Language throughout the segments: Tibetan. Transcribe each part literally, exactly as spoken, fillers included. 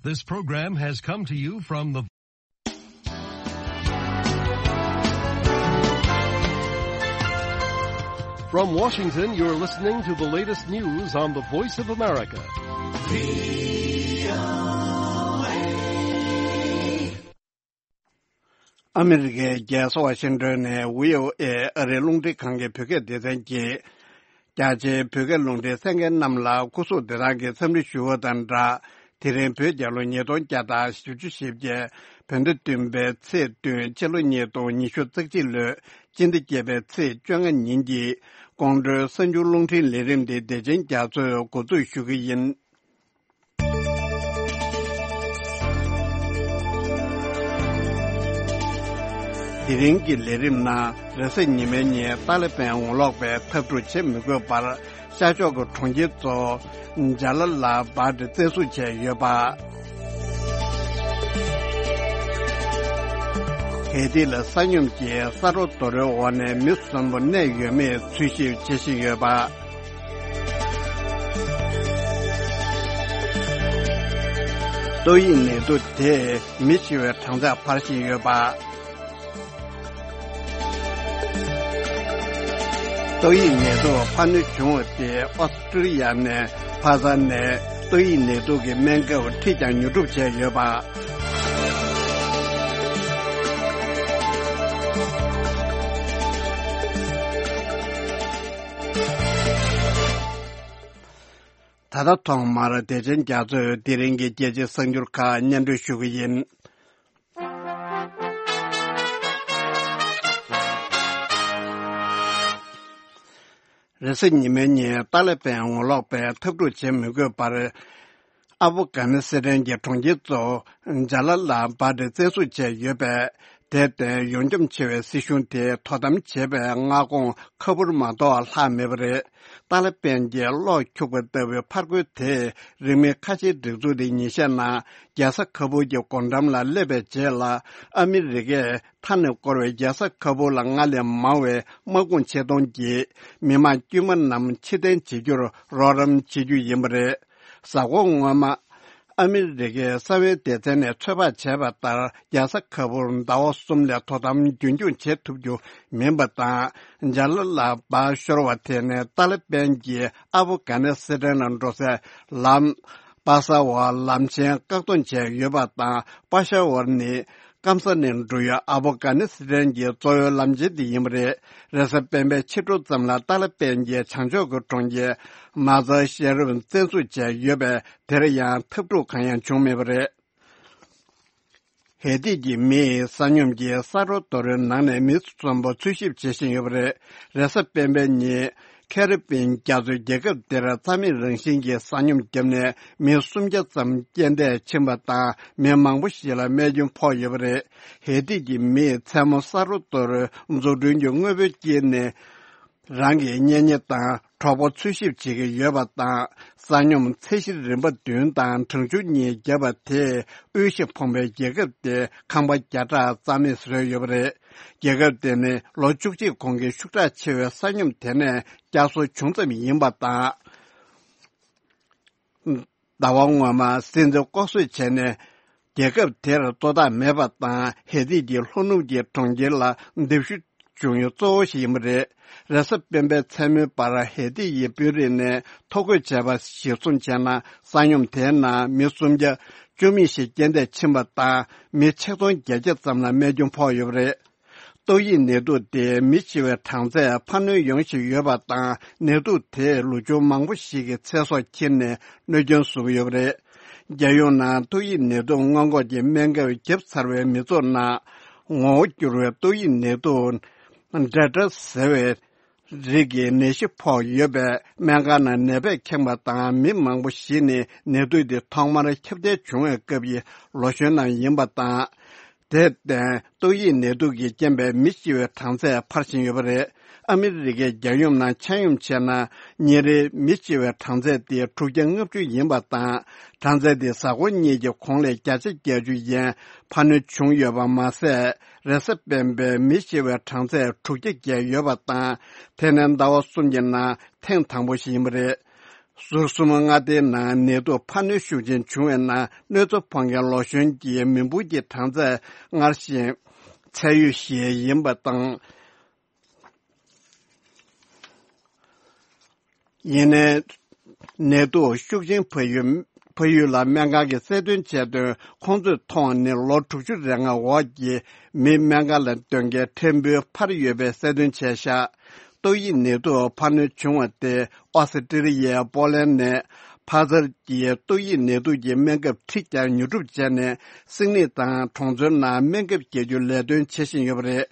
This program has come to you from the From Washington, you're listening to the latest news on the Voice of America. ཨ་མི་རི་ཀའི་རྒྱལ་ས་ཝ་ཤིང་ཏོན་ནས་བྷི་ཨོ་ཨེ་ཨ་རིའི་རླུང་འཕྲིན་ཁང་གི་བོད་སྐད་སྡེ་ཚན་གྱིས། རྒྱ་ཆེའི་བོད་སྐད་རླུང་འཕྲིན་གསན་མཁན་རྣམས་ལ་སྐུ་གཟུགས་བདེ་ཐང་གི་འཚམས་འདྲི་ཞུ་བ་དང་སྦྲགས། དེ་རིང་བོད་རྒྱལ་ལོ་ཉིས་སྟོང་བརྒྱ་དང་བཞི་བཅུ་ཞེ་བརྒྱད། བོད་ཟླ་བདུན་པའི་ཚེས་བདུན། ཕྱི་ལོ་ཉིས་སྟོང་ཉི་ཤུ་རྩ་གཅིག་ལོའི་སྤྱི་ཟླ་བརྒྱད་པའི་ཚེས་བཅོ་ལྔ་ཉིན་གྱི་ཀོང་སྤྲུལ་གསར་འགྱུར་རླུང་འཕྲིན་ལས་རིམ་འདི་བདེ་ཆེན་རྒྱ་མཚོས་འགོ་འཛུགས་ཞུ་གི་ཡིན། དེ་རིང་གི་ལས་རིམ་ནང་རེས་གཟའ་ཉི་མའི་ཉིན་ཏཱ་ལི་པན་ངོ་ལོག་པས་འཐབ་འཁྲུག་བྱེད་མི་དགོས་པར་ཤར་ཕྱོགས་ཀྱི་གྲོང་ཁྱེར་གཙོ་བོ་ཇཱ་ལ་ལ་བཱད་བཙན་བཟུང་བྱས་ཡོད་པ། ཧེ་ཏི་ལ་ས་སྙོམས་ཀྱི་ས་རོ་རྡོ་རོའི་འོག་ནས་མི་གསོན་པོ་གནས་ཡོད་མེད་འཚོལ་ཞིབ་བྱེད་བཞིན་ཡོད་པ། ཏོག་དབྱིབས་ནད་དུག་དེས་མི་ཤི་བའི་གྲངས་ཚད་འཕར་བཞིན་ཡོད་པ། ཏོག་དབྱིབས་ནད་དུག་འཕར་སྣོན་བྱུང་བ་དེས་ཨོ་སི་ཀྲི་ཡ་ནས་ཕ་ས་ནས་ཏོག་དབྱིབས་ནད་དུག་གི་སྨན་ཁབ་ཁྲིད་ཀྱང་ཉོ་སྒྲུབ་བྱས་ཡོད་པ། ད་ལྟ་ཐོག་མར་བདེ་ཆེན་རྒྱ་མཚོས་དེ་རིང་གི་རྒྱལ་སྤྱིའི་གསར་འགྱུར་ཁག་སྙན་སྒྲོན་ཞུ་གི་ཡིན། རེས་གཟའ་ཉི་མའི་ཉིན་ཏཱ་ལི་པན་ངོ་ལོག་པས་འཐབ་འཁྲུག་བྱེད་མི་དགོས་པར། ཨ་ཕོ་གྷ་ནི་སི་ཐན་གྱི་གྲོང་ཁྱེར་གཙོ་བོ་ཇཱ་ལ་ལ་བཱད་བཙན་བཟུང་བྱས་ཡོད་པས། དེར་བརྟེན་ཡོངས་འཁྱོངས་ཆེ་བའི་སྲིད་གཞུང་དེས་དོ་དམ་བྱེད་པའི་མངའ་ཁོངས་ཁ་འབུར་མ་གཏོགས་ལྷག་མེད་པ་རེད། ཏཱ་ལི་པན་གྱིས་གློག་འཁྱུག་པ་ལྟ་བུའི་ཕར་རྒོལ་དེས་རིང་མིན་ཁ་ཆེའི་སྒྲིག་འཛུགས་དེ་ཉེས་ཆད་ནང་རྒྱལ་ས་ཁ་བུར་གྱི་སྒོ་འགྲམ་ལ་སླེབས་པའི་རྗེས་ལ། ཨ་མི་རི་ཀས་མཐའ་ནས་བསྐོར་བའི་རྒྱལ་ས་ཁ་བུར་ལ་སྔར་ལས་མང་བའི་དམག་དཔུང་ཆེད་གཏོང་གིས་མི་མང་དཀྱུས་མ་རྣམས་ཕྱིར་འཐེན་བྱེད་རྒྱུར་རོགས་རམ་བྱེད་རྒྱུ་ཡིན་པ་རེད། གཟའ་འཁོར་སྔོན་མ། ཨ་མི་རི་ཀའི་གསང་བའི་སྡེ་ཚན་ནས་ཚོད་དཔག་བྱས་པ་ལྟར། རྒྱལ་ས་ཁ་བུར་ཟླ་བ་གསུམ་ལས་དོ་དམ་རྒྱུན་འཁྱོངས་བྱེད་ཐུབ་རྒྱུ་མིན་པ་དང་། ཇཱ་ལ་ལ་བཱད་ཤོར་བ་དེ་ནི་ཏཱ་ལི་པན་གྱིས་ཨ་ཕོ་གྷ་ནི་སི་ཐན་ལ་འགྲོ་སའི་ལམ། པ་ས་ཝར་ལམ་ཆེན་བཀག་སྡོམ་བྱས་ཡོད་པ་དང་། པ་ཤ་ཝར་ནི་སྐམ་ས་ནས་འགྲོ་ཡུལ་ཨ་ཕོ་གྷ་ནི་སི་ཐན་གྱི་གཙོ་བོའི་ལམ་ཆེན་དེ་ཡིན་པ་རེད། རེས་གཟའ་སྤེན་པའི་ཕྱི་དྲོ་ཙམ་ལ་ཏཱ་ལི་པན་གྱིས་བྱང་ཕྱོགས་ཀྱི་གྲོང་ཁྱེར་མ་ཛར་ཤེ་རིབ་བཙན་བཟུང་བྱས་ཡོད་པས། དེར་ཡང་འཐབ་འཁྲུག་གང་ཡང་བྱུང་མེད་པ་རེད། ཧེ་ཏི་གི་མིས་ས་སྙོམས་ཀྱི་ས་རོ་རྡོ་རོའི་ནང་ནས་མི་གསོན་པོ་འཚོལ་ཞིབ་བྱེད་བཞིན་ཡོད་པ་རེད། རེས་གཟའ་སྤེན་པའི་ཉིན། ཁེ་རི་པིན་རྒྱ་མཚོའི་རྒྱལ་ཁབ་དེར་རྩ་མེད་རང་བཞིན་གྱིས་ས་སྙོམས་བརྒྱབ་ནས་མི་སུམ་བརྒྱ་ཙམ་རྐྱེན་འདས་ཕྱིན་པ་དང་། མི་མང་པོ་ཞིག་ལ་རྨས་སྐྱོན་ཕོག་ཡོད་པ་རེད། ཧེ་ཏི་གི་མིས་མཚན་མོ་ས་རོ་རྡོ་རོའི་འཛུགས་སྐྲུན་གྱི་དངོས་པོའི་དཀྱིལ་ནས། རང་གི་གཉེན་ཉེ་དང་གྲོགས་པོ་འཚོལ་ཞིབ་བྱེད་ཀྱི་ཡོད་པ་དང་། ས་སྙོམས་ཚད་གཞི་རིམ་པ་བདུན་དང་གྲངས་ཆུང་གཉིས་བརྒྱབ་པ་དེས་དབུལ་ཞིང་ཕོངས་པའི་རྒྱལ་ཁབ་དེའི་ཁང་པ་བརྒྱ་ཕྲག་རྩ་མེད་བཟོས་ཡོད་པ་རེད། རྒྱལ་ཁབ་དེ་ནི་ལོ་བཅུ་གཅིག་གོང་གི་ཤུགས་དྲག་ཆེ་བའི་ས་སྙོམས་དེ་ནས་བསྐྱར་གསོ་བྱུང་ཙམ་ཡིན་པ་དང་། ཟླ་བ་སྔོན་མ་སྲིད་འཛིན་ལྐོག་གསོད་བྱས་ནས། རྒྱལ་ཁབ་དེར་གཙོ་བདག་མེད་པ་དང་། ཧེ་ཏི་གི་ལྷོ་ནུབ་ཀྱི་གྲོང་ཁྱེར་ལ་རྡིབ་ཤུལ་བྱུང་ཡུལ་གཙོ་བོ་ཞིག་ཡིན་པ་རེད། རེས་གཟའ་སྤེན་པའི་མཚན་མོའི་བར་ཧེ་ཏི་ཡི་དཔོན་རིགས་ནས་ཐོ་འགོད་བྱས་པ་གཞིར་བཟུང་བྱས་ན། ས་སྙོམས་དེའི་ནང་མི་སུམ་བརྒྱ་བཅུ་མེད་ཞིག་རྐྱེན་འདས་ཕྱིན་པ་དང་། མི་ཆིག་སྟོང་བརྒྱད་བརྒྱ་ཙམ་ལ་རྨས་སྐྱོན་ཕོག་ཡོད་པ་རེད། ཏོག་དབྱིབས་ནད་དུག་དེས་མི་ཤི་བའི་གྲངས་ཚད་འཕར་སྣོན་ཡོང་བཞིན་ཡོད་པ་དང་། ནད་དུག་དེས་ལོ་ཆུང་མང་པོ་ཞིག་གི་ཚེ་སྲོག་ཁྱེར་ནས་གནོད་སྐྱོན་བཟོ་གི་ཡོད་པ་རེད། རྒྱལ་ཡོངས་ནང་ཏོག་དབྱིབས་ནད་དུག་སྔོན་འགོག་གི་སྨན་ཁབ་བརྒྱབ་ཚར་བའི་མི་ཚོགས་ནང་ངོ་བོ་འགྱུར་བའི་ཏོག་དབྱིབས་ནད་དུག་ཌེལ་ཊ་ཟེར་བའི་རིགས་ཀྱི་ནད་གཞི་ཕོག་ཡོད་པས། སྨན་ཁང་ནང་ནད་པས་ཁེངས་པ་དང་། མི་མང་པོ་ཞིག་ནི་ནད་དུག་འདི་ཐོག་མར་ཁྱབ་གདལ་བྱུང་བའི་སྐབས་ཀྱི་ལོ་གཞོན་རྣམས་ཡིན་པ་དང་། དེར་བརྟེན་ཏོག་དབྱིབས་ནད་དུག་གི་རྐྱེན་པས་མི་ཤི་བའི་གྲངས་ཚད་འཕར་བཞིན་ཡོད་པ་རེད། ཨ་མི་རི་ཀའི་རྒྱལ་ཡོངས་ནང་ཆ་སྙོམས་བྱས་ན། ཉིན་རེའི་མི་ཤི་བའི་གྲངས་ཚད་དེ་དྲུག་བརྒྱ་ལྔ་བཅུ་ཡིན་པ་དང་། གྲངས་ཚད་དེ་གཟའ་འཁོར་གཉིས་ཀྱི་གོང་ལས་བརྒྱ་ཆ་བརྒྱད་ཅུ་ཡན་འཕར་སྣོན་བྱུང་ཡོད་པ་མ་ཟད། རེས་གཟའ་སྤེན་པའི་མི་ཤི་བའི་གྲངས་ཚད་དྲུག་བརྒྱ་བརྒལ་ཡོད་པ་དང་། དེ་ནི་ཟླ་བ་གསུམ་གྱི་ནང་ཐེངས་དང་པོ་ཞིག་ཡིན་པ་རེད། ཟུར་གསུམ་མངའ་སྡེའི་ནང་ནད་དུག་འཕར་སྣོན་ཤུགས་ཆེན་བྱུང་བའི་ནང་གནོད་འཚེ་ཕོག་མཁན་ལོ་གཞོན་གྱི་མི་འབོར་གྱི་གྲངས་ཚད་སྔར་བཞིན་ཚད་ཡོད་བཞི་ཡིན་པ་དང་། ཡིན་ནའི། ནད་དུག་ཤུགས་ཆེན་འཕར་ཡུལ་འཕར་ཡུལ་ལ་སྨན་ཁང་གིས་གསལ་སྟོན་བྱས་དོན། ཁོང་ཚོས་མཐོང་བ་ནི་ལོ་དྲུག་ཅུ་རེ་ལྔ་འོག་གི་མི་སྨན་ཁང་ལ་སྟོན་མཁན་ཕྲན་བུ་འཕར་ཡོད་པའི་གསལ་སྟོན་བྱས་ཤག་ཏོག་དབྱིབས་ནད་དུག་འཕར་སྣོན་བྱུང་བ་དེ་ཨོ་སི་ཀྲི་ལི་ཡའི་པོ་ལན་ནས་ཕ་ཛར་གྱི་ཏོག་དབྱིབས་ནད་དུག་གི་སྨན་ཁབ་ཁྲི་བརྒྱ་ཉོ་སྒྲུབ་བྱས་ནས། སིད་ནི་དང་གྲོང་ཚོའི་ནང་སྨན་ཁབ་བརྒྱབ་རྒྱུའི་ལས་དོན་བྱེད་བཞིན་ཡོད་པ་རེད།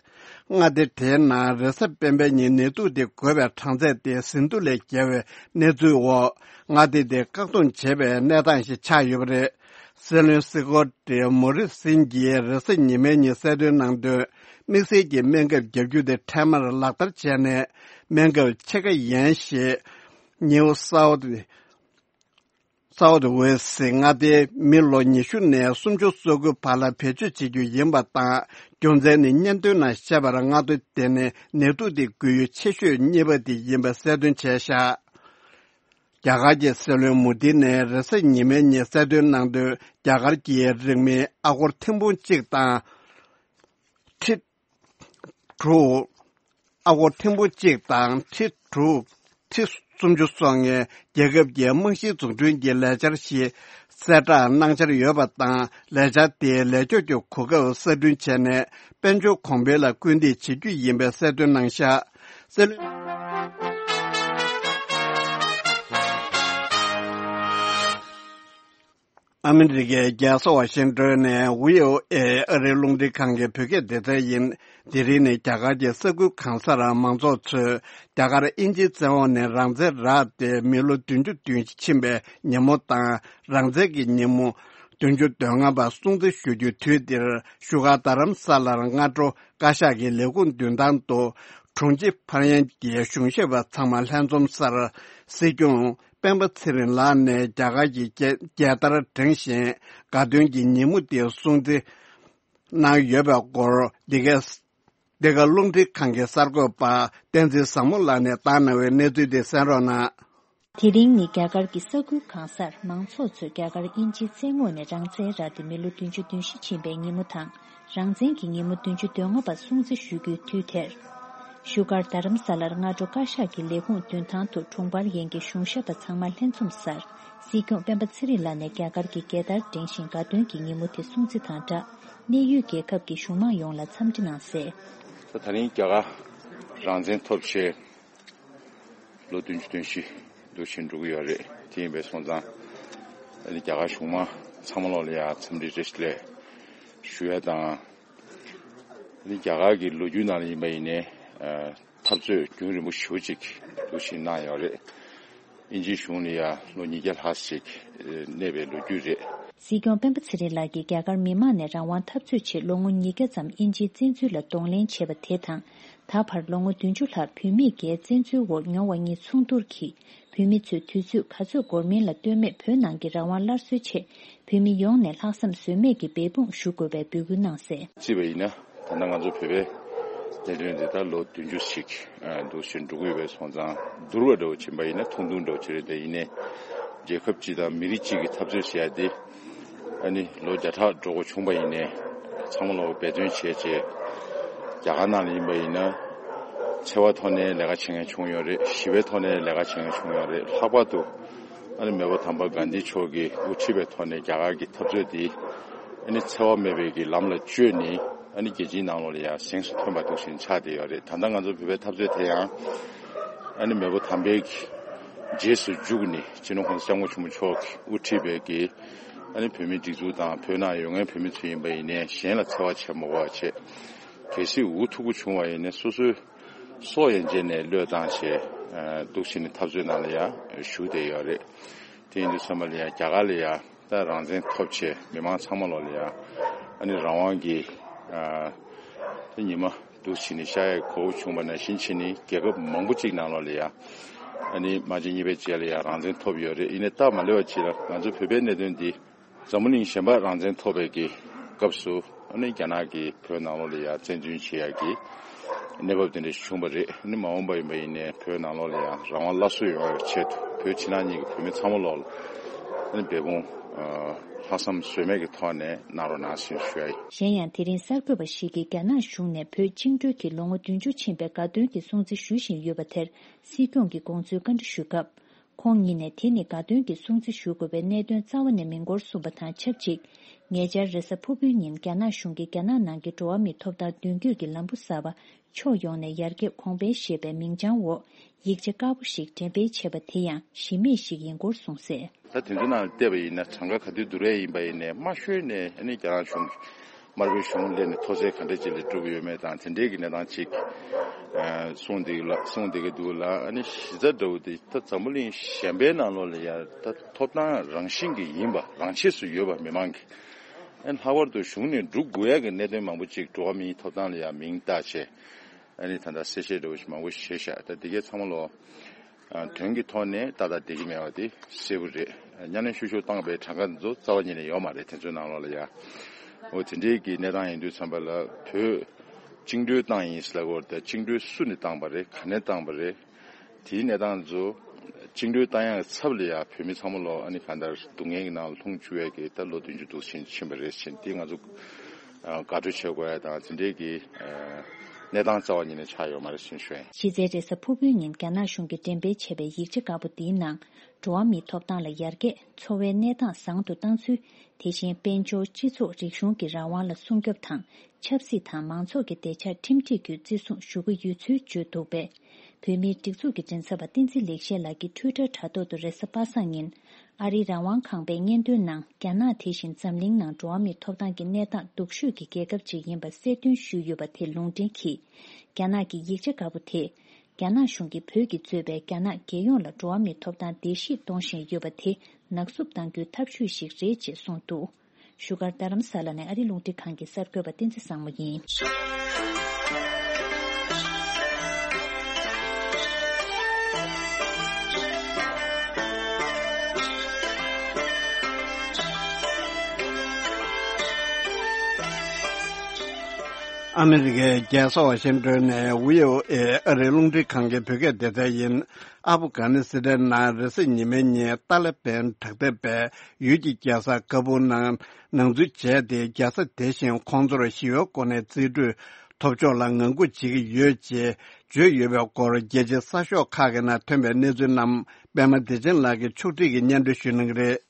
མངའ་སྡེ་དེའི་ནང་རེས་གཟའ་སྤེན་པའི་ཉིན་ནད་དུག་དེ་འགོས་པའི་གྲངས་ཚད་དེ་ཟིན་ཐོ་ལས་བརྒལ་བའི་གནས་ཚུལ་འོག་མངའ་སྡེ་དེ་བཀག་སྡོམ་བྱེད་པའི་གནས་སྟངས་ཤིག་ཆགས་ཡོད་པ་རེད། སྲིད་བློན་སི་ཀོ་ཏི་མོ་རི་སིན་གྱིས་རེས་གཟའ་ཉི་མའི་ཉིན་གསལ་སྟོན་གནང་དོན། དམིགས་བསལ་གྱི་སྨན་ཁབ་བརྒྱབ་རྒྱུ་དེ་འཕྲལ་མར་ལག་བསྟར་བྱས་ནས། སྨན་ཁབ་ཕྱེད་ཀ་ཡན་ཞིག་ནིའུ་སའོ་ཐི་སའོ་ཐི་ཝེ་སི་མངའ་སྡེའི་མི་ལོ་ཉི་ཤུ་ནས་སུམ་ཅུ་སོ་དགུ་བར་ལ་བེད་སྤྱོད་བྱེད་རྒྱུ་ཡིན་པ་དང་། རྒྱུ་མཚན་ནི་སྙན་ཐོའི་ནང་བཤད་པར་མངའ་སྡེ་དེ་ནི་ནད་དུག་དེ་འགོས་ཡུལ་ཆེ་ཤོས་གཉིས་པ་དེ་ཡིན་པ་གསལ་སྟོན་བྱས་ཤག་རྒྱ་གར་གྱི་སྲིད་བློན་མོ་དི་ནས་རེས་གཟའ་ཉི་མའི་ཉིན་གསལ་སྟོན་གནང་དོན། རྒྱ་གར་གྱི་རིང་མིན་ཨ་སྒོར་ཐེར་འབུམ་གཅིག་དང་། ཁྲི་དྲུག་ཨ་སྒོར་ཐེར་འབུམ་གཅིག་དང་ཁྲི་དྲུག་ཁྲི་སུམ་ཅུ་སོ་ལྔའི་རྒྱལ་ཁབ་ཀྱི་རྨང་གཞིའི་འཛུགས་སྐྲུན་གྱི་ལས་འཆར་ཞིག་གསལ་བསྒྲགས་གནང་འཆར་ཡོད་པ་དང་། ལས་འཆར་དེའི་ལས་ཕྱོགས་ཀྱི་གོ་སྐབས་གསར་སྐྲུན་བྱས་ནས། དཔལ་འབྱོར་གོང་འཕེལ་ལ་སྐུལ་འདེད་བྱེད་རྒྱུ་ཡིན་པའི་གསལ་སྟོན་གནང་ཤག་སྲིད་བློན། ཨ་མི་རི་ཀའི་རྒྱལ་ས་ཝ་ཤིང་ཏོན་ནས་བྷི་ཨོ་ཨེ་ཨ་རིའི་རླུང་འཕྲིན་ཁང་གི་བོད་སྐད་སྡེ་ཚན་ཡིན། དེ་རིང་ནི་རྒྱ་གར་གྱི་ས་ཁུལ་གང་སར་མང་ཚོགས་ཚོས་རྒྱ་གར་དབྱིན་ཇིའི་བཙན་འོག་ནས་རང་བཙན་རག་སྟེ་མི་ལོ་བདུན་ཅུ་དོན་བཞི་ཕྱིན་པའི་ཉིན་མོ་དང་། རང་བཙན་གྱི་ཉིན་མོ་བདུན་ཅུ་དོན་ལྔ་པ་སྲུང་བརྩི་ཞུ་རྒྱུའི་དུས་འདིར། བཞུགས་སྒར་རྡ་རམ་ས་ལར་སྔ་དྲོ་བཀའ་ཤག་གི་ལས་ཁུངས་མདུན་ཐང་དུ་དྲུང་ཆེ་ཕར་ཡན་གྱི་གཞུང་ཞབས་པ་ཚང་མ་ལྷན་འཛོམས་སར། སྲིད་སྐྱོང་སྤེན་པ་ཚེ་རིང་ལགས་ནས་རྒྱ་གར་གྱི་རྒྱལ་རྒྱལ་དར་བསྒྲེངས་ཤིང་། དགའ་སྟོན་གྱི་ཉིན་མོ་དེ་སྲུང་བརྩི་གནང་ཡོད་པའི་སྐོར། འདི་ག་འདི་ག་རླུང་འཕྲིན་ཁང་གི་གསར་འགོད་པ་བསྟན་འཛིན་བཟང་མོ་ལགས་ནས་བཏང་གནང་བའི་གནས་ཚུལ་དེ་གསན་རོགས་གནང་། དེ་རིང་ནི་རྒྱ་གར་གྱི་ས་ཁུལ་གང་སར་མང་ཚོགས་ཚོས་རྒྱ་གར་དབྱིན་ཇིའི་བཙན་འོག་ནས་རང་བཙན་རག་སྟེ་མི་ལོ་བདུན་ཅུ་དོན་བཞི་ཕྱིན་པའི་ཉིན་མོ་དང་། རང་བཙན་གྱི་ཉིན་མོ་བདུན་ཅུ་དོན་ལྔ་པ་སྲུང་བརྩི་ཞུ་རྒྱུའི་དུས་དེར། བཞུགས་སྒར་རྡ་རམ་ས་ལར་སྔ་དྲོ་བཀའ་ཤག་གི་ལས་ཁུངས་མདུན་ཐང་དུ་དྲུང་འཕར་ཡན་གྱི་གཞུང་ཞབས་པ་ཚང་མ་ལྷན་འཛོམས་སར། སྲིད་སྐྱོང་སྤེན་པ་ཚེ་རིང་ལགས་ནས་རྒྱ་གར་གྱི་རྒྱལ་དར་བསྒྲེངས་ཤིང་དགའ་སྟོན་གྱི་ཉིན་མོ་དེ་སྲུང་བརྩི་དང་སྦྲགས། གནས་ཡུལ་རྒྱལ་ཁབ་ཀྱི་གཞུང་མང་ཡོངས་ལ་འཚམས་འདྲི་གནང་གསལ། ད་ད་རིང་རྒྱ་གར་རང་བཙན་ཐོབ་བྱས་ལོ་བདུན་ཅུ་དོན་བཞི་འདུག་ཕྱིན་འགྲོ་གི་ཡོད་རེད། དེ་ཡིན་པའི་སོང་ཙང་ཨ་ནི་རྒྱ་གར་གཞུང་མང་ཚང་མ་ལོག་ལ་ཡང་འཚམས་འདྲི་བཀྲ་ཤིས་བདེ་ལེགས་ཞུ་ཡ་དང་། ཨ་ནི་རྒྱ་གར་གྱི་ལོ་རྒྱུས་ནང་ལ་ཡིན་པ་ཡིན་ནའི་འཐབ་རྩོད་རྒྱུན་རིང་པོ་ཞེ་པོ་ཅིག་འདུག་ཕྱིན་གནང་ཡོད་རེད། དབྱིན་ཇིའི་གཞུང་ལ་ཡང་ལོ་ཉིས་བརྒྱ་ལྷག་ཅིག་གནས་པའི་ལོ་རྒྱུས་རེད། སྲིད་སྐྱོང་སྤེན་པ་ཚེ་རིང་ལགས་ཀྱིས་རྒྱ་གར་མི་དམངས་ནས་རང་དབང་འཐབ་རྩོད་ཆེད་ལོ་ངོ་ཉིས་བརྒྱ་ཙམ་དབྱིན་ཇིའི་བཙན་འཛུལ་ལ་གདོང་ལེན་བྱས་པ་དེ་དང་། ད་བར་ལོ་ངོ་བདུན་ཅུ་ལྷག་བོད་མིས་རྒྱའི་བཙན་འཛུལ་འོག་མྱོང་བ་གཉིས་མཚུངས་བསྡུར་གྱིས། བོད་མི་ཚོས་དུས་ཚོད་ག་ཚོད་འགོར་མིན་ལ་ལྟོས་མེད་བོད་ནང་གི་རང་དབང་སླར་གསོའི་ཆེད། བོད་མི་ཡོངས་ནས་ལྷག་བསམ་ཟོལ་མེད་ཀྱིས་འབད་འབུངས་ཞུ་དགོས་པའི་འབོད་སྐུལ་གནང་གསལ། བརྩིས་པ་ཡིན་ན། ད་ལྟ་ང་ཚོ་བོད་པའི་གནད་དོན་འདི་ད་ལོ་བདུན་ཅུ་ཞིག་འདུག་ཕྱིན་འགྲོ་གི་ཡོད་པའི་སོང་ཙང་བསྡུར་བ་འདྲ་བོ་ཕྱིན་པ་ཡིན་ན་ཐུང་ཐུང་འདྲ་བོ་ཅིག་རེད། དེ་ཡིན་ནའི་རྒྱལ་ཁབ་སྤྱི་དང་མི་རིགས་གཅིག་གི་འཐབ་རྩོད་བྱེད་ཡ་དེ་ཨ་ནི་ལོ་བརྒྱ་ཕྲག་འགྲོ་འགོ་བྱུང་པ་ཡིན་ནའི་ཚང་མ་ལོག་འབད་བརྩོན་བྱས་བྱས། རྒྱ་གར་ནང་ལ་ཡིན་པ་ཡིན་ན་འཚེ་བ་ཐོག་ནས་ལས་ཀ་བྱེད་མཁན་བྱུང་ཡོད་རེད། ཞི་བའི་ཐོག་ནས་ལས་ཀ་བྱེད་མཁན་བྱུང་ཡོད་རེད། ལྷག་པར་དུ་ཨ་ནི་མེས་པོ་དམ་པ་གྷན་དྷི་མཆོག་གིས་དབུ་ཁྲིད་པའི་ཐོག་ནས་རྒྱ་གར་གྱི་འཐབ་རྩོད་འདི་ཨ་ནི་འཚེ་བ་མེད་པའི་གི་ལམ་ལ་བཅོས་ནས་ཨ་ནི་རྒྱལ་སྤྱིའི་ནང་ལོགས་ལ་ཡང་གཟེངས་སུ་ཐོན་པ་འདུག་ཕྱིན་ཆགས་བསྡད་ཡོད་རེད། ད་ལྟ་ང་ཚོ་བོད་པའི་འཐབ་རྩོད་དེ་ཡང་ཨ་ནི་མེས་པོ་དམ་པའི་གི་རྗེས་སུ་འཇུག་ནས་སྤྱི་ནོར་༸གོང་ས་༸སྐྱབས་མགོན་ཆེན་པོ་མཆོག་གིས་དབུ་ཁྲིད་པའི་གི་ཨ་ནི་བོད་མིའི་སྒྲིག་འཛུགས་དང་བོད་ནང་ཡོད་མཁན་བོད་མི་ཚོ་ཡིན་པ་ཡིན་ནའི་གཞན་ལ་འཚེ་བ་བྱེད་མ་དགོས་པ་བྱས། གལ་སྲིད་འུ་ཐུག་པོ་བྱུང་བ་ཡིན་ནའི་སོ་སོའི་སྲོག་ཡན་ཆད་ནས་བློས་བཏང་བྱས་འདུག་ཕྱིན་ནས་འཐབ་རྩོད་ནང་ལ་ཡང་ཞུགས་བསྡད་ཡོད་རེད། དེ་ཡིན་དུས་ཙམ་པ་ལ་ཡང་རྒྱ་གར་ལ་ཡང་ད་རང་བཙན་ཐོབ་བྱས་མི་མང་ཚང་མ་ལོག་ལ་ཡང་ཨ་ནི་རང་དབང་གི་ད་ཉི་མ་འདུག་ཕྱིན་ནས་ཤར་ཡས་གོ་བོ་བྱུང་བ་ནང་བཞིན་བྱས་ནས་རྒྱལ་ཁབ་མང་པོ་གཅིག་ནང་ལོག་ལ་ཡང་ཨ་ནི་དམག་ཆེན་གཉིས་པའི་རྗེས་ལ་ཡང་རང་བཙན་ཐོབ་ཡོད་རེད། ཡིན་ནའི་སྟབས་མ་ལེགས་པ་ཅིག་ལ་ང་ཚོ་བོད་པའི་གནད་དོན་འདི། འཛམ་བུ་གླིང་གཞན་པ་རང་བཙན་ཐོབ་པའི་གི་སྐབས་སུ་ཨ་ནི་རྒྱ་ནག་གིས་བོད་ནང་ལོགས་ལ་ཡང་བཙན་འཛུལ་བྱེད་ཡག་གི་གནས་བབ་དེ་འདྲ་ཞིག་བྱུང་བ་རེད། ཨ་ནི་མ་འོངས་པ་ཡིན་པ་ཡིན་ནའི་བོད་ནང་ལོགས་ལ་ཡང་རང་དབང་སླར་གསོ་ཡོང་བའི་ཆེད་དུ་ བོད་ཕྱི་ནང་གཉིས་ཀྱི་བོད་མི་ཚང་མ་ལོག་ལ་ཨ་ནི་འབད་འབུངས་ལྷག་བསམ་ཟོལ་མེད་ཀྱི་ཐོག་ནས་གནང་རོགས་གནང་ཞེས་ཞུ་ཡ་ཡིན། གཞན་ཡང་དེ་རིང་གསར་འགོད་པ་ཞིག་གིས་རྒྱ་ནག་གཞུང་ནས་བོད་བཅིངས་འགྲོལ་གྱི་ལོ་ངོ་བདུན་ཅུ་ཕྱིན་པའི་དགའ་སྟོན་གྱི་སྲུང་བརྩི་ཞུ་བཞིན་ཡོད་པ་དེར་སྲིད་སྐྱོང་གི་དགོངས་ཚུལ་བཀའ་འདྲི་ཞུས་སྐབས། ཁོང་ཉིད་ནས་དེ་ནི་དགའ་སྟོན་གྱི་སྲུང་བརྩི་ཞུ་དགོས་པའི་གནད་དོན་རྩ་བ་ནས་མི་འགོར་གསུངས་པ་དང་ཆབས་ཅིག་ཉེ་ཆར་རེས་གཟའ་ཕུར་བུའི་ཉིན་རྒྱ་ནག་གཞུང་གིས་རྒྱ་ནག་ནང་གི་འགྲོ་བ་མིའི་ཐོབ་ཐང་མདུན་སྐྱོད་ཀྱི་ལམ་བུ་གསར་པ་ཕྱོགས་ཡོངས་ནས་ཡར་རྒྱས་གོང་འཕེལ་ཞེས་པའི་མིང་བྱང་འོག་ཡིག་ཆ་དཀར་པོ་ཞིག་འགྲེམས་སྤེལ་བྱས་པ་དེ་ཡང་གཞི་མེད་ཞིག་ཡིན་སྐོར་གསུངས་གསལ། ད་དེ་ཚོ་ནང་ལ་བལྟས་པ་ཡིན་ན་གྲངས་ཀ་ག་དུས་བསྡུར་ཡས་ཡིན་པ་ཡིན་ནའི་དམའ་ཤོས་ནས་ཨ་ནི་རྒྱ་ནག་གཞུང་དམར་པོའི་གཞུང་སླེབས་ནས་མཐོ་ཚད་ག་འདྲ་ཅིག་ལ་གྲུབ་ཡོད་མེད་དང་དེ་འདྲའི་གི་གནས་སྟངས་ཅིག་གསུངས་བསྡད་ལ་གསུངས་བསྡད་ཀྱི་འདུག་ལ། ཨ་ནི་གཞི་རྩ་འདྲ་བོ་དེ་ད་འཛམ་བུ་གླིང་གཞན་པའི་ནང་ལོགས་ལ་ཡང་ད་ཐོབ་ཐང་རང་བཞིན་གྱི་ཡིན་པ་རང་ཆས་སུ་ཡོད་པ་མི་མང་གི་ཨ་ནི་ལྷག་པར་དུ་གཞུང་ནས་སྒྲུབ་དགོས་ཡ་གི་གནད་དོན་མང་པོ་ཅིག་འགྲོ་བ་མིའི་ཐོབ་ཐང་ལ་ཡང་མིང་བཏགས་བྱས། ཨ་ནི་ད་ལྟ་གསལ་བཤད་འདྲ་བོ་ཞིག་མང་པོ་བྱས་ཤག་ད་འདི་གའི་ཚང་མ་ལོ། ཨ་དོན་གྱི་ཐོག་ནས་ཏག་ཏག་བསྡད་ཀྱི་མེད་པ་དེ་གསལ་པོ་རེད། གཉའ་གནོན་ཤུགས་ཆེ་བཏང་པའི་གྲངས་ཀ་འདི་ཚོ་རྩ་བ་ཉིད་ནས་ཡོད་མ་རེད། དེ་ཚོའི་ནང་ལོགས་ལ་ཡ། འོ་དེ་འདྲའི་གི་གནས་སྟངས་ཡིན་དུས་ཙམ་པ་ལ་བོད་བཅིངས་འགྲོལ་བཏང་ཡིན་ཟེར་ལབ་ཀྱི་ཡོད་རེད། ད་བཅིངས་འགྲོལ་སུ་ནས་བཏང་པ་རེད། ག་ནས་བཏང་པ་རེད། དེའི་གནས་སྟངས་ཚོ་བཅིངས་འགྲོལ་བཏང་ཡག་ཚབ་ལ་ཡ་བོད་མི་ཚང་མ་ལོ་ཨ་ནི་གང་ལྟར་སྡུག་བསྔལ་གྱི་ནང་ལ་ལྷུང་བཅུག་ཡག་གི་ད་ལོ་བདུན་ཅུ་དུ་ཕྱིན་ཕྱིན་པ་རེད་ཟེར་དེ་ང་ཚོ་དགའ་སྤྲོ་བྱེད་དགོས་ཡ་དང་དེ་འདྲའི་གི་གནས་སྟངས་རྩ་བ་ཉིད་ནས་ཆགས་ཡོད་མ་རེད་ཟེར་ཞུ་ཡ་ཡིན། གཞི་རྩའི་རེས་གཟའ་ཕུར་བུའི་ཉིན་རྒྱ་ནག་གཞུང་གིས་འགྲེམས་སྤེལ་བྱས་པའི་ཡིག་ཆ་དཀར་པོ་འདིའི་ནང་འགྲོ་བ་མིའི་ཐོབ་ཐང་ལ་ཡར་རྒྱས། འཚོ་བའི་གནས་སྟངས་བཟང་དུ་བཏང་ཚུལ། དེ་བཞིན་དཔལ་འབྱོར་སྤྱི་ཚོགས་རིག་གཞུང་གི་རང་དབང་ལ་སྲུང་སྐྱོབ་དང་ཆབ་སྲིད་དང་མང་ཚོགས་ཀྱི་བདེ་འཇགས་ཁྲིམས་སྒྲིག་བརྒྱུད་བརྩི་སྲུང་ཞུ་གི་ཡོད་ཚུལ་བརྗོད་འདུག་པས། བོད་མིའི་སྒྲིག་འཛུགས་ཀྱི་མགྲིན་ཚབ་པ་བསྟན་འཛིན་ལེགས་བཤད་ལགས་ཀྱིས་ཊུའི་ཊར་དྲ་ཐོག་ཏུ་རེས་གཟའ་པ་སངས་ཉིན་ཨ་རིའི་རང་དབང་ཁང་པའི་སྙན་ཐོའི་ནང་རྒྱ་ནག་དེ་བཞིན་འཛམ་གླིང་ནང་འགྲོ་བ་མིའི་ཐོབ་ཐང་གི་གནས་སྟངས་སྡུག་ཤོས་ཀྱི་རྒྱལ་ཁབ་ཅིག་ཡིན་པ་གསལ་སྟོན་ཞུས་ཡོད་པ་དེ་ལུང་འདྲེན་གྱིས། རྒྱ་ནག་གི་ཡིག་ཆ་དཀར་པོ་དེས། རྒྱ་ནག་གཞུང་གིས་བོད་ཀྱིས་གཙོས་པའི་རྒྱ་ནག་རྒྱལ་ཡོངས་ལ་འགྲོ་བ་མིའི་ཐོབ་ཐང་བརྡལ་བཤིག་གཏོང་བཞིན་ཡོད་པ་དེ་ནག་བསུབ་གཏང་རྒྱུའི་ཐབས་ཇུས་ཤིག་རེད་ཅེས་གསུངས་འདུག་བཞུགས་སྒར་རྡ་རམ་ས་ལ་ནས་ཨ་རིའི་རླུང་འཕྲིན་ཁང་གི་གསར་འགོད་པ་བསྟན་འཛིན་བཟང་མོ་ཡིན། ཨ་མི་རི་ཀའི་རྒྱལ་ས་ཝ་ཤིང་ཏོན་ནས་བྷི་ཨོ་ཨེ་ཨ་རིའི་རླུང་འཕྲིན་ཁང་གི་བོད་སྐད་སྡེ་ཚན་ཡིན། ཨབ་གྷ་ནི་སི་ཐན་ནང་རེས་གཟའ་ཉི་མའི་ཉིན་ཏཱ་ལི་བན་དྲག་འཐབ་པས་ཡུལ་གྱི་རྒྱལ་ས་ཀ་བུལ་ནང་ནང་འཛུལ་བྱས་ཏེ། རྒྱལ་ས་དེ་བཞིན་ཁོང་ཚོར་ཞི་བའི་སྒོ་ནས་རྩིས་སྤྲོད་ཐོབ་ཕྱོགས་ལ་ངང་སྒུག་བྱེད་ཀྱི་ཡོད་ཅེས་བརྗོད་ཡོད་པའི་སྐོར། རྒྱལ་སྤྱིའི་གསར་ཤོག་ཁག་གི་ནང་ཐོན་པའི་གནས་ཚུལ་རྣམས་པད་མ་བདེ་ཆེན་ལགས་ཀྱིས་ཕྱོགས་སྒྲིག་གིས་སྙན་སྒྲོན་ཞུ་གནང་གི་རེད།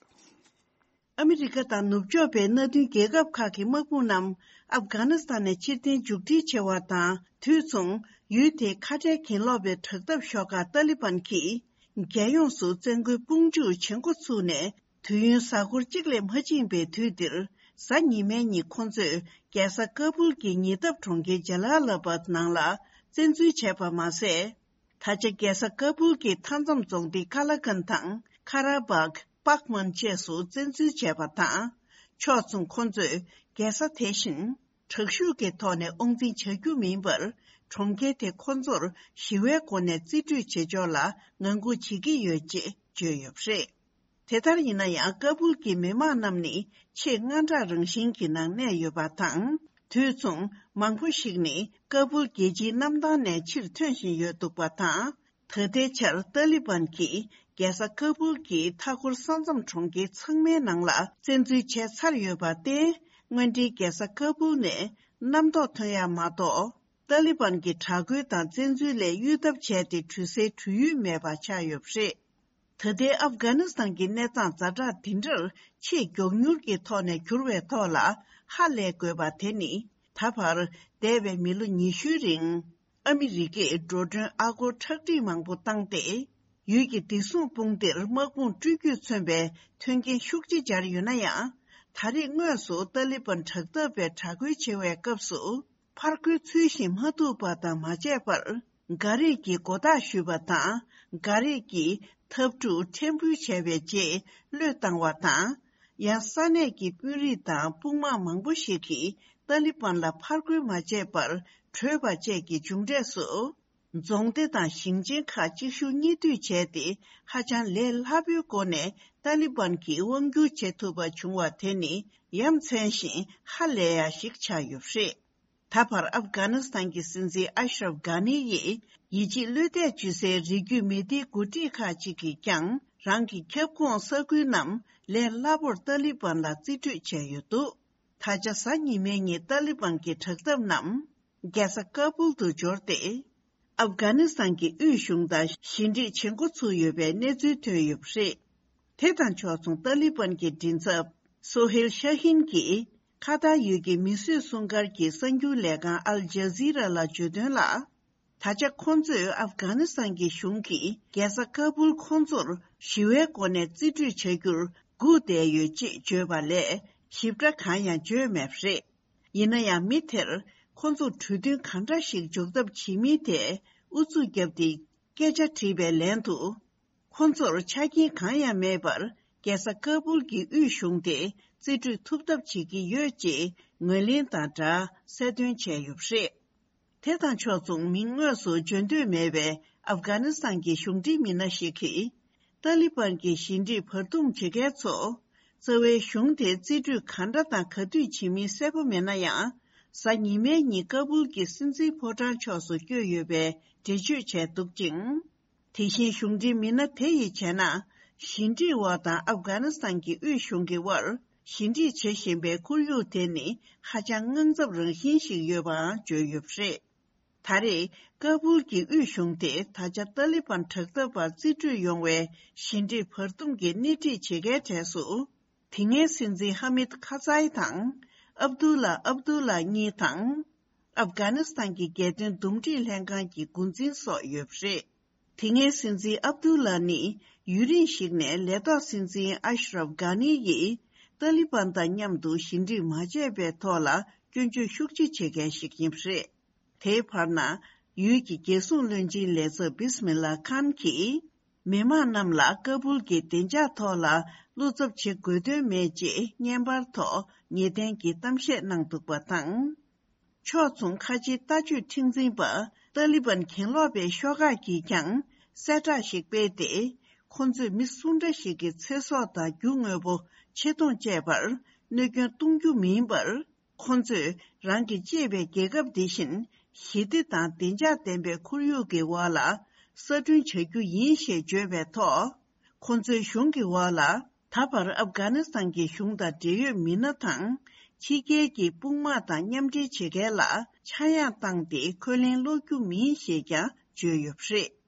ཨ་མི་རི་ཀ་དང་ནུབ་ཕྱོགས་པའི་མནའ་མཐུན་རྒྱལ་ཁབ་ཁག་གི་དམག་དཔུང་རྣམས་ཨབ་གྷ་ནི་སི་ཐན་ནས་ཕྱིར་འཐེན་མཇུག་སྒྲིལ་བྱས་པ་དང་དུས་མཚུངས་ཡུལ་དེའི་ཁ་བྲལ་གྱེན་ལོག་པའི་དྲག་འཐབ་ཤོག་ཁག་ཏཱ་ལི་བན་གྱིས་རྒྱལ་ཡོངས་སུ་བཙན་རྒོལ་དཔུང་འཇུག་བྱེད་འགོ་ཚུགས་ནས་དུས་ཡུན་གཟའ་འཁོར་གཅིག་ལས་མ་ཕྱིན་པའི་དུས་འདིར། གཟའ་ཉི་མའི་ཉིན་ཁོ་ཚོས་རྒྱལ་ས་ཀ་བུལ་གྱི་ཉེ་འདབས་གྲོང་ཁྱེར་ཇ་ལ་ལ་བད་ནང་ལ་བཙན་འཛུལ་བྱས་པ་མ་ཟད། ད་ཆ་རྒྱལ་ས་ཀ་བུལ་གྱི་མཐའ་མཚམས་རྫོང་སྡེ་ཀ་ལ་ཀན་དང་ཁ་ར་བག་པག་མན་བཅས་སུ་བཙན་འཛུལ་བྱས་པ་དང་། ཕྱོགས་མཚུངས་ཁོ་ཚོས་རྒྱལ་ས་དེ་བཞིན་དྲག་ཤུགས་ཀྱི་ཐོག་ནས་དབང་འཛིན་བྱ་རྒྱུ་མིན་པར། གྲོང་ཁྱེར་དེ་ཁོ་ཚོར་ཞི་བའི་སྒོ་ནས་རྩིས་སྤྲོད་བྱེད་ཕྱོགས་ལ་ངང་སྒུག་བྱེད་ཀྱི་ཡོད་ཅེས་བརྗོད་ཡོད་པ་རེད། དེ་ལྟར་ཡིན་ན་ཡང་། ཀ་བུལ་གྱི་མི་མང་རྣམས་ནི་ཆེས་དངངས་སྐྲག་རང་བཞིན་གྱི་ནང་གནས་ཡོད་པ་དང་། དུས་མཚུངས་མང་པོ་ཞིག་ནི་ཀ་བུལ་རྒྱལ་སྤྱིའི་གནམ་ཐང་ནས་ཕྱིར་ཐོན་བཞིན་ཡོད་འདུག་པ་དང་། ད་ལྟའི་ཆར་ཏཱ་ལི་བན་གྱིས་རྒྱལ་ས་ཀ་བུལ་གྱི་མཐའ་འཁོར་ས་མཚམས་གྲོང་ཁྱེར་ཚང་མའི་ནང་ལ་བཙན་འཛུལ་བྱས་ཚར་ཡོད་པར་བརྟེན། དངོས་འབྲེལ་རྒྱལ་ས་ཀ་བུལ་ནས་རྣམ་རྟོག་ཐོན་ཡ་མ་གཏོགས། ཏཱ་ལི་བན་གྱི་དྲག་རྒོལ་དང་བཙན་འཛུལ་ལས་གཡོལ་ཐབས་བྱས་ཏེ་གྲོལ་སའི་གྲོལ་ཡུལ་མེད་པ་ཆགས་ཡོད་པ་རེད། ད་ལྟའི་ཨབ་གྷ་ནི་སི་ཐན་གྱི་གནས་སྟངས་ཛ་དྲག་འདི་འདྲར་ཆེས་མགྱོགས་མྱུར་གྱི་ཐོག་ནས་འགྱུར་བའི་ཐོག་ལ་ཧ་ལས་དགོས་པ་དེ་ནི། ད་བར་འདས་པའི་མི་ལོ་ཉི་ཤུའི་རིང་ཨ་མི་རི་ཀས་འགྲོ་གྲོན་ཨ་སྒོར་ཁྲག་ཁྲིག་མང་པོ་བཏང་སྟེ། ཡུལ་གྱི་བདེ་སྲུང་དཔུང་སྡེར་དམག་དཔུང་སྤྲོད་རྒྱུས་མཚོན་པའི་མཐུན་རྐྱེན་ཤུགས་ཆེ་སྦྱར་ཡོད་ན་ཡང་། ད་རེས་དངོས་སུ་ཏཱ་ལི་བན་དྲག་འཐབ་པའི་དྲག་རྒོལ་བྱེད་པའི་སྐབས་སུ། ཕར་རྒོལ་ཚུལ་བཞིན་མ་ཐུབ་པ་དང་མ་བྱས་པར། འགའ་རེས་ཀྱིས་མགོ་བཏགས་ཞུས་པ་དང་། འགའ་རེས་ཀྱིས་འཐབ་འཁྲུག་ཕྲན་བུ་བྱས་པའི་རྗེས་བློས་བཏང་བ་དང་། ཡང་ས་གནས་ཀྱི་དཔོན་རིགས་དང་དཔུང་དམག་མང་པོ་ཞིག་གིས་ཏཱ་ལི་བན་ལ་ཕར་རྒོལ་མ་བྱས་པར་བྲོས་པ་བཅས་ཀྱི་མཇུག་འབྲས་སུ། རྫོང་སྡེ་དང་ཞིང་ཆེན་ཁག་གཅིག་མཇུག་གཉིས་མཐུད་བྱས་ཏེ། ཧ་ཅང་ལས་སླ་པོའི་སྒོ་ནས་ཏཱ་ལི་བན་གྱིས་དབང་བསྒྱུར་བྱེད་ཐུབ་པ་བྱུང་བ་དེ་ནི་ཡ་མཚན་ཞིང་ཧ་ལས་ཡ་ཞིག་ཆགས་ཡོད་པ་རེད། ད་བར་ཨབ་གྷ་ནི་སི་ཐན་གྱི་སྲིད་འཛིན་ཨ་ཤ་རབ་གྷ་ནི་ཡིས་ཡིད་ཆེས་བློས་གཏད་བྱེད་སའི་རི་རྒྱུད་མི་སྡེའི་འགོ་ཁྲིད་ཁག་ཅིག་གིས་ཀྱང་རང་གི་ཁྱབ་ཁོངས་ས་ཁུལ་རྣམས་ལས་སླ་པོར་ཏཱ་ལི་བན་ལ་རྩིས་སྤྲོད་བྱས་ཡོད་འདུག་ད་ཆ་གཟའ་ཉི་མའི་ཉིན་ཏཱ་ལི་བན་གྱི་དྲག་འཐབ་རྣམས་རྒྱལ་ས་ཀ་བུལ་དུ་འབྱོར་ཏེ། ཨབ་གྷ་ནི་སི་ཐན་གྱི་དབུས་གཞུང་དང་ཞི་འགྲིག་བྱེད་འགོ་ཚུགས་ཡོད་པའི་གནས་ཚུལ་ཐོན་ཡོད་པ་རེད། དེ་དང་ཕྱོགས་མཚུངས་ཏཱ་ལི་བན་གྱི་མགྲིན་ཚབ་སོ་ཧེལ་ཤ་ཧིན་གྱིས་ཁ་ཐར་ཡུལ་གྱི་མིས་བཟོས་སྲུང་སྐར་གྱི་གསར་འགྱུར་ལས་ཁང་ཨལ་ཇ་ཟི་ར་ལ་བརྗོད་དོན་ལ། ད་ཆ་ཁོང་ཚོས་ཨབ་གྷ་ནི་སི་ཐན་གྱི་གཞུང་གིས་རྒྱལ་ས་ཀ་བུལ་ཁོང་ཚོར་ཞི་བའི་སྒོ་ནས་རྩིས་སྤྲོད་བྱ་རྒྱུར་སྒུག་བསྡད་ཡོད་ཅེས་བརྗོད་པ་ལས་ཞིབ་ཕྲ་གང་ཡང་བརྗོད་མེད་པ་རེད། ཡིན་ན་ཡང་མི་དེར་ཁོང་ཚོར་གྲོས་མཐུན་གང་འདྲ་ཞིག་འཇོག་ཐབས་བྱེད་མིན་ཐད་ཨུ་ཚུགས་བརྒྱབ་སྟེ་སྐད་ཆ་དྲིས་པའི་ལན་དུ། ཁོང་ཚོར་ཆ་རྐྱེན་གང་ཡང་མེད་པར་རྒྱལ་ས་ཀ་བུལ་གྱི་དབུས་གཞུང་དེ་རྩིས་སྤྲོད་ཐུབ་ཐབས་བྱེད་ཀྱི་ཡོད་ཅེས་ངོས་ལེན་དང་སྦྲགས་གསལ་སྟོན་བྱས་ཡོད་པ་རེད། དེ་དང་ཕྱོགས་མཚུངས་མིང་དངོས་སུ་བརྗོད་འདོད་མེད་པའི་ཨབ་གྷ་ནི་སི་ཐན་གྱི་གཞུང་འབྲེལ་མི་སྣ་ཞིག་གིས། ཏཱ་ལི་བན་གྱི་ཞི་འགྲིག་བར་འདུམ་བྱེད་མཁན་ཚོ། རྩ་བའི་གཞུང་དེ་རྩིས་སྤྲོད་ག་འདྲ་དང་ག་དུས་བྱེད་མིན་གསལ་པོ་མེད་ན་ཡང་། གཟའ་ཉི་མའི་ཉིན་ཀ་བུལ་གྱི་སྲིད་འཛིན་ཕོ་བྲང་ཕྱོགས་སུ་བསྐྱོད་ཡོད་པའི་འགྲེལ་བརྗོད་བྱས་འདུག་ཅིང་། དེ་བཞིན་གཞུང་འབྲེལ་མི་སྣ་དེ་ཡིས་བྱས་ན། ཞི་འགྲིག་འོག་དང་ཨབ་གྷ་ནི་སི་ཐན་གྱི་དབུས་གཞུང་གི་དབར་ཞི་འགྲིག་བྱེད་བཞིན་པའི་ཁོར་ཡུག་དེ་ནི་ཧ་ཅང་དངངས་འཚབ་རང་བཞིན་ཞིག་ཡོད་པའང་བརྗོད་ཡོད་པ་རེད། ད་རེས་ཀ་བུལ་གྱི་དབུས་གཞུང་དེ་ད་ཆ་ཏཱ་ལི་བན་དྲག་འཐབ་པར་རྩིས་སྤྲོད་ཡོང་བའི་ཞི་འགྲིག་བར་འདུམ་གྱི་སྣེ་ཁྲིད་བྱེད་མཁན་གྲས་སུ། དེ་སྔའི་སྲིད་འཛིན་ཧ་མིད་ཁ་ཛའི་དང་། ཨབ་དུ་ལ་ཨབ་དུ་ལ་གཉིས་དང་། ཨབ་གྷ་ནི་སི་ཐན་གྱི་རྒྱལ་དོན་འདུམ་འགྲིག་ལྷན་ཁང་གི་འགོ་འཛིན་སོགས་ཡོད་པ་རེད། དེ་སྔའི་སྲིད་འཛིན་ཨབ་དུ་ལ་ནི་ཡུན་རིང་ཞིག་ནས་ལས་ཐོག་སྲིད་འཛིན་ཨ་ཤ་རབ་གྷ་ནི་ཡིས་ཏཱ་ལི་བན་དང་མཉམ་དུ་ཞི་འགྲིག་མ་བྱས་པའི་ཐོག་ལ་སྐྱོན་བརྗོད་ཤུགས་ཆེ་བྱེད་མཁན་ཞིག་ཡིན་པ་རེད། དེའི་བར་ན། ཡུལ་གྱི་རྒྱལ་སྲུང་བློན་ཆེན་ལས་ཚབ་བིས་མི་ལ་ཁཱན་གྱིས། མི་མང་རྣམས་ལ་ཀ་བུལ་གྱི་བདེ་འཇགས་ཐོག་ལ་བློ་འཚབ་བྱེད་དགོས་དོན་མེད་ཅེས་བརྙན་པར་ཐོག་ངེས་གཏན་གྱི་གཏམ་བཤད་གནང་འདུག་པ་དང་། ཕྱོགས་མཚུངས་ཁ་ཆེའི་ལྟ་སྤྱོད་མཁྲེགས་འཛིན་པ་ཏཱ་ལི་བན་གྱེན་ལོག་པའི་ཤོག་ཁག་གིས་ཀྱང་གསལ་བསྒྲགས་ཤིག་སྤེལ་ཏེ། ཁོ་ཚོས་མི་སུ་འདྲ་ཞིག་གི་ཚེ་སྲོག་དང་རྒྱུ་དངོས་པོ་ཆེ་མཐོང་བཅས་པར་གནོད་སྐྱོན་གཏོང་རྒྱུ་མིན་པར། ཁོ་ཚོས་རང་གི་གཅེས་པའི་རྒྱལ་ཁབ་འདི་བཞིན་ཞི་བདེ་དང་བདེ་འཇགས་ལྡན་པའི་ཁོར་ཡུག་གི་འོག་ལ་གསར་སྐྲུན་བྱ་རྒྱུ་ཡིན་ཞེས་བརྗོད་པའི་ཐོག་ཁོ་ཚོའི་གཞུང་གི་འོག་ལ་ད་བར་ཨབ་གྷ་ནི་སི་ཐན་གྱི་གཞུང་དང་འབྲེལ་ཡོད་མི་སྣ་དང་ཕྱི་རྒྱལ་གྱི་དཔུང་དམག་དང་མཉམ་འབྲེལ་བྱེད་མཁན་ལ་ཆག་ཡང་བཏང་སྟེ་འཁོན་ལན་སློག་རྒྱུ་མིན་ཞེས་ཀྱང་བརྗོད་ཡོད་པ་རེད།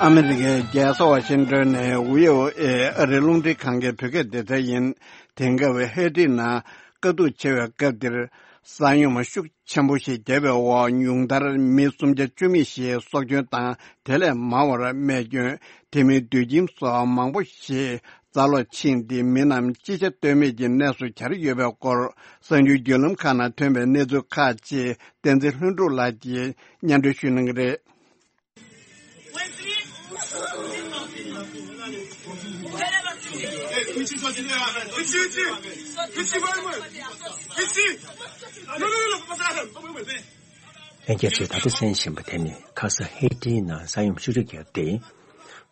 ཨ་མི་རི་ཀའི་རྒྱལ་ས་ཝ་ཤིང་ཏོན་ནས་བྷི་ཨོ་ཨེ་ཨ་རིའི་རླུང་འཕྲིན་ཁང་གི་བོད་སྐད་སྡེ་ཚན་ཡིན། དེང་སྐབས་ཧེ་ཏི་ནང་དཀའ་སྡུག་ཆེ་བའི་སྐབས་འདིར། ས་ཡོམ་ཤུགས་ཆེན་པོ་ཞིག་བརྒྱབ་པའི་འོག་ཉུང་མཐར་མི་སུམ་བརྒྱ་བཅུ་མེད་ཞིག་སྲོག་སྐྱོན་དང་དེ་ལས་མང་བར་རྨས་སྐྱོན། དེ་མིན་དུད་ཁྱིམ་སོགས་མང་པོ་ཞིག་རྩ་སློག་ཕྱིན་ཏེ་མི་རྣམས་ཅི་བྱ་གཏོལ་མེད་ཀྱི་གནས་སུ་གྱར་ཡོད་པའི་སྐོར་གསར་འགྱུར་བརྒྱུད་ལམ་ཁག་ནང་ཐོན་པའི་གནས་ཚུལ་ཁག་ཅིག་བསྟན་འཛིན་ལྷུན་གྲུབ་ལགས་ཀྱིས་སྙན་སྒྲོན་ཞུ་གནང་གི་རེད། ལྷན་རྒྱས་ཚོས་ད་ལྟ་གསན་བཞིན་པ་དེ་ནི་ཁ་ས་ཧེ་ཏིའི་ནང་ས་ཡོམ་ཤུགས་ཆེ་བརྒྱབ་སྟེ།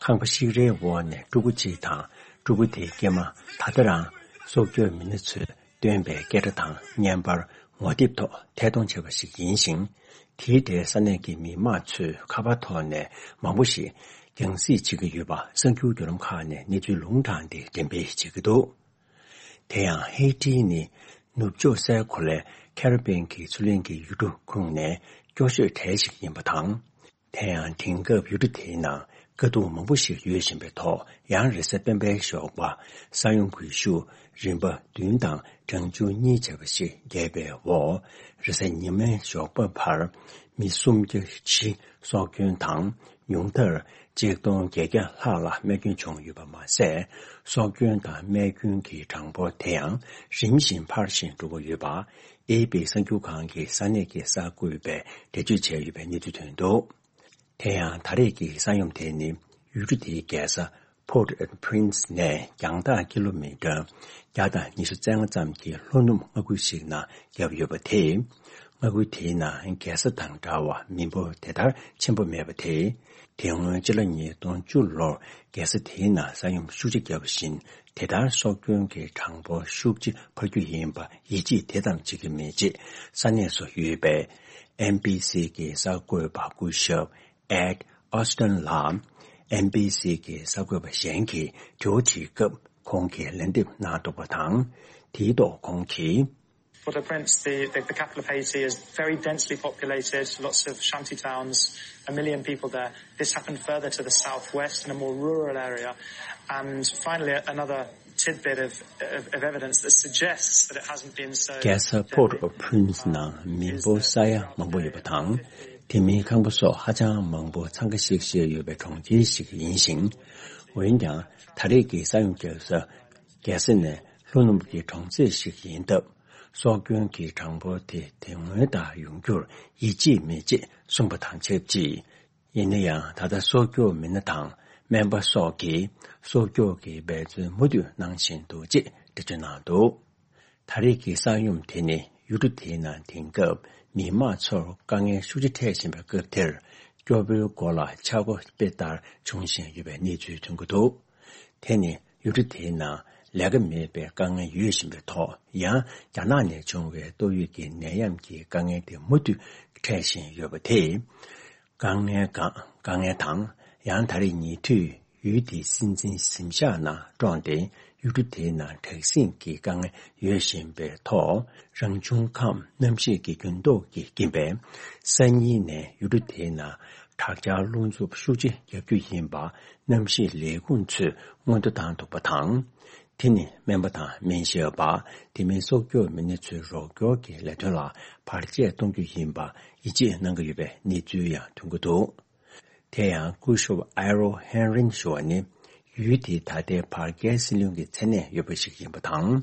ཁང་པ་ཤིག་རལ་འོག་ནས་ཕྲུ་གུ་གཅིག་དང་ཕྲུ་གུ་དེའི་སྐྱེས་མ་ད་ལྟ་རང་སྲོག་སྐྱོབ་མི་སྣ་ཚོས་བཏོན་པའི་སྐད་སྒྲ་དང་བརྙན་པར་ངོ་དེབ་ཐོག་ཐད་གཏོང་བྱས་པ་ཞིག་ཡིན་ཞིང་། དེའི་གྲས་ས་གནས་ཀྱི་མི་མང་ཚོས་ཁ་པར་ཐོག་ནས་མང་པོ་ཞིག་རྒྱང་སྲིང་བྱེད་ཀྱི་ཡོད་པ་གསར་འགྱུར་བརྒྱུད་ལམ་ཁག་ནས་གནས་ཚུལ་ལུང་དྲངས་ཏེ་འགྲེམས་སྤེལ་བྱེད་ཀྱི་འདུག་དེ་ཡང་ཧེ་ཏི་ནི་ནུབ་ཕྱོགས་སའི་གོ་ལའི་ཁེ་རི་བྷི་ཡན་གྱི་མཚོ་གླིང་གི་ཡུལ་གྲུ་ཁོངས་ནས་སྐྱོ་ཤོས་གྲས་ཤིག་ཡིན་པ་དང་། དེ་ཡང་དེང་སྐབས་ཡུལ་གྲུ་དེའི་ནང་དཀའ་སྡུག་མང་པོ་ཞིག་ཡོད་བཞིན་པའི་ཐོག་ཡང་རེས་གཟའ་སྤེན་པའི་ཞོགས་པ་ས་ཡོམ་གྱི་ཤུགས་རིམ་པ་བདུན་དང་གྲངས་ཆུང་གཉིས་བྱས་པ་ཞིག་བརྒྱབ་པའི་འོག་རེས་གཟའ་ཉི་མའི་ཞོགས་པ་བར་མི་སུམ་བརྒྱ་བཞི་སྲོག་སྐྱོན་དང་། ཉུང་མཐར་ཆིག་སྟོང་བརྒྱད་བརྒྱ་ལྷག་ལ་རྨས་སྐྱོན་བྱུང་ཡོད་པ་མ་ཟད། སྲོག་སྐྱོན་དང་རྨས་སྐྱོན་གྱི་གྲངས་འབོར་དེ་ཡང་རིམ་བཞིན་འཕར་བཞིན་འགྲོ་གི་ཡོད་པ། ཨེ་པི་གསར་འགྱུར་ཁང་གི་ས་གནས་ཀྱི་གསར་འགོད་པས་འགྲེལ་བརྗོད་བྱས་ཡོད་པའི་གནས་ཚུལ་ཐོན་འདུག་དེ་ཡང་ད་རེས་ཀྱི་ས་ཡོམ་དེ་ནི་ཡུལ་གྲུ་དེའི་རྒྱལ་ས་Port-au-Prince ནས་རྒྱང་ཐག་ཀི་ལོ་མི་ཊར་བརྒྱ་དང་ཉི་ཤུ་རྩ་ལྔ་ཙམ་གྱི་ལྷོ་ནུབ་མངའ་ཁུལ་ཞིག་ནང་བརྒྱབ་ཡོད་པ་དེས། མངའ་ཁུལ་དེའི་ནང་རྒྱལ་ས་དང་འདྲ་བར་མི་འབོར་དེ་ལྟར་ཆེན་པོ་མེད་པ་དེས། དེ་སྔོན་ཕྱི་ལོ་ཉིས་སྟོང་བཅུ་ལོར་རྒྱལ་ས་དེའི་ནང་ས་ཡོམ་ཤུགས་ཆེ་བརྒྱབ་པ་བཞིན། དེ་ལྟར་སྲོག་སྐྱོན་གྱི་གྲངས་འབོར་ཤུགས་ཆེ་འཕར་རྒྱུ་ཡིན་པ་ཡིད་ཆེས་དེ་ཙམ་བྱེད་ཀྱི་མེད་ཅེས་ས་གནས་སུ་ཡོད་པའི་ཨེན་བྷི་སི་གི་གསར་འགོད་པ་སྐུ་ཞབས་Ed Austin ལ། ཨེན་བྷི་སི་གི་གསར་འགོད་པ་གཞན་གྱིས་དྲི་བ་དྲིས་སྐབས། ཁོང་གིས་ལན་འདེབས་གནང་འདུག་པ་དང་། དེའི་ཐོག་ཁོང་གིས། Well, the Prince, the, the, the capital of Haiti is very densely populated, lots of shanty towns, a million people there. This happened further to the southwest in a more rural area. And finally, another tidbit of, of, of evidence that suggests that it hasn't been so. རྒྱལ་ས་Port-au-Prince ནང་མི་འབོར་ས་ཡ་མང་པོ་ཡོད་པ་དང་། དེ་མིན་ཁང་པ་སོགས་ཧ་ཅང་མང་པོ་འཚང་ཁ་ཤིག་ཤིག་ཡོད་པའི་གྲོང་ཁྱེར་ཞིག་ཡིན་ཞིང་། འོན་ཀྱང་། ད་རེས་ཀྱི་ས་ཡོམ་བརྒྱབ་ས། རྒྱལ་ས་ནས་ལྷོ་ནུབ་ཀྱི་གྲོང་གསེབ་ཞིག་ཡིན་སྟབས། སྲོག་སྐྱོན་གྱི་གྲངས་འབོར་དེ་དེ་སྔོན་ལྟར་ཡོང་རྒྱུར་ཡིད་ཆེས་མེད་ཅེས་གསུངས་པ་དང་ཆབས་ཅིག། ཡིན་ན་ཡང་། ད་ལྟ་སྲོག་སྐྱོབ་མི་སྣ་དང་སྨན་པ་སོགས་ཀྱིས་སྲོག་སྐྱོབ་ཀྱི་འབད་བརྩོན་མུ་མཐུད་གནང་བཞིན་འདུག་ཅེས་འགྲེལ་བརྗོད་གནང་འདུག། ད་རེས་ཀྱི་ས་ཡོམ་དེ་ནི་ཡུལ་གྲུ་དེའི་ནང་དེང་སྐབས་མི་མང་ཚོར་དཀའ་ངལ་ཤུགས་ཆེ་འཕྲད་བཞིན་པའི་སྐབས་དེར། སྐྱོ་པོའི་མགོ་ལ་ཆག་སྒོ་དཔེ་ལྟར་འབྱུང་བཞིན་ཡོད་པའི་གནས་ཚུལ་ཐོན་གྱི་འདུག། དེ་ནི་ཡུལ་གྲུ་དེའི་ནང་ལས་ཀ་མེད་པའི་དཀའ་ངལ་ཡོད་བཞིན་པའི་ཐོག། ཡང་རྒྱ་ནག་ནས་བྱུང་བའི་ཏོག་དབྱིབས་ཀྱི་ནད་ཡམས་ཀྱི་དཀའ་ངལ་དེ་མུ་མཐུད་འཕྲད་བཞིན་ཡོད་པ་དེས། དཀའ་ངལ་གང་དཀའ་ངལ་དང་། ཡང་ད་རེས་ཉེ་དུས་ཡུལ་དེའི་སྲིད་འཛིན་གཟིམ་ཤག་ནང་བཀྲོངས་ཏེ། ཡུལ་གྲུ་དེའི་ནང་དྲག་ཟིང་གི་དཀའ་ངལ་ཡོད་བཞིན་པའི་ཐོག། རང་བྱུང་ཁམས་གནམ་གཤིས་ཀྱི་འགྱུར་ལྡོག་གི་རྐྱེན་པས། སང་ཉིན་ནས་ཡུལ་གྲུ་དེའི་ནང་དྲག་ཆར་རླུང་འཚུབ་ཤུགས་ཆེ་རྒྱག་རྒྱུ་ཡིན་པ་གནམ་གཤིས་ལས་ཁུངས་ཚོས་སྔོན་འགྲོ་བཏང་འདུག་པ་དང་། དེ་ནི་སྨན་པ་དང་སྨན་ཞབས་པ། དེ་མིན་སྲོག་སྐྱོབ་མི་སྣ་ཚོའི་རོགས་སྐྱོར་གྱི་ལས་དོན་ལ་བར་ཆད་གཏོང་རྒྱུ་ཡིན་པ་ཡིད་ཆེས་གནང་གི་ཡོད་པའི་གནས་ཚུལ་ཡང་ཐོན་གྱི་འདུག། དེ་ཡང་སྐུ་ཞབས་ཨེ་རོ་ཧེན་རིན་ཞུ་བ་ནི། ཡུལ་དེའི་ད་ལྟའི་བར་བརྒལ་སྲིད་བློན་གྱི་མཚན་གནས་ཡོད་པ་ཞིག་ཡིན་པ་དང་།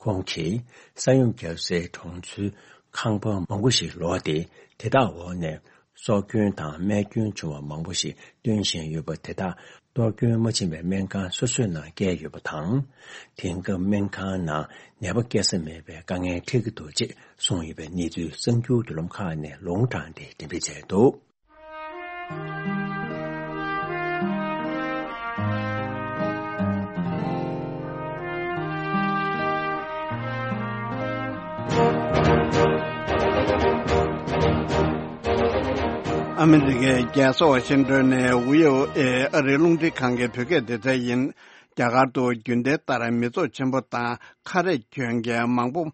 ཁོང་གིས་ས་ཡོམ་བརྒྱབ་སའི་གྲོང་ཚོའི་ཁང་པ་མང་པོ་ཞིག་ལོག་སྟེ། དེ་དག་འོག་ནས་སྲོག་སྐྱོན་དང་རྨས་སྐྱོན་བྱུང་བ་མང་པོ་ཞིག་བཏོན་བཞིན་ཡོད་པ། དེ་དག་གཏོར་སྐྱོན་མ་ཕྱིན་པའི་སྨན་ཁང་སོ་སོའི་ནང་བསྐྱལ་ཡོད་པ་དང་། དེང་སྐབས་སྨན་ཁང་ནང་ནད་པ་སྐྱེལ་ས་མེད་པའི་དཀའ་ངལ་འཕྲད་ཀྱི་འདུག་ཅེས་གསུངས་ཡོད་པའི་གནས་ཚུལ་གསར་འགྱུར་བརྒྱུད་ལམ་ཁག་ནས་ལུང་དྲངས་ཏེ་འགྲེམས་སྤེལ་བྱས་འདུག། ཨ་མི་རི་ཀའི་རྒྱལ་ས་ཝ་ཤིང་ཏོན་ནས་ཝི་ཨོ་ཨེ་ཨ་རིའི་རླུང་འཕྲིན་ཁང་གི་བོད་སྐད་སྡེ་ཚན་ཡིན། རྒྱ་གར་དུ་རྒྱུན་ལྡན་ལྟར་མི་ཚོགས་ཆེན་པོ་དང་ཁ་རས་གྱོན་མཁན་མང་པོ།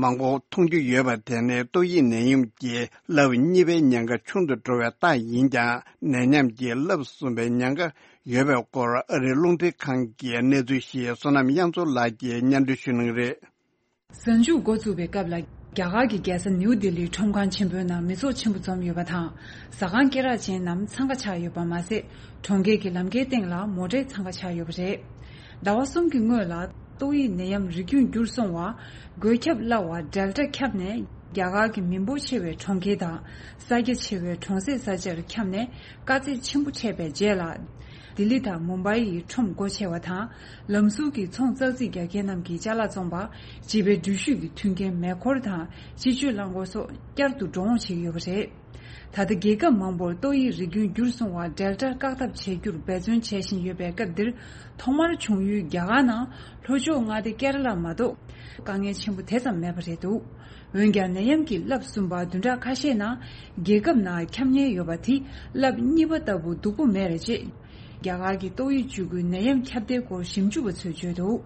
མང་པོ་མཐོང་རྒྱུ་ཡོད་པ་དེ་ནི་ཏོག་དབྱིབས་ནད་ཡམས་ཀྱི་རླབས་གཉིས་པའི་ཉེན་ཁ་ཆུང་དུ་འགྲོ་བའི་རྟགས་ཡིན་ཀྱང་། ནད་ཡམས་ཀྱི་རླབས་གསུམ་པའི་ཉེན་ཁ་ཡོད་པའི་སྐོར་ཨ་རིའི་རླུང་འཕྲིན་ཁང་གིས་གནས་ཚུལ་ཞིག་བསོད་ནམས་དབྱངས་མཚོ་ལགས་ཀྱིས་སྙན་སྒྲོན་ཞུ་གནང་གི་རེད། གཟའ་མཇུག་འགོ་བཙུགས་པའི་སྐབས་ལ། རྒྱ་གར་གྱི་རྒྱལ་ས་ནིའུ་ལྡི་ལིའི་ཁྲོམ་ཁང་ཆེན་པོའི་ནང་མི་ཚོགས་ཆེན་པོ་འཛོམས་ཡོད་པ་དང་། ཟ་ཁང་སྐེ་རགས་ཅན་རྣམས་འཚང་ཁ་ཆགས་ཡོད་པ་མ་ཟད། གྲོང་ཁྱེར་གྱི་ལམ་ཁའི་སྟེང་ལ་མོ་ཊའི་འཚང་ཁ་ཆགས་ཡོད་པ་རེད། ཟླ་བ་གསུམ་གྱི་སྔོན་ལ་ཏོག་དབྱིབས་ནད་ཡམས་རིགས་རྒྱུན་འགྱུར་སོང་བ། འགོས་ཁྱབ་སླ་བ་ཌེལ་ཊ་ཁྱབ་ནས་རྒྱ་གར་གྱི་མི་འབོར་ཆེ་བའི་གྲོང་ཁྱེར་དང་ས་རྒྱ་ཆེ་བའི་གྲོང་གསེབ་ས་ཆར་ཁྱབ་ནས་དཀའ་ཚེགས་ཆེན་པོ་འཕྲད་པའི་རྗེས་ལ། ལྡི་ལི་དང་མུམ་བྷའི་ཡི་ཁྲོམ་སྒོ་ཕྱེ་བ་དང་། ལམ་ཟུར་གྱི་ཚོང་ཙག་ཙིག་རྒྱག་མཁན་རྣམས་ཀྱི་ཅ་ལག་བཙོང་པ། བྱིས་པའི་འགྲུལ་བཞུད་ཀྱི་མཐུན་རྐྱེན་མེ་འཁོར་དང་སྤྱི་སྤྱོད་རླངས་འཁོར་སོགས་བསྐྱར་དུ་འགྲོ་འོང་བྱེད་ཀྱི་ཡོད་པ་རེད། ད་ལྟ་རྒྱལ་ཁབ་མང་པོར་ཏོག་དབྱིབས་རིགས་རྒྱུན་འགྱུར་སོང་བ་ཌེལ་ཊ་བཀག་ཐབས་བྱེད་རྒྱུར་འབད་བརྩོན་བྱེད་བཞིན་ཡོད་པའི་སྐབས་འདིར། ཐོག་མར་བྱུང་ཡུལ་རྒྱ་གར་ནང་ལྷོ་ཕྱོགས་མངའ་སྡེ་ཀེ་ར་ལ་མ་གཏོགས་དཀའ་ངལ་ཆེན་པོ་དེ་ཙམ་མེད་པ་རེད་འདུག། འོན་ཀྱང་ནད་ཡམས་ཀྱི་རླབས་གསུམ་པ་བདུན་ཕྲག་ཁ་ཤས་ནང་རྒྱལ་ཁབ་ནང་ཁྱབ་ཉེན་ཡོད་པ་དེ་རླབས་གཉིས་པ་ལྟ་བུ་སྡུག་པོ་མེད་རེད་ཅེས། རྒྱ་གར་གྱི་ཏོག་དབྱིབས་བཅུ་དགུའི་ནད་ཡམས་ཁྱབ་གདལ་སྐོར་ཞིབ་འཇུག་པ་ཚོས་བརྗོད་འདུག།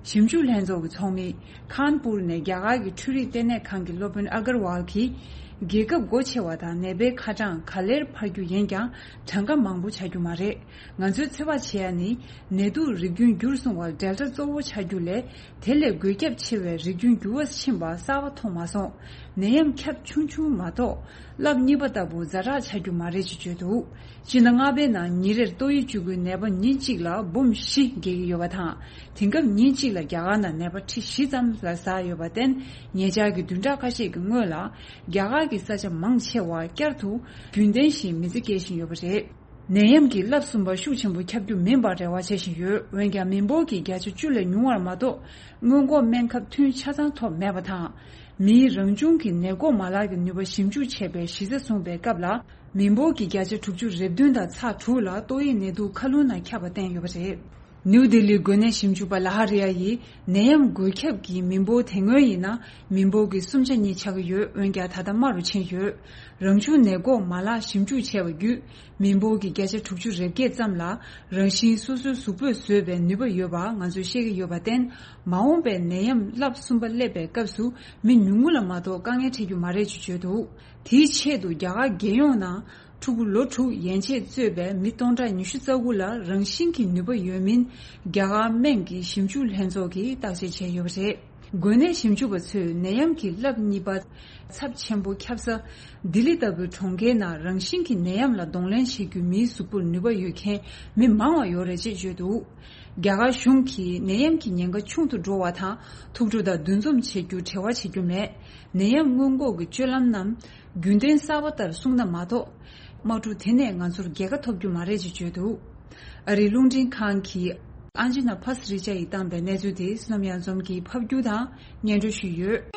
ཞིབ་འཇུག་ལྷན་ཚོགས་ཀྱི་ཚོགས་མི་ཁཱན་པུར་ནས་རྒྱ་གར་གྱི་འཕྲུལ་རིག་ལྟེ་གནས་ཁང་གི་སློབ་དཔོན་ཨ་གར་ཝལ་གྱིས། རྒྱལ་ཁབ་སྒོ་ཕྱེ་བ་དང་ནད་པའི་ཁ་གྲངས་ག་ལེར་འཕར་རྒྱུ་ཡིན་ཀྱང་གྲངས་ཀ་མང་པོ་ཆགས་རྒྱུ་མ་རེད། ང་ཚོས་ཚོད་དཔག་བྱེད་ཡ་ནི། ནད་དུག་རིགས་རྒྱུན་འགྱུར་སོང་བར་ཌེལ་ཊ་གཙོ་བོ་ཆགས་རྒྱུ་ལས། དེ་ལས་འགོས་ཁྱབ་ཆེ་བའི་རིགས་རྒྱུན་འགྱུར་བ་ཕྱིན་པ་གསར་པ་མཐོང་མ་སོང་། ནད་ཡམས་ཁྱབ་ཆུང་ཆུང་མ་གཏོགས། རླབས་གཉིས་པ་ལྟ་བུ་ཛ་དྲག་ཆགས་རྒྱུ་མ་རེད་ཅེས་བརྗོད་འདུག། སྤྱི་ཟླ་ལྔ་པའི་ནང་ཉིན་རེར་ཏོག་དབྱིབས་བཅུ་དགུའི་ནད་པ་ཉིན་གཅིག་ལ་འབུམ་བཞི་བརྒལ་གྱི་ཡོད་པ་དང་། དེང་སྐབས་ཉིན་གཅིག་ལ་རྒྱ་གར་ནང་ནད་པ་ཁྲི་བཞི་ཙམ་ལ་ཟགས་ཡོད་པར་བརྟེན། ཉེ་ཆར་གྱི་བདུན་ཕྲག་ཁ་ཤས་ཀྱི་སྔོན་ལ། རྒྱ་གར་གྱི་ས་ཆ་མང་ཆེ་བར་བསྐྱར་དུ་རྒྱུན་ལྡན་བཞིན་མི་ཚེ་སྐྱེལ་བཞིན་ཡོད་པ་རེད། ནད་ཡམས་ཀྱི་རླབས་གསུམ་པ་ཤུགས་ཆེན་པོ་ཁྱབ་རྒྱུ་མིན་པར་རེ་བ་བྱེད་བཞིན་ཡོད། འོན་ཀྱང་མི་འབོར་གྱི་བརྒྱ་ཆ་བཅུ་ལས་ཉུང་བར་མ་གཏོགས་སྔོན་འགོག་སྨན་ཁབ་ཐུན་ཆ་ཚང་ཐོབ་མེད་པ་དང་། མིའི་རང་བྱུང་གི་ནད་འགོག་མ་ལག་གི་ནུས་པ་ཞིབ་འཇུག་བྱས་པའི་གཞི་རྩ་བཟུང་པའི་སྐབས་ལ། མི་འབོར་གྱི་བརྒྱ་ཆ་དྲུག་ཅུ་རེ་བདུན་དང་ཚེག་དྲུག་ལ་ཏོག་དབྱིབས་ནད་དུག་མཁའ་རླུང་ནང་ཁྱབ་པ་བསྟན་ཡོད་པ་རེད། ནིའུ་ལྡི་ལིའི་འགོས་ནད་ཞིབ་འཇུག་པ་ལ་ཧ་རི་ཡ་ཡིས། ནད་ཡམས་འགོས་ཁྱབ་ཀྱི་མི་འབོར་དེ་སྔོན་ཡིན་ན་མི་འབོར་གྱི་གསུམ་ཆ་གཉིས་ཆགས་ཀྱི་ཡོད། འོན་ཀྱང་ད་ལྟ་དམའ་རུ་ཕྱིན་ཡོད། རང་བྱུང་ནད་འགོག་མ་ལག་ཞིབ་འཇུག་བྱས་པ་བརྒྱུད། མི་འབོར་གྱི་བརྒྱ་ཆ་དྲུག་ཅུ་རེ་བརྒྱད་ཙམ་ལ་རང་བཞིན་སོ་སོའི་གཟུགས་པོས་བཟོས་པའི་ནུས་པ་ཡོད་པ་ང་ཚོས་ཤེས་ཀྱི་ཡོད་པར་བརྟེན། མ་འོངས་པའི་ནད་ཡམས་རླབས་གསུམ་པ་སླེབས་པའི་སྐབས་སུ་མི་ཉུང་ངུ་ལ་མ་གཏོགས་དཀའ་ངལ་འཕྲད་རྒྱུ་མ་རེད་ཅེས་བརྗོད་འདུག་དེའི་ཆེད་དུ་རྒྱ་གར་རྒྱལ་ཡོངས་ནང་ཕྲུ་གུ་ལོ་དྲུག་ཡན་ཆད་གཙོས་པའི་མི་སྟོང་ཕྲག་ཉི་ཤུ་རྩ་དགུ་ལ་རང་བཞིན་གྱི་ནུས་པ་ཡོད་མིན་རྒྱ་གར་སྨན་གྱི་ཞིབ་འཇུག་ལྷན་ཚོགས་ཀྱིས་བརྟག་དཔྱད་བྱས་ཡོད་པ་རེད། འགོས་ནད་ཞིབ་འཇུག་པ་ཚོས་ནད་ཡམས་ཀྱི་རླབས་གཉིས་པ་ཚབས་ཆེན་པོ་ཁྱབ་ས་ལྡི་ལི་ལྟ་བུའི་གྲོང་ཁྱེར་ནང་རང་བཞིན་གྱིས་ནད་ཡམས་ལ་གདོང་ལེན་བྱེད་རྒྱུ་མིའི་གཟུགས་པོར་ནུས་པ་ཡོད་མཁན་མི་མང་བ་ཡོད་རེད་ཅེས་བརྗོད་འདུག་རྒྱ་གར་གཞུང་གིས་ནད་ཡམས་ཀྱི་ཉེན་ཁ་ཆུང་དུ་འགྲོ་བ་དང་ཐུགས་སྤྲོ་དང་འདུ་འཛོམས་བྱེད་རྒྱུར་བྲེལ་བ་བྱེད་རྒྱུ་མེད། ནད་ཡམས་སྔོན་འགོག་གི་སྤྱོད་ལམ་རྣམས་རྒྱུན་ལྡན་གསར་པ་ལྟར་སྲུང་ན་མ་གཏོགས། དམག་འཁྲུག་དེ་ནས་ང་ཚོར་རྒྱལ་ཁ་ཐོབ་རྒྱུ་མ་རེད་ཅེས་བརྗོད་འདུག་ཨ་རིའི་རླུང་འཕྲིན་ཁང་གི་ཨན་ཇི་ན་ཕ་སི་རི་ཅ་ཡིས་བཏང་པའི་གནས་ཚུལ་དེ་བསོད་ནམས་གཡང་འཛོམས་ཀྱིས་ཕབ་སྒྱུར་དང་སྙན་སྒྲོན་ཞུས་ཡོད།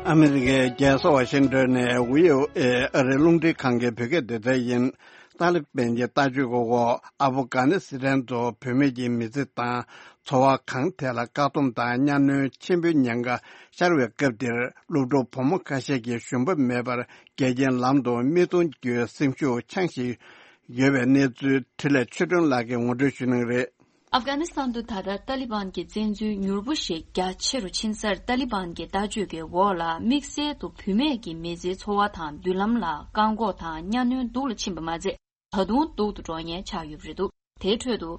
ཨ་མི་རི་ཀའི་རྒྱལ་ས་ཝ་ཤིང་ཏོན་ནས་བྷི་ཨོ་ཨེ་ཨ་རིའི་རླུང་འཕྲིན་ཁང་གི་བོད་སྐད་སྡེ་ཚན་ཡིན། ཏཱ་ལི་བན་གྱི་ལྟ་སྤྱོད་ཀྱི་འོག་ཨབ་གྷ་ནི་སི་ཐན་དུ་བུད་མེད་ཀྱི་མི་ཚེ་དང་འཚོ་བ་གང་ཐད་ལ་བཀག་སྡོམ་དང་གཉའ་གནོན་ཆེན་པོའི་ཉེན་ཁ་ཤར་བའི་སྐབས་འདིར། སློབ་ཕྲུག་བུ་མོ་ཁ་ཤས་ཀྱིས་ཞུམ་པ་མེད་པར་འགལ་རྐྱེན་ལམ་དུ་མི་གཏོང་རྒྱུའི་སེམས་ཤུགས་འཆང་བཞིན་ཡོད་པའི་གནས་ཚུལ་འཕྲིན་ལས་ཆོས་སྒྲོན་ལགས་ཀྱིས་ངོ་སྤྲོད་ཞུ་གནང་གི་རེད། ཨབ་གྷ་ནི་སི་ཐན་དུ་ད་ལྟ་ཏཱ་ལི་བན་གྱི་བཙན་འཛུལ་མྱུར་པོ་ཞིག་རྒྱ་ཆེ་རུ་ཕྱིན་སར། ཏཱ་ལི་བན་གྱི་ལྟ་སྤྱོད་ཀྱི་འོག་ལ་དམིགས་བསལ་དུ་བུད་མེད་ཀྱི་མི་ཚེའི་འཚོ་བ་དང་མདུན་ལམ་ལ་བཀག་འགོག་དང་གཉའ་གནོན་སྡུག་ལ་ཕྱིན་པ་མ་ཚད། ད་དུང་སྡུག་ཏུ་འགྲོ་མཁན་ཆགས་ཡོད་པ་རེད་འདུག་དེའི་ཁྲོད་དུ།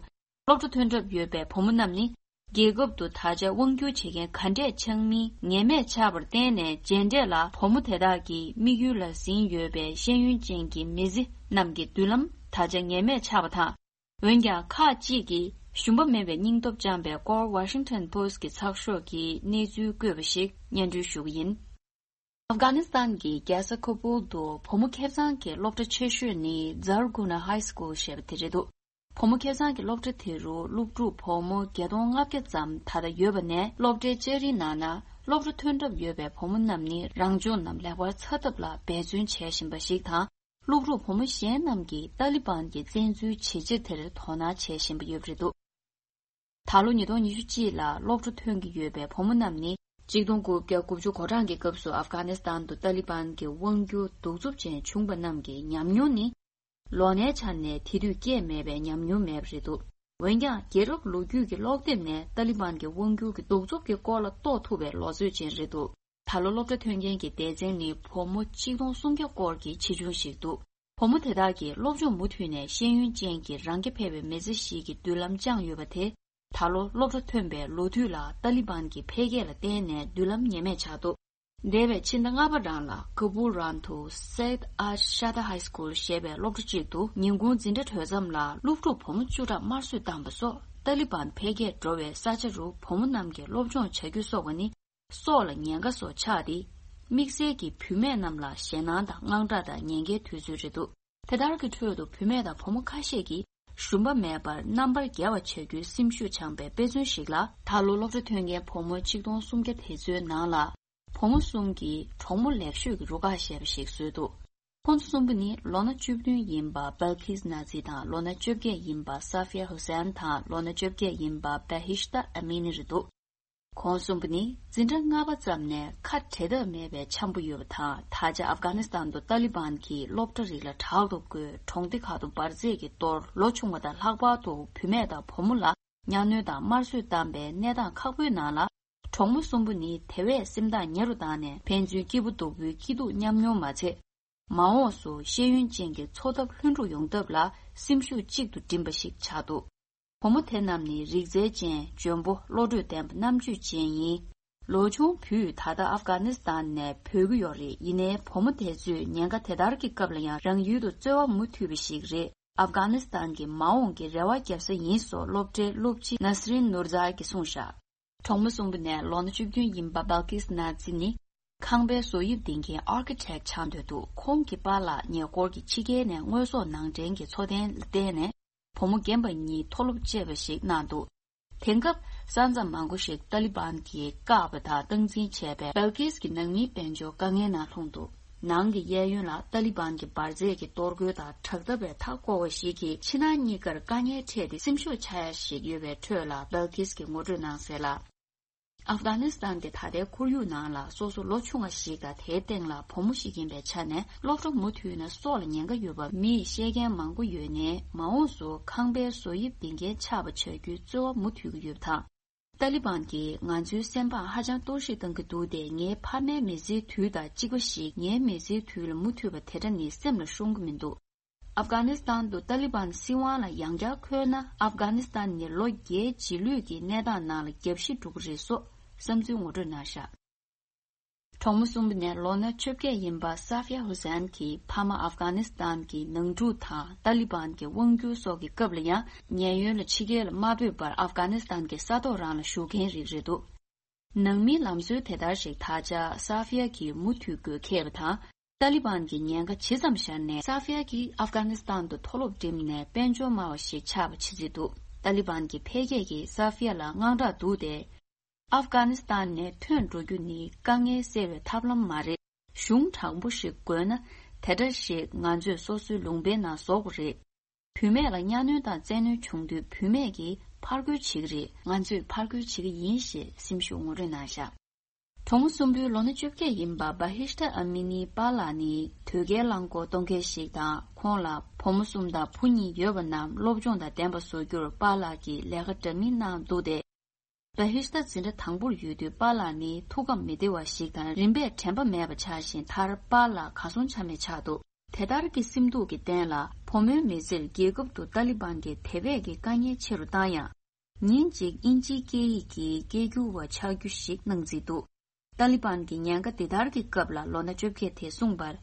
སློབ་གྲྭ་ཐོན་གྲབས་ཡོད་པའི་བུ་མོ་རྣམས་ནི། རྒྱལ་ཁབ་ཏུ་ད་ཆ་དབང་སྒྱུར་བྱེད་མཁན་ག་འདྲས་ཆགས་མིན་ངེས་མེད་ཆགས་པར་བརྟེན་ནས། རྗེས་འབྲས་ལ་བུ་མོ་དེ་དག་གི་དམིགས་ཡུལ་ལ་ཟིན་ཡོད་པའི་ཤེས་ཡོན་ཅན་གྱི་མི་ཚེ་རྣམས་ཀྱི་མདུན་ལམ་ད་ཆ་ངེས་མེད་ཆགས་པ་དང་། འོན་ཀྱང་ཁག་ཅིག་གིས་ཞུམ་པ་མེད་པའི་སྙིང་སྟོབས་བཅངས་པའི་སྐོར་Washington Post་གི་ཚགས་ཤོག་གིས་གནས་ཚུལ་བཀོད་པ་ཞིག་སྙན་སྒྲོན་ཞུ་གི་ཡིན། ཨབ་གྷ་ནི་སི་ཐན་གྱི་རྒྱལ་ས་ཁ་བུལ་དུ་བུ་མོ་ཁེ་བཟང་གི་སློབ་གྲྭ་ཆེ་ཤོས་ནི་Zarguna High School་ཞེས་པ་དེ་རེད་འདུག་བུ་མོ་ཁེ་བཟང་གི་སློབ་གྲྭ་དེ་རུ་སློབ་ཕྲུག་བུ་མོ་བརྒྱད་སྟོང་ལྔ་བརྒྱ་ཙམ་ད་ལྟ་ཡོད་པ་ནས། སློབ་གྲྭའི་ལྕགས་རིའི་ནང་ན་སློབ་གྲྭ་ཐོན་གྲབས་ཡོད་པའི་བུ་མོ་རྣམས་ནི་རང་སྦྱོང་རྣམས་ལེགས་པར་ཚར་ཐབས་ལ་འབད་བརྩོན་བྱེད་བཞིན་པ་ཞིག་དང་། སློབ་ཕྲུག་བུ་མོ་གཞན་རྣམས་ཀྱིས་ཏཱ་ལི་བན་གྱི་བཙན་འཛུལ་ཇེ་ཆེར་དེར་དོ་སྣང་བྱེད་བཞིན་པ་ཡོད་པ་རེད་འདུག་ད་ལོ་ཉིས་སྟོང་ཉི་ཤུ་གཅིག་ལ་སློབ་གྲྭ་ཐོན་གྱི་ཡོད་པའི་བུ་མོ་རྣམས་ནི། གཅིག་སྟོང་དགུ་བརྒྱ་དགུ་བཅུ་གོ་གྲངས་ཀྱི་སྐབས་སུ་ཨབ་གྷ་ནི་སི་ཐན་དུ་ཏཱ་ལི་བན་གྱི་དབང་སྒྱུར་གདུག་རྩུབ་ཅན་བྱུང་པ་རྣམས་ཀྱི་ཉམས་མྱོང་ནི། ལོ་ནའི་ཆ་ནས་དེ་དུས་སྐྱེས་མེད་པའི་ཉམས་མྱོང་མེད་པ་རེད་འདུག་འོན་ཀྱང་རྒྱལ་རབས་ལོ་རྒྱུས་ཀྱི་ཀློག་དེབ་ནས་ཏཱ་ལི་བན་གྱི་དབང་སྒྱུར་གྱི་གདུག་རྩུབ་ཀྱི་སྐོར་ལ་རྟོགས་ཐུབ་པའི་ལོ་ཚོད་ཅན་རེད་འདུག་ད་ལོ་སློབ་གྲྭ་ཐོན་མཁན་གྱི་སྡེ་ཚན་ནི་བུ་མོ་གཅིག་སྟོང་སུམ་བརྒྱ་སྐོར་གྱི་ཆེ་ཆུང་ཞིག་འདུག་བུ་མོ་དེ་དག་གིས་སློབ་སྦྱོང་མུ་མཐུད་ནས་ཤེས་ཡོན་ཅན་གྱི་རང་རྐྱ་འཕེར་བའི་མི་ཚེ་ཞིག་གི་མདུན་ལམ་བཅངས་ཡོད་པ་དེ། ད་ལོ་སློབ་གྲྭ་ཐོན་པའི་ལོ་དུས་ལ་ཏཱ་ལི་བན་གྱི་འཕེལ་རྒྱས་ལ་བརྟེན་ནས་མདུན་ལམ་ངེས་མེད་ཆགས་འདུག་འདས་པའི་ཕྱི་ཟླ་ལྔ་པ་རང་ལ་ཀ་བུལ་རང་དུ་Syed Ash Shahda High School་ཞེས་པའི་སློབ་གྲྭ་གཅིག་ཏུ་ཉིན་གུང་འཛིན་གྲྭ་གྲོལ་མཚམས་ལ་སློབ་ཕྲུག་བུ་མོ་བཅུ་ཕྲག་དམར་གསོད་བཏང་པ་སོགས་ཏཱ་ལི་བན་འཕེལ་རྒྱས་འགྲོ་བའི་ས་ཆ་རུ་བུ་མོ་རྣམས་ཀྱིས་སློབ་སྦྱོང་བྱ་རྒྱུ་སོགས་པ་ནི། སྲོག་ལ་ཉེན་ཁ་བཟོ་ཆགས་ཏེ། དམིགས་བསལ་གྱིས་བུད་མེད་རྣམས་ལ་ཞེད་སྣང་དང་དངངས་སྐྲག་དང་ཉེན་ཁའི་དུས་ཚོད་རེད་འདུག་དེ་ལྟར་གྱི་ཁྲོད་དུ་བུད་མེད་དང་བུ་མོ་ཁ་ཤས་ཀྱིས་ཞུམ་པ་མེད་པར་རྣམ་པར་རྒྱལ་བ་བྱ་རྒྱུའི་སེམས་ཤུགས་འཆང་པའི་དཔེ་མཚོན་ཞིག་ལ། ད་ལོ་སློབ་གྲྭ་ཐོན་མཁན་བུ་མོ་གཅིག་སྟོང་སུམ་བརྒྱ་དེ་ཚོའི་ནང་ལ། བུ་མོ་གསུམ་གྱིས་གྲོགས་མོ་ལེགས་ཤོས་ཀྱི་རུ་ཁག་ཞེས་པ་ཞིག་བཟོས་འདུག་ཁོང་ཚོ་གསུམ་པོ་ནི་ལོ་ན་བཅུ་བདུན་ཡིན་པ་Balqis Nazi་དང་། ལོ་ན་བཅོ་བརྒྱད་ཡིན་པ་Safia Hussain་དང་། ལོ་ན་བཅོ་བརྒྱད་ཡིན་པ་Behishta Amini་རེད་འདུག་ཁོང་གསུམ་པོ་ནི་འཛིན་གྲྭ་ལྔ་པ་ཙམ་ནས་ཁ་བྲལ་ཐབས་མེད་པའི་འཆམ་པོ་ཡོད་པ་དང་། ད་ཆ་ཨབ་གྷ་ནི་སི་ཐན་དུ་ཏཱ་ལི་བན་གྱིས་སློབ་གྲྭ་རིགས་ལ་དྲག་ཏུ་བསྐོས། གྲོང་སྡེ་ཁག་ཏུ་འབར་རྫས་ཀྱི་གཏོར། ལོ་ཆུང་བ་དང་ལྷག་པར་དུ་བུད་མེད་དང་བུ་མོ་ལ་གཉའ་གནོན་དང་དམར་གསོད་བཏང་པའི་གནས་སྟངས་ཁག་པོའི་ནང་ལ། གྲོགས་མོ་གསུམ་པོ་ནི་དེ་བས་སེམས་ཐག་ཉེ་རུ་བཏང་ནས། ཕན་ཚུན་སྐྱིད་པོ་སྡུག་པོའི་སྐྱིད་སྡུག་མཉམ་མྱོང་མ་ཚད། མ་འོངས་སུ་ཤེས་ཡོན་ཅན་གྱི་འཚོ་ཐབས་ལྷུན་གྲུབ་ཡོང་ཐབས་ལ་སེམས་ཤུགས་གཅིག་ཏུ་བསྒྲིམས་པ་ཞིག་ཆགས་འདུག་བུ་མོ་དེ་རྣམས་ནི་རིག་རྩལ་ཅན། འཇོན་པོ། བློ་གྲོས་ལྡན་པ། རྣམ་དཔྱོད་ཅན་ཡིན། ལོ་ཆུང་བུས་ད་ལྟ་ཨབ་གྷ་ནི་སི་ཐན་ནས་བྲོས་ཀྱི་ཡོད་རེད། ཡིན་ནའི་བུ་མོ་དེ་ཚོས་ཉེན་ཁ་དེ་ལྟར་གྱི་སྐབས་ལ་ཡང་རང་ཡུལ་དུ་རྩོལ་བ་མུ་མཐུད་པ་ཞིག་རེད། ཨབ་གྷ་ནི་སི་ཐན་གྱི་མ་འོངས་ཀྱི་རེ་བ་བརྒྱབ་ས་ཡིན་སོགས་སློབ་གྲྭའི་སློབ་སྤྱི་ནཱ་སི་རིན་ནུར་ཛཱ་གིས་གསུངས་བཞག་གྲོང་མི་གསུམ་པོ་ནས་ལོ་ན་བཅུ་བདུན་ཡིན་པ་བལ་ཀིས་ནཱ་ཛི་ནི། ཁང་པའི་བཟོ་དབྱིབས་འདིང་མཁན་ཨར་ཁི་ཊེག་ཆགས་འདོད་འདུག་ཁོང་གི་པཱ་ལགས་ཉེ་འཁོར་གྱི་ཕྱི་རྒྱལ་ནས་དངོས་ཟོག་ནང་འདྲེན་གྱི་འཚོ་རྟེན་ལ་བརྟེན་ནས། བུ་མོ་རྒན་པ་གཉིས་མཐོ་སློབ་བཅད་པ་ཞིག་གནང་འདུག་དེང་སྐབས་ས་མཚམས་མང་པོ་ཞིག་ཏཱ་ལི་བན་གྱིས་བཀག་པ་དང་སྟངས་འཛིན་བྱས་པས། བལ་ཀིས་ཀྱི་ནང་མིའི་དཔལ་འབྱོར་དཀའ་ངལ་ནང་ལྷུང་འདུག་ནང་གི་གཡས་གཡོན་ལ་ཏཱ་ལི་བན་གྱི་འབར་རྫས་ཀྱི་གཏོར་རྒོལ་དང་དྲག་འཐབ་པའི་མཐའ་བསྐོར་བ་ཞིག་གིས་ཕྱི་ནང་གཉིས་ཀར་དཀའ་ངལ་འཕྲད་དེ་སེམས་ཤུགས་ཆག་ཡ་ཞིག་ཡོད་པའི་ཁྲོད་ལ། བལ་ཀིས་ཀྱིས་ངོ་སྤྲོད་གནང་གསལ་ལ། ཨབ་གྷ་ནི་སི་ཐན་དེ་ད་ལྟའི་ཁོར་ཡུག་ནང་ལ་སོ་སོ་ལོ་ཆུང་བ་ཞིག་དང་། དེའི་སྟེང་ལ་བུ་མོ་ཞིག་ཡིན་པའི་ཆ་ནས། སློབ་གྲྭ་མུ་མཐུད་ན་སྲོག་ལ་ཉེན་ཁ་ཡོད་པ་མིས་བཤད་མཁན་མང་པོ་ཡོད་ནའི། མ་འོངས་སུ་ཁང་པའི་བཟོ་དབྱིབས་འདིང་མཁན་ཆགས་པ་བྱ་རྒྱུའི་རྩོལ་བ་མུ་མཐུད་ཀྱི་ཡོད་པ་དང་། ཏཱ་ལི་བན་གྱིས་ང་ཚོའི་སེམས་པའང་ཧ་ཅང་གཏོར་བཤིག་བཏང་གི་འདུག་སྟེ། ངའི་ཕ་མའི་མི་ཚེའི་དུས་དང་གཅིག་པ་ཞིག་ངའི་མི་ཚེའི་དུས་ལ་མུ་མཐུད་པ་དེ་འདྲ་ནི་སེམས་ལ་ཤོང་གི་མི་འདུག་ཨབ་གྷ་ནི་སི་ཐན་དུ་ཏཱ་ལི་བན་སྲིད་དབང་ལ་ཡང་བསྐྱར་འཁོད་ན། ཨབ་གྷ་ནི་སི་ཐན་ནི་ལོ་བརྒྱད་རྗེས་ལུས་ཀྱི་གནས་སྟངས་ནང་ལ་རྒྱབ་བཤིག་འགྲོ་གི་རེད་སོགས་བསམ་ཚུལ་ངོ་སྤྲོད་གནང་བཞག་གྲོང་མི་གསུམ་པོ་ནས་ལོ་ན་བཅོ་བརྒྱད་ཡིན་པ་སཱ་ཧྥི་ཡ་ཧུ་སན་གྱི་ཕ་མ་ཨབ་གྷ་ནི་སི་ཐན་གྱི་ནང་འཁྲུག་དང་ཏཱ་ལི་བན་གྱི་དབང་སྒྱུར་སོགས་ཀྱི་སྐབས་ལ་ཡང་ཉེན་གཡོལ་ལ་ཕྱི་རྒྱལ་ལ་མ་བུད་པར་ཨབ་གྷ་ནི་སི་ཐན་གྱི་ས་ཐོག་རང་ལ་བཞུགས་མཁན་རིགས་རེད་འདུག་ནང་མིའི་ལམ་སྲོལ་དེ་ལྟར་ཞིག་ད་ཆ་སཱ་ཧྥི་ཡ་གིས་མུ་མཐུད་དགོས་འཁེལ་བ་དང་། ཏཱ་ལི་བན་གྱི་ཉེན་ཁ་ཇི་ཙམ་ཤར་ནའི། སཱ་ཧྥི་ཡ་གིས་ཨབ་གྷ་ནི་སི་ཐན་དུ་མཐོ་སློབ་འགྲིམས་ནས་དཔལ་འབྱོར་དམའ་བ་ཞིག་ཆགས་པ་ཇི་སྲིད་འདུག་ཏཱ་ལི་བན་གྱི་འཕེལ་རྒྱས་ཀྱིས་སཱ་ཧྥི་ཡ་ལ་དངངས་སྐྲག་འདུག་སྟེ། ཨབ་གྷ་ནི་སི་ཐན་ནས་ཐོན་འགྲོ་རྒྱུ་ནི་དཀའ་ངལ་སེལ་བའི་ཐབས་ལམ་མ་རེད། གཞུང་དྲང་པོ་ཞིག་དགོས་ན། དེ་འདྲ་ཞིག་ང་ཚོས་སོ་སོའི་ལུང་པའི་ནང་བཟོ་དགོས་རེད། བུད་མེད་ལ་གཉའ་གནོན་དང་བཙན་གནོན་བྱུང་དུས། བུད་མེད་ཀྱིས་ཕར་རྒོལ་བྱེད་ཀྱི་རེད། ང་ཚོས་ཕར་རྒོལ་བྱེད་ཀྱི་ཡིན་ཞེས་སེམས་ཤུགས་ངོ་སྤྲོད་གནང་བཞག་གྲོང་མི་གསུམ་པོའི་ལོ་ན་བཅོ་བརྒྱད་ཡིན་པ་བྷ་ཧིཤྟ་ཨ་མི་ནིའི་པཱ་ལགས་ནི་དོས་སྐྱེལ་རླངས་འཁོར་གཏོང་མཁན་ཞིག་དང་། ཁོང་ལ་བུ་མོ་གསུམ་དང་བུ་གཉིས་ཡོད་པ་རྣམས་སློབ་སྦྱོང་དང་ལྡན་པ་བཟོ་རྒྱུར་པཱ་ལགས་ཀྱིས་ལས་ཀ་འདྲ་མིན་གནང་འདུག་སྟེ། བྷ་ཧིཤྟ་འཛིན་གྲྭ་དང་པོར་ཡོད་དུས་པཱ་ལགས་ནི་ཐུགས་ཁམས་མི་བདེ་བ་ཞིག་དང་རིམ་པས་དྲན་པ་མེད་པ་ཆགས་ཤིང་། མཐར་པཱ་ལགས་གར་སོང་ཆ་མེད་ཆགས་འདུག་དེ་ལྟར་གྱི་སེམས་སྡུག་གི་རྟེན་ལ། བུ་མོའི་མི་ཚེར་རྒྱལ་ཁབ་ཏུ་ཏཱ་ལི་བན་གྱིས་དེ་བས་ཀྱི་དཀའ་ངལ་ཆེ་རུ་བཏང་ཡང་། ཉིན་གཅིག་དབྱིན་ཇིའི་སྐད་ཡིག་གི་སྐད་སྒྱུར་བ་ཆགས་རྒྱུ་ཞིག་སྣང་རྩིས་འདུག་ཏཱ་ལི་བན་གྱི་ཉེན་ཁ་འདི་ལྟར་གྱི་སྐབས་ལ་ལོ་ན་བཅོ་བརྒྱད་དེས་གསུངས་པར།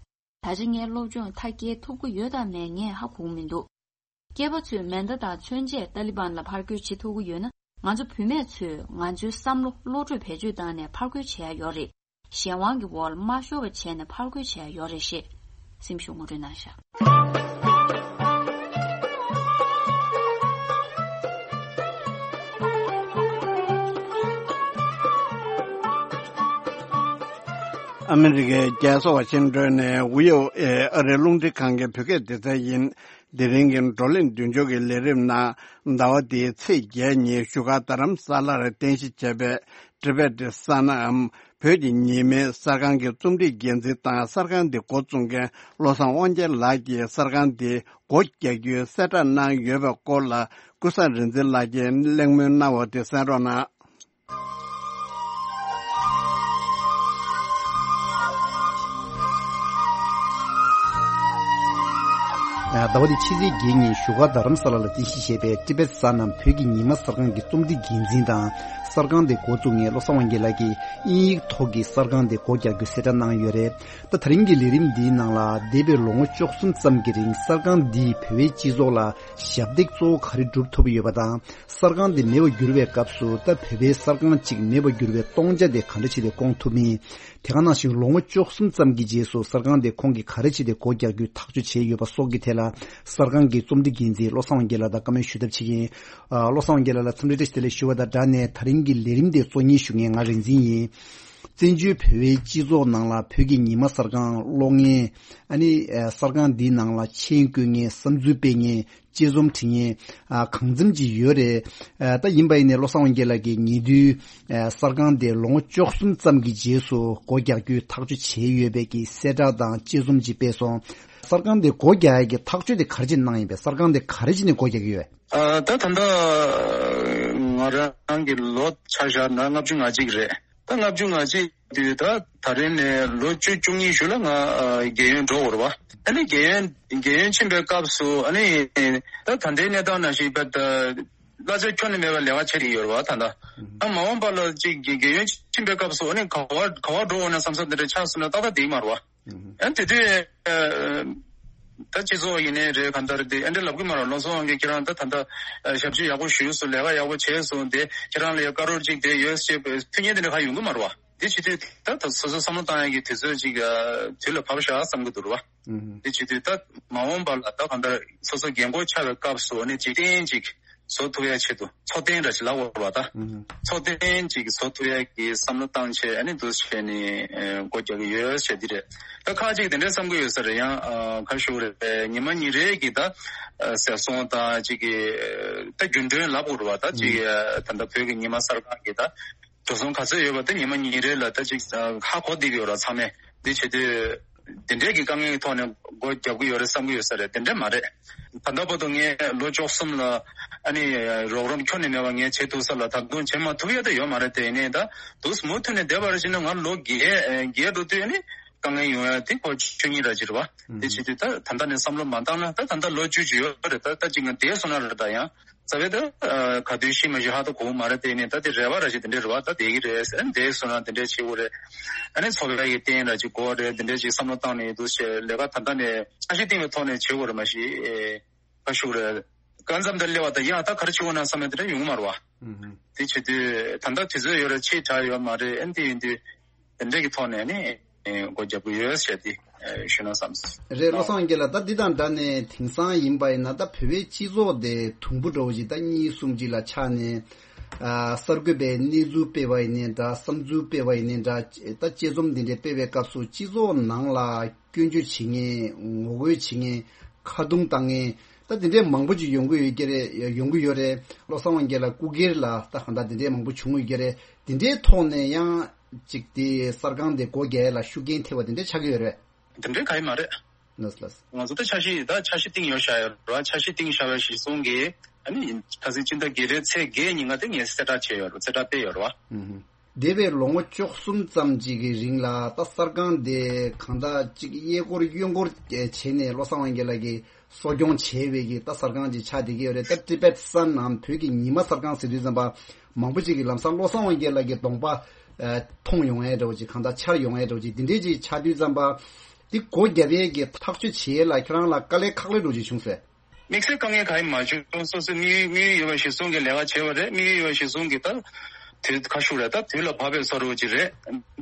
ད་ཆ་ངས་སློབ་སྦྱོང་མཐར་སྐྱེལ་ཐུབ་ཀྱི་ཡོད་དམ་མེད་ངས་ཧ་གོ་གི་མི་འདུག་སྐྱེས་པ་ཚོས་མེ་མདའ་དང་མཚོན་ཆས་ཏཱ་ལི་བན་ལ་ཕར་རྒོལ་བྱེད་ཐུབ་ཀྱི་ཡོད་ན། ང་ཚོ་བུད་མེད་ཚོས་ང་ཚོའི་བསམ་བློ་བློ་གྲོས་བེད་སྤྱོད་བཏང་ནས་ཕར་རྒོལ་བྱེད་ཡ་ཡོད་རེད། གཞན་དབང་གི་འོག་ལ་མ་ཤོར་བ་བྱས་ནས་ཕར་རྒོལ་བྱེད་ཡ་ཡོད་རེད་ཞེས་སེམས་ཤུགས་ངོ་སྤྲོད་གནང་བཞག་ཨ་མི་རི་ཀའི་རྒྱལ་ས་ཝ་ཤིང་ཏོན་ནས་ཝི་ཨོ་ཨེ་ཨ་རིའི་རླུང་འཕྲིན་ཁང་གི་བོད་སྐད་སྡེ་ཚན་ཡིན། དེ་རིང་གི་བགྲོ་གླེང་མདུན་ལྕོག་གི་ལས་རིམ་ནང་། ཟླ་བ་འདིའི་ཚེས་བརྒྱད་ཉིན་བཞུགས་སྒར་རྡ་རམ་ས་ལར་རྟེན་གཞི་བྱས་པའི་ཊི་བེ་ཊི་ས་ནའམ་བོད་ཀྱི་ཉི་མའི་གསར་ཁང་གི་རྩོམ་སྒྲིག་འགན་འཛིན་དང་། གསར་ཁང་འདི་འགོ་བཙུགས་མཁན་བློ་བཟང་དབང་རྒྱལ་ལགས་ཀྱིས་གསར་ཁང་འདི་སྒོ་རྒྱག་རྒྱུའི་གསལ་བསྒྲགས་གནང་ཡོད་པའི་སྐོར་ལ། ཀུན་བཟང་རིག་འཛིན་ལགས་ཀྱིས་གླེང་མོལ་གནང་བ་དེ་གསན་རོགས་གནང་། ཟླ་བ་འདིའི་ཕྱི་ཚེས་བརྒྱད་ཉིན་བཞུགས་སྒར་རྡ་རམ་ས་ལ་ལ་རྟེན་གཞི་བྱས་པའི་ཊི་བེ་ཊི་ས་ནའམ་བོད་ཀྱི་ཉི་མ་གསར་ཁང་གི་རྩོམ་སྒྲིག་འགན་འཛིན་དང་། གསར་ཁང་དེ་འགོ་བཙུགས་མཁན་བློ་བཟང་དབང་རྒྱལ་ལགས་ཀྱིས་དབྱིན་ཡིག་ཐོག་གི་གསར་ཁང་དེ་སྒོ་རྒྱག་རྒྱུའི་གསལ་བསྒྲགས་གནང་ཡོད་རེད། ད་དེ་རིང་གི་ལས་རིམ་འདིའི་ནང་ལ། འདས་པའི་ལོ་ངོ་བཅུ་གསུམ་ཙམ་གྱི་རིང་གསར་ཁང་འདིས་བོད་པའི་སྤྱི་ཚོགས་ལ་ཞབས་འདེགས་གཙོ་བོ་ག་རེ་སྒྲུབ་ཐུབ་ཡོད་པ་དང་། གསར་ཁང་འདི་མེད་པར་གྱུར་བའི་སྐབས་སུ། ད་བོད་པའི་གསར་ཁང་གཅིག་མེད་པར་གྱུར་བའི་སྟོང་ཆ་དེ་ག་འདྲ་བྱས་ཏེ་སྐོང་ཐུབ་མིན། དེ་ག་ནང་བཞིན་ལོ་ངོ་བཅུ་གསུམ་ཙམ་གྱི་རྗེས་སུ་གསར་ཁང་དེ་ཁོང་གིས་ག་རེ་བྱས་ཏེ་སྒོ་རྒྱག་རྒྱུའི་ཐག་གཅོད་བྱས་ཡོད་པ་སོགས་ཀྱི་ཐད་ལ། གསར་ཁང་གི་རྩོམ་སྒྲིག་འགན་འཛིན་བློ་བཟང་དབང་རྒྱལ་ལགས་དང་བཀའ་མོལ་ཞུ་ཐབས་བྱེད་ཀྱི་ཡིན། ཨ། བློ་བཟང་དབང་རྒྱལ་ལགས་ལ་འཚམས་འདྲི་བཀྲ་ཤིས་བདེ་ལེགས་ཞུ་བ་དང་སྦྲགས་ནས། ད་རིང་གི་ལས་རིམ་དེ་གཙོ་གཉེར་ཞུ་མཁན་ང་རིག་འཛིན་ཡིན། བཙན་བྱོལ་བོད་པའི་སྤྱི་ཚོགས་ནང་ལ་བོད་ཀྱི་ཉི་མ་གསར་ཁང་གློག་བརྙན། ཨ་ནི། ཨ། གསར་ཁང་འདིའི་ནང་ལ་མཆན་བཀོད་མཁན། བསམ་ཚུལ་སྤེལ་མཁན། དཔྱད་རྩོམ་བྲིས་མཁན། ཨ། གང་འཚམ་ཅིག་ཡོད་རེད། ཨ། ད་ཡིན་པ་ཡིན་ནའི་བློ་བཟང་དབང་རྒྱལ་ལགས་ཀྱིས་ཉེ་དུས། ཨ། གསར་ཁང་དེ་ལོ་ངོ་བཅུ་གསུམ་ཙམ་གྱི་རྗེས་སུ་སྒོ་རྒྱག་རྒྱུའི་ཐག་གཅོད་བྱས་ཡོད་པའི་གི་གསལ་བསྒྲགས་དང་དཔྱད་རྩོམ་ཅིག་སྤེལ་སོང་། གསར་ཁང་དེ་སྒོ་རྒྱག་ཡ་གི་ཐག་གཅོད་དེ་ག་རེ་བྱས་གནང་ཡིན་པས། གསར་ཁང་དེ་ག་རེ་བྱས་ནས་སྒོ་རྒྱག་གི་ཡོད། ཨ། ད་ད་ལྟ་ང་རང་གི་ལོ་ཆ་བཞག་ན་ལྔ་བཅུ་ང་གཅིག་རེད། ད་ལྔ་བཅུ་ང་གཅིག་དུས་ད་ད་རེས་ནས་ལོ་བཅུ་བཅུ་གཉིས་ཤུལ་ལ་ང་རྒས་ཡོལ་འགྲོ་དགོས་རེད་བ། ཨ་ནི་རྒས་ཡོལ་རྒས་ཡོལ་ཕྱིན་པའི་སྐབས་སུ། ཨ་ནི་ད་ད་ལྟའི་གནས་སྟངས་ནང་བཞིན་པ་ད་ གླ་ཆ་ཁྱོན་ནས་མེད་པའི་ལས་ཀ་བྱེད་ཀྱི་ཡོད་རེད་བ། ད་ལྟ་ཨ་མ་འོངས་པ་ལ་ཅིག་རྒན་རྒན་ཡོལ་ཕྱིན་པའི་སྐབས་སུ་ཨ་ནི་ག་བ་ག་བ་འགྲོ་འོང་ན་བསམ་ས་དེ་འདྲ་ཆགས་སོང་ན་ཏག་ཏག་བསྡད་ཀྱི་མ་རེད་བ། ཨ་དེ་དུས་ད་སྤྱི་ཚོགས་ཡིན་ནའི་རེད། གང་ལྟར་དེ་ཨ་འདྲ་ལབ་ཀྱི་མ་རེད། བློ་བཟང་དབང་རྒྱལ་ཁྱེད་རང་ད་ད་ལྟ་ཞབས་ཕྱི་ཡག་པོ་ཞུས་སོང་། ལས་ཀ་ཡག་པོ་བྱས་སོང་། དེ་ཁྱེད་རང་ལ་ཡ་བཀའ་རོགས་ཅིག་དེ་ཡོད་ཅེས་པའི་མཐུན་རྐྱེན་དེ་འདྲ་གང་ཡོང་གི་མ་རེད་བ། དེ་བྱེད་དུས་ད་ད་སོ་སོ་བསམ་བློ་བཏང་ཡག་གི་དུས་ཚོད་ཅིག་དུས་ལ་བབ་ཤག་བསམ་གྱི་འདུག་རེད་བ། དེ་བྱེད་དུས་ད་མ་འོངས་པ་ལ་ད་གང་ལྟར་སོ་སོ་རྒན་གོག་ཆགས་པའི་སྐབས་སུ་ཨ་ནི་འཇིག་རྟེན་ཅིག་བཟོ་ཐུབ་ཡ་ཆེད་དུ་འཚོ་རྟེན་འདྲ་ཞིག་ལབ་དགོས་རེད་བ། ད་འཚོ་རྟེན་ཅིག་བཟོ་ཐུབ་ཡ་གི་བསམ་བློ་བཏང་བྱས་ཨ་ནི་འདུག་བྱས་ནས་སྒོ་རྒྱག་གི་ཡོད་ཟེར་འདི་རེད། ད་ཁ་ཅིག་དེ་འདྲའི་བསམ་གྱི་ཡོད་ས་རེད། ཡང་ཁ་ཤུགས་རེད། ཉི་མ་ཉིན་རེ་གི་ད་ཟས་སོང་དང་ཅིག་གི་ད་རྒྱུན་གྲོན་ལབ་དགོས་རེད་བ། ད་ཅིག་ད་ལྟ་བོད་ཀྱི་ཉི་མ་གསར་ཁང་གི་ད་འགྲོ་སོང་ག་ཚོད་ཡོད་པ་དེ་ཉི་མ་ཉིན་རེ་ལ་ད་ཅིག་ཧ་གོ་བསྡད་ཀྱི་ཡོད་ར། ཚང་མས་འདི་བྱེད་དུས་དེ་འདྲས་ཀྱི་དཀའ་ངལ་གྱི་ཐོག་ནས་སྒོ་རྒྱབ་ཀྱི་ཡོད་རེད་བསམ་གྱི་ཡོད་ས་རེད། དེ་འདྲས་མ་རེད། ད་ལྟ་བར་དུ་ངས་ལོ་བཅུ་གསུམ་ལ་ཨ་ནི་རོགས་རམ་ཁྱོན་ནས་མེད་པ་ངས་བྱེད་ཐུབ་ས་ལ་ད་དུང་བྱེད་མ་ཐུབ་ཡ་ད་ཡོད་མ་རེད། དེ་ཡིན་ནའི་ད་དུས་མུ་མཐུད་ནས་བསྡད་པ་རེད་བྱས་ན་ང་ལོ་བརྒྱད་བརྒྱད་འགྲོ་དུས་ཨ་ནི་དཀའ་ངལ་ཡོང་ཡ་དེ་ཁོ་ཆོས་ཉིད་ར་ཅིག་རེད་བ། དེ་བྱེད་དུས་ད་ད་ལྟ་ནས་བསམ་བློ་མ་བཏང་ན་ད་ད་ལྟ་ལོ་བཅུ་ཅིག་ཡོད་རེད། ད་ད་ཅིག་ང་བསྡད་སོང་ན་རེད། ད་ཡང་རྩ་བའི་ད་ག་དུས་ཤི་མ་ཤི་ཧ་ད་གོ་གི་མ་རེད། དེ་ནས་ད་དེ་རེ་བ་ར་ཞིག་དེ་འདྲས་རེད་བ། ད་དེ་གི་རེད་ཟེར་འདས་སོང་ན་དེ་འདྲས་བྱེད་དགོས་རེད། ཨ་ནི་འཚོ་བའི་གི་རྟེན་ར་ཅིག་དགོས་རེད། དེ་འདྲས་ཅིག་བསམ་བློ་བཏང་ནས་འདུག་བྱས་ལས་ཀ་ད་ལྟ་ནས་འཆར་གཞི་བཏིང་བའི་ཐོག་ནས་བྱེད་དགོས་རེད། མ་གཞི་ཁ་ཤུགས་རེད། གང་འཚམ་དེ་སླེབས་པ་ད་ཡང་ད་ག་རེ་བྱེད་དགོས་ན་བསམ་ཡ་དེ་འདྲ་ཡོང་གི་མ་རེད་བ། དེ་བྱེད་དུས་ད་ལྟ་དུས་ཚོད་ཡོད་རེད། ཕྱིས་དྲག་ཡོད་མ་རེད། ཨ་ནི་དེ་ཡིན་དུས་དེ་འདྲས་ཀྱི་ཐོག་ནས་ནི། ཨེ་སྒོ་རྒྱབ་ཀྱི་ཡོད་ཟེར་ཏེ་ཨེ་ཞུས་ན་བསམ། རེད། བློ་བཟང་དབང་རྒྱལ་ལགས། ད་འདི་དང་འདྲ་ནས་དེང་སང་ཡིན་པ་ཡིན་ན་ད་བོད་པའི་སྤྱི་ཚོགས་དེ་དུམ་བུ་འདྲ་བོ་ཞིག་ད་གཉིས་གསུམ་ཅིག་ལ་ཆགས་ནས། ཨ་གསར་འགོད་པའི་གནས་ཚུལ་སྤེལ་བ་ཡིན་ནའི་འདྲ། བསམ་ཚུལ་སྤེལ་བ་ཡིན་ནའི་འདྲ། ད་དཔྱད་རྩོམ་འདི་འདྲའི་སྤེལ་བའི་སྐབས་སུ་སྤྱི་ཚོགས་ནང་ལ་སྐྱོན་བརྗོད་བྱེད་མཁན། ངོ་རྒོལ་བྱེད་མཁན། ཁ་རྡུང་བཏང་མཁན། ད་དེ་འདྲའི་མང་པོ་ཅིག་ཡོང་གི་ཡོད་ཀྱི་རེད། ཡོང་གི་ཡོད་རེད། བློ་བཟང་དབང་རྒྱལ་ལགས་སྐུ་སྒེར་ལ་ད་གང་ལྟར་དེ་འདྲའི་མང་པོ་བྱུང་ཡོད་ཀྱི་རེད། དེ་འདྲའི་ཐོག་ནས་ཡང་ཅིག་དེ་གསར་ཁང་དེ་སྒོ་རྒྱག་ཡ་ལ་ཤུགས་རྐྱེན་ཐེབས་པ་དེ་འདྲ་ཆགས་ཀྱི་ཡོད་རེད། དེ་འདྲའི་གང་ཡང་མ་རེད། ལགས་ལགས། ང་ཚོ་ད་འཆར་གཞི་ད་འཆར་གཞི་བཏིང་ཡོད་བཞག་ཡོད་རེད་བ། འཆར་གཞི་བཏིང་བཞག་པའི་གཞི་བཟུང་གིས་ཨ་ནི་ཁ་སང་སྤྱི་ཟླ་བརྒྱད་པའི་ཚེས་བརྒྱད་ཉིན་ང་དེ་ངས་གསལ་བསྒྲགས་བྱས་ཡོད་རེད། གསལ་བསྒྲགས་སྤེལ་ཡོད་རེད་བ། འདས་པའི་ལོ་ངོ་བཅུ་གསུམ་ཙམ་ཅིག་གི་རིང་ལ་ད་གསར་ཁང་དེ་གང་ལྟར་ཅིག་གཡས་སྐོར་གཡོན་སྐོར་བྱས་ནས་བློ་བཟང་དབང་རྒྱལ་ལགས་ཀྱིས་གསོ་སྐྱོང་བྱས་པའི་གི་ད་གསར་ཁང་ཅིག་ཆགས་བསྡད་ཀྱི་ཡོད་རེད། ད་ཊི་བེཊ་སན་ནམ་བོད་ཀྱི་ཉི་མ་གསར་ཁང་ཟེར་དུས་ཙམ་པ་མང་པོ་ཅིག་གིས་ལམ་སང་བློ་བཟང་དབང་རྒྱལ་ལགས་ཀྱི་གདོང་པ་ཨ་མཐོང་ཡོང་ཡས་འདྲ་བོ་ཅིག་གང་ལྟར་འཆར་ཡོང་ཡས་འདྲ་བོ་ཅིག་འདི་འདྲས་ཅིག་ཆགས་དུས་ཙམ་པ་འདི་སྒོ་བརྒྱབ་ཡས་ཀྱི་ཐག་གཅོད་བྱེད་ཡས་ལ་ཁྱེད་རང་ལ་དཀའ་ལས་ཁག་ལས་འདྲ་བོ་ཅིག་བྱུང་ཟེར། དམིགས་བསལ་དཀའ་ངལ་གང་ཡང་མ་བྱུང་། སོ་སོའི་དམིགས་ཡུལ་དམིགས་ཡུལ་ཡོད་པ་གཞིར་བཟུང་གིས་ལས་ཀ་བྱས་པ་རེད། དམིགས་ཡུལ་ཡོད་པ་གཞིར་བཟུང་གིས་ད་དུས་ཁ་ཤུགས་རེད། ད་དུས་ལ་བབ་པའི་བཟོ་འདྲ་བོ་ཅིག་རེད།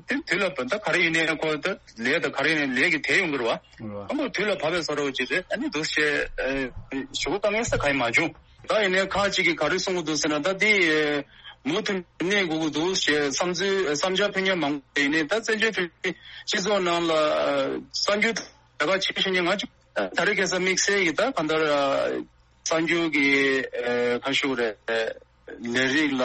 དེ་དུས་ལ་བབ་ད་ག་རེ་ཡིན་ནའི་ཁོ་ད་ལས་ད་ག་རེ་ཡིན་ནའི་ལས་ཀྱི་དེ་ཡོང་གི་རེད་བ། ཨ་མ་དུས་ལ་བབ་པའི་བཟོ་འདྲ་བོ་ཅིག་རེད། ཨ་ནི་འདུག་བྱས་ཨ་ཞུ་གི་དཀའ་ངལ་ས་གང་ཡང་མ་བྱུང་། ད་ཡིན་ནའི་ཁ་ཅིག་གིས་ག་རེ་གསུང་གི་འདུག་ཟེར་ན་ད་འདི་མུ་མཐུད་གནས་དགོས་ཀྱི་འདུག་ཞེས་བསམ་ཚུལ་བསམ་འཆར་ཕུལ་མཁན་མང་པོ་ཡིན་ནའི་ད་བཙན་བྱོལ་བོད་མིའི་སྤྱི་ཚོགས་ནང་ལ་གསར་འགྱུར་ལས་ཀ་བྱེད་བཞིན་མཁན་ང་ཚོ། ད་རེས་ཁ་སང་དམིགས་བསལ་གྱི་ད་གང་ལྟར་གསར་འགྱུར་གྱི་ཁ་ཤུགས་རེད། ལས་རིགས་ལ་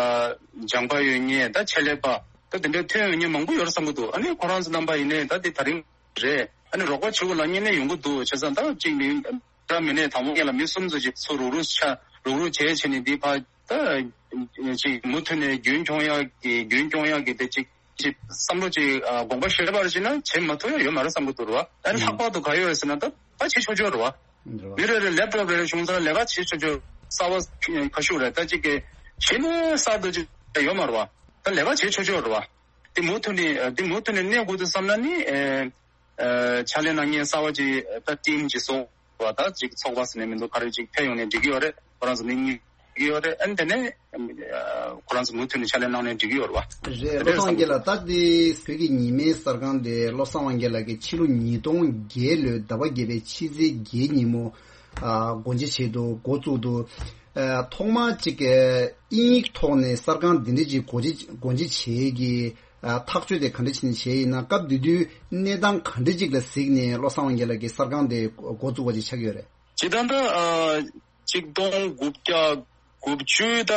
སྦྱངས་པ་ཡོད་མཁན་ད་ཆེད་ལས་པ་ད་དེ་འདྲ་ཐོན་ཡོང་མཁན་མང་པོ་ཡོད་རེད་བསམ་གྱི་འདུག་ཨ་ནི་ཁོ་རང་ཚོ་རྣམ་པ་ཡིན་ནའི་ད་དེ་ད་རིང་རེད། ཨ་ནི་རོགས་པ་བྱེད་དགོས་ལབ་མཁན་ནི་ཡོང་གི་འདུག་བྱས་ཙང་ད་གཅིག་མིན་འདྲ་མིན་ནས་དང་པོ་ངེད་ལ་མི་གསུམ་ཚོ་ཅིག་ཚུར་རུག་རུག་ཆ་རུག་རུག་བྱས་བྱས་ནས་འདི་ཕར་ད་ཅིག་མུ་མཐུད་ནས་རྒྱུན་འཁྱོངས་ཡག་གི་རྒྱུན་སྐྱོང་ཡག་གི་དེ་ཅིག་ཅིག་བསམ་བློ་ཅིག་ཨ་དགོངས་པ་བཞེས་པར་བྱས་ན་བྱེད་མ་ཐུབ་ཡ་ཡོད་མ་རེད་བསམ་གྱི་འདུག་ར། ཨ་ནི་ལྷག་པར་དུ་ག་ཡོད་ཟེར་ན་ད་ད་བྱེད་ཆོག་ཆོག་རེད་བ། མི་རེ་རེ་ལེབ་ཊོབ་རེ་རེ་བྱུང་ཙང་ལས་ཀ་བྱེད་ཆོག་ཆོག་གསར་པ་ཁ་ཤུགས་རེད། ད་ཅིག་གི་གཞི་ནས་གསར་དུ་ཅིག་ཡོད་མ་རེད་བ། ད་ལས་ཀ་བྱེད་ཆོག་ཆོག་རེད་བ། དེ་མུ་མཐུད་ནས་དེ་མུ་མཐུད་ནས་གནས་དགོས་འདུག་བསམ་ན་ནི་ཨེ། ཨ་ཕྱག་ལས་གནང་མཁན་གསར་པ་ཅིག་ད་ཊིམ་ཅིག་བཟོ་བ་ད་ཅིག་ཚོགས་པ་ཟེར་ནས་མི་འདུག་ག་རེ་ཅིག་ཕེབས་ཡོང་ནས་འགྲིག་གི་ཡོད་རེད། ཁོ་རང་ཚོ་མི་གཉིས་འགྲིག་གི་ཡོད་རེད། ཨ་ནི་དེ་ནས་ཨ་ཁོ་རང་ཚོ་མུ་མཐུད་ནས་ཕྱག་ལས་གནང་ནས་འགྲིག་གི་ཡོད་རེད་བ། རེད། དེ་བློ་འདྲ་བཟང་བསམ་གྱི་ལ་ད་འདི་བོད་ཀྱི་ཉི་མའི་གསར་ཁང་དེ་བློ་བཟང་དབང་རྒྱལ་ལགས་ཀྱིས་ཕྱི་ལོ་ཉིས་སྟོང་བརྒྱད་ལོའི་ཟླ་བ་བརྒྱད་པའི་ཕྱི་ཚེས་བརྒྱད་ཉིན་མོ་ཨ་སྒོ་འབྱེད་བྱས་འདུག་འགོ་བཙུགས་འདུག་ཨ་ཐོག་མར་ཅིག་ཨ་དབྱིན་ཡིག་ཐོག་ནས་གསར་ཁང་འདི་འདྲ་ཅིག་སྒོ་འབྱེད་སྒོ་འབྱེད་བྱེད་ཀྱི་ཨ་ཐག་གཅོད་དེ་ག་འདྲ་བྱས་ནས་བྱས་ཡིན་ན། སྐབས་དེ་དུས་གནས་སྟངས་ག་འདྲ་ཅིག་ལ་གཟིགས་ནས་བློ་བཟང་དབང་རྒྱལ་ལགས་ཀྱིས་གསར་ཁང་དེ་འགོ་བཙུགས་པ་ཅིག་ཆགས་ཀྱི་ཡོད་རེད། སྤྱིར་བཏང་ད་ཨ་ཆིག་སྟོང་དགུ་བརྒྱ་དགུ་བཅུ་ད་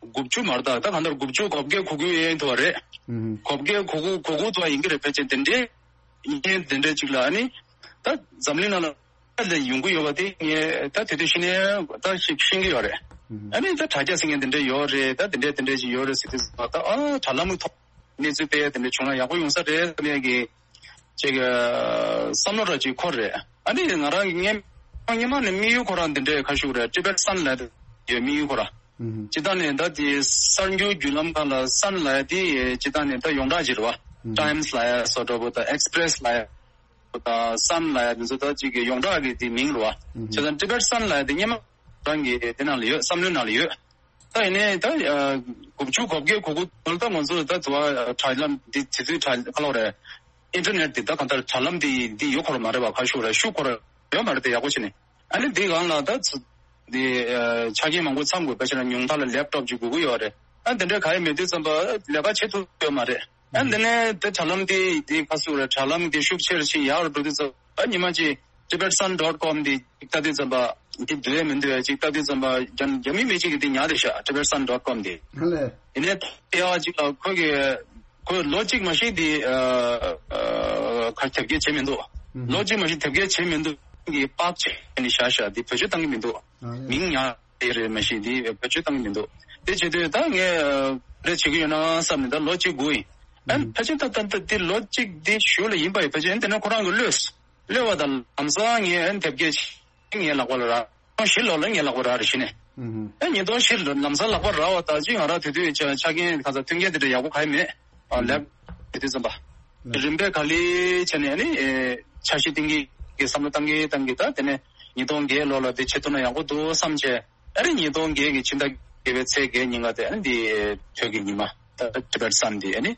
དགུ་བཅུ་མ་རེད། ད་ད་གང་ལྟར་དགུ་བཅུ་གོ་བརྒྱད་གོ་དགུ་ཡན་དུ་བ་རེད། ཨུ་ཧུ། གོ་བརྒྱད་གོ་དགུ་གོ་དགུ་དུ་བ་ཡིན་གྱི་རེད། ཕལ་ཆེར་དེ་འདྲའི་ཡིན་དེ་འདྲའི་ཅིག་ལ་ཨ་ནི་ད་འཛམ་གླིང་ནང་ལ་ལ་ཡོང་གི་ཡོད་པ་དེ་ངས་ད་དེ་དུས་ཤེས་ནས་ད་ཤེས་ཤེས་ཀྱི་ཡོད་རེད། ཨ་ནི་ད་དྲ་རྒྱ་ཟེར་མཁན་དེ་འདྲ་ཡོད་རེད། ད་དེ་འདྲ་དེ་འདྲ་ཅིག་ཡོད་རེད་ཟེར་དུས་ད་ཨ་དྲ་ལམ་གྱི་ཐོག་གནས་ཚུལ་སྤེལ་ཡ་དེ་འདྲ་བྱུང་ན་ཡག་པོ་ཡོང་ས་རེད་བསམ་ཡ་གི་ཅིག་བསམ་བློ་འདྲ་ཅིག་འཁོར་རེད། ཨ་ནི་ང་རང་གི་སྔན་སྔན་མ་ནས་དམིགས་ཡུལ་ཁོ་རང་དེ་འདྲ་ཁ་ཤུགས་རེད། ཊི་བེཊ་སན་ལབ་ཡོད་དམིགས་ཡུལ་ཁོ་རང་ ཨུམ། སྤྱིར་བཏང་ནས་ད་དེ་གསར་འགྱུར་བརྒྱུད་ལམ་ཁག་ལ་སན་ལབ་ཡ་དེ་སྤྱིར་བཏང་ནས་ད་ཡོངས་གྲགས་ཅིག་རེད་བ། ཨུམ། ཊའིམ་སི་ལབ་ཡ་སོགས་འདྲ་པོ་དང་ཨེག་སི་པི་རེ་སི་ལབ་ཡ་དང་སན་ལབ་ཡ་དེ་ཚོ་ད་ཅིག་གི་ཡོངས་གྲགས་ཀྱི་དེ་མིང་རེད་བ། ཨུམ། བྱས་ཙང་ཊི་བེཊ་སན་ལབ་ཡ་དེ་སྔོན་མ་རང་གི་དེ་ནང་ལ་ཡོད། བསམ་བློའི་ནང་ལ་ཡོད། ད་ཡིན་ནའི་ད་ཨ་དགུ་བཅུ་གོ་བརྒྱད་གོ་དགུ་ལ་ད་ང་ཚོ་ད་དུ་བ་དྲ་ལམ་འདི་དེ་དུས་དྲ་ཁ་ལོ་རེད། ཨིན་ཊར་ནེཊ་འདི་ད་གང་ལྟར་དྲ་ལམ་འདི་འདི་ཡོད་ཁོ་ར་མ་རེད་བ། ཁ་ཤུ་རེད་ཤུ་ཁོ་ར་ཡོད་མ་རེད་དེ་ཡག་པོ་བྱས་ནས། ཨ་ནི་འདི་སྒང་ལ་ད་ཚ་འདི་ཨ་ཆ་རྐྱེན་མང་པོ་ཚང་དགོས། དཔེ་བྱས་ན་ཉུང་མཐའ་ལ་ལེབ་ཊོབ་ཅིག་དགོས་ཀྱི་ཡོད་རེད། ཨ་འདི་འདྲའི་ག་ཡེ་མེད་དུས་ཙམ་པ་ལས་ཀ་བྱེད་ཐུབ་ཡོད་མ་རེད། ཨ་འདི་ནས་དེ་དྲ་ལམ་དེ་དེ་ཁ་སུ་རེད། དྲ་ལམ་དེ་ཤུགས་ཆེར་ཕྱིན་ཡག་རུ་འགྲོ་དུས་ཙམ་པ་ཉི་མ་གཅིག་ཊི་བེཊ་སན་ཌོཊ་ཀོམ་དེ་ཅིག་ལྟ་དུས་ཙམ་པ་དེ་འདུལ་ཡས་མི་འདུག་ཡ། ཅིག་ལྟ་དུས་ཙམ་པ་རྒྱ་རྒྱ་མི་མི་གཅིག་གིས་དེ་ཉར་བསྡད་ཤག་ཊི་བེཊ་སན་ཌོཊ་ཀོམ་དེ། ཨ་ལས། ཡིན་ནའི་དེ་ཡག་ཅིག་ལ་ཁོ་གི་ཁོས་ལོ་གཅིག་མ་གཞི་དེ་ཨ་ཨ་ཁ་དེབ་སྐྱེལ་བྱས་མི་འདུག་ཨུམ། ལོ་གཅིག་མ་གཞི་དེབ་སྐྱེལ་བྱས་མི་འདུག་གི་པག་བྱས་ནས་བཞག་ཤག་དེ་བེད་སྤྱོད་བཏང་གི་མི་འདུག་ཨ་ལས། མིང་ཉར་དེ་རེད་མ་གཞི་དེ་བེད་སྤྱོད་བཏང་གི་མི་འདུག་དེ་བྱེད་དུས་ད་ངས་རེ་བྱེད་ཀྱི་ཡོད་ན་བསམ་ནས་ད་ལོ་གཅིག་སྒུག་ཡིན། ཨ་ཕལ་ཆེར་ད་ད་ད་དེ་ལོ་གཅིག་དེ་གཞུག་ལ་ཡིན་པ་ཡིན། ཕལ་ཆེར་དེ་ནས་ཁོ་རང་གི་གློད་གློད་པ་དང་ལམ་སང་ངས་ཨ་དེབ་སྐྱེལ་ངའི་ལག་པ་ལ་རག་ཉིས་སྟོང་བཞི་ལོ་ལ་ངའི་ལག་པ་རག་རེད་ཤི་ནས། ཨ་ཉིས་སྟོང་བཞི་ལོ་ལམ་སང་ལག་པ་རག་པ་ད་ཅི་ང་རང་དེ་དུས་ཆ་ཆ་རྐྱེན་ག་ཚ་མཐུན་རྐྱེན་དེ་འདྲ་ཡག་པོ་ག་ཡེ་མེད། ཨ་ལེབ་དེ་དུས་ཙམ་པ། རིམ་པས་ག་ལེ་བྱས་ནས་ཨ་ནི་འཆར་གཞི་བཏིང་གི་གི་བསམ་བློ་བཏང་གི་བཏང་གི་ད་དེ་ནས་ཉིས་སྟོང་བརྒྱད་ལོ་ལ་དེ་བྱེད་ཐུབ་ན་ཡག་པོ་འདུག་བསམ་བྱས། ཨ་ནི་ཉིས་སྟོང་བརྒྱད་ཀྱི་ཕྱི་ཟླ་བརྒྱད་པའི་ཚེས་བརྒྱད་ཉིན་ཀ་དེ་ཨ་ནི་འདི་བོད་ཀྱི་ཉི་མ་ད་ཊི་བེཊ་སན་འདི་ཨ་ནི་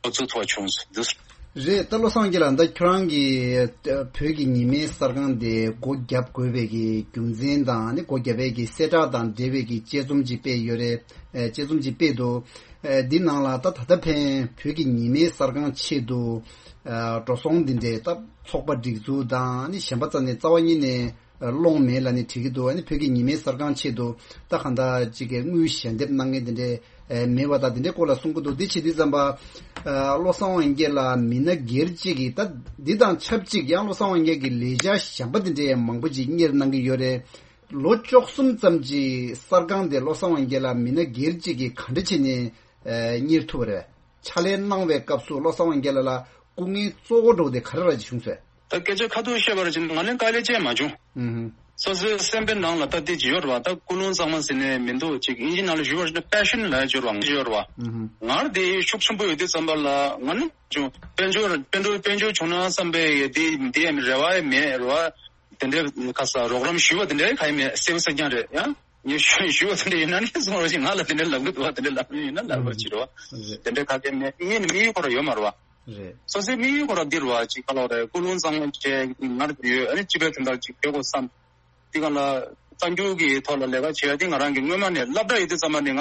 འགོ་འཛུགས་ཐུབ་པ་བྱུང་འདུག་རེད། ད་བློ་བཟང་དབང་རྒྱལ་ལགས། ད་ཁྱོད་རང་གིས་བོད་ཀྱི་ཉི་མའི་གསར་ཁང་དེ་སྒོ་བརྒྱབ་དགོས་པའི་གི་རྒྱུ་མཚན་དང་ནི་སྒོ་བརྒྱབ་པའི་གི་གསལ་བསྒྲགས་དང་འབྲེལ་བའི་གི་དཔྱད་རྩོམ་ཅིག་སྤེལ་ཡོད་རེད། ཨེ་དཔྱད་རྩོམ་ཅིག་སྤེལ་འདུག་ཨེ་འདི་ནང་ལ་ད་ད་ལྟ་ཕན་བོད་ཀྱི་ཉི་མའི་གསར་ཁང་ཆེད་དུ་ཨེ་འགྲོ་སོང་འདི་འདྲའི་ད་ཚོགས་པ་སྒྲིག་འཛུགས་དང་ནི་གཞན་པ་རྩ་ནས་རྩ་བ་ཉིད་ནས་སློང་མེད་ལབ་ནས་བྲིས་ཀྱི་འདུག་ཨ་ནི་བོད་ཀྱི་ཉི་མའི་གསར་ཁང་ཆེད་དུ་ད་གང་ལྟར་ཅིག་གི་དངུལ་ཞལ་འདེབས་གནང་མཁན་དེ་འདྲའི་ཨེ་མེད་པ་དང་དེ་འདྲའི་སྐོར་ལ་གསུང་གི་འདུག་འདི་བྱེད་དུས་ཙམ་པ་ཨ་བློ་བཟང་དབང་རྒྱལ་ལགས་མི་སྣ་སྒེར་གཅིག་གིས་ད་འདི་དང་ཆབས་ཅིག་ཡང་བློ་བཟང་དབང་རྒྱལ་གྱི་ལས་འཆར་གཞན་པ་དེ་འདྲའི་མང་པོ་ཅིག་གཉེར་གནང་གི་ཡོད་རེད། ལོ་བཅུ་གསུམ་ཙམ་གྱི་གསར་ཁང་དེ་བློ་བཟང་དབང་རྒྱལ་ལགས་མི་སྣ་སྒེར་གཅིག་གིས་ག་འདྲ་བྱས་ནས་ཨེ་གཉེར་ཐུབ་པ་རེད། ཕྱག་ལས་གནང་བའི་སྐབས་སུ་བློ་བཟང་དབང་རྒྱལ་ལགས་ལ་སྐུ་ངལ་གཙོ་བོ་འགྲོ་དེ་ག་རེ་ར་ཅིག་བྱུང་ཟེར། ད་སྐད་ཆ་ཁ་ཐུག་བཤད་པར་ཕྱིན་ང་ནི་དཀའ་ལས་ཅན་མ་བྱུང་། ཨུ་ཧུ། སོ་སོའི་སེམས་པའི་ནང་ལ་ད་དེ་ཅི་ཡོད་རེད་བ། ད་ཀུན་སློང་གཙང་མ་ཟེར་ནས་མི་འདུག་ཅིག་ཨིན་ཇི་ནང་ལ་ཞུ་བར་ཕྱིན་ན་པེ་ཤན་ལ་ཅི་ཡོད་རེད་བ། ང་ཅི་ཡོད་རེད་བ། ཨུ་ཧུ། ངར་དེ་ཤུགས་ཆེན་པོ་ཡོད་དུས་ཙམ་པ་ལ་ང་ནི་ཅུང་དཔལ་འབྱོར་དཔལ་འབྱོར་དཔལ་འབྱོར་བྱུང་ན་བསམ་པའི་དེ་དེ་ཡང་རེ་བ་ཡང་མེད་རེད་བ། དེ་འདྲའི་ཁ་ས་རོགས་རམ་ཞུས་པ་དེ་འདྲའི་ག་ཡང་མེད། གསལ་པོ་གསལ་རྐྱང་རེད་ཡང་། ངས་ཞུ་ཞུ་བ་དེ་འདྲ་ཡིན་ན་ནི་སོང་རོགས་ཞེས་ང་ལ་དེ་འདྲ་ལབ་གི་འདུག་བ། དེ་འདྲ་ལབ་ཡིན་ན་ལབ་རོགས་བྱེད་རོགས། དེ་འདྲ་ག་གེ་མེད། ངས་ནི་དམིགས་ཡུལ་ཁོ་ར་ཡོད་མ་རེད་བ། རེད། སོ་སོའི་དམིགས་ཡུལ་ཁོ་ར་འདི་རེད་བ། ཅིག་ག་ལོག་རེད། ཀུན་སློང་གཙང་མ་བྱས་ངར་ཡོད། ཨ་ནི་སྤྱི་པའི་དོན་དག་ཅིག་བྱེད་དགོས་བསམ། དེ་གང་ལ་གསར་འགྱུར་གྱི་ཐོག་ལ་ལས་ཀ་བྱེད་ཡ་དེ་ང་རང་གི་སྔོན་མ་ནས་སློབ་གྲྭ་ཡོད་དུས་ཙམ་པ་ནས་ང་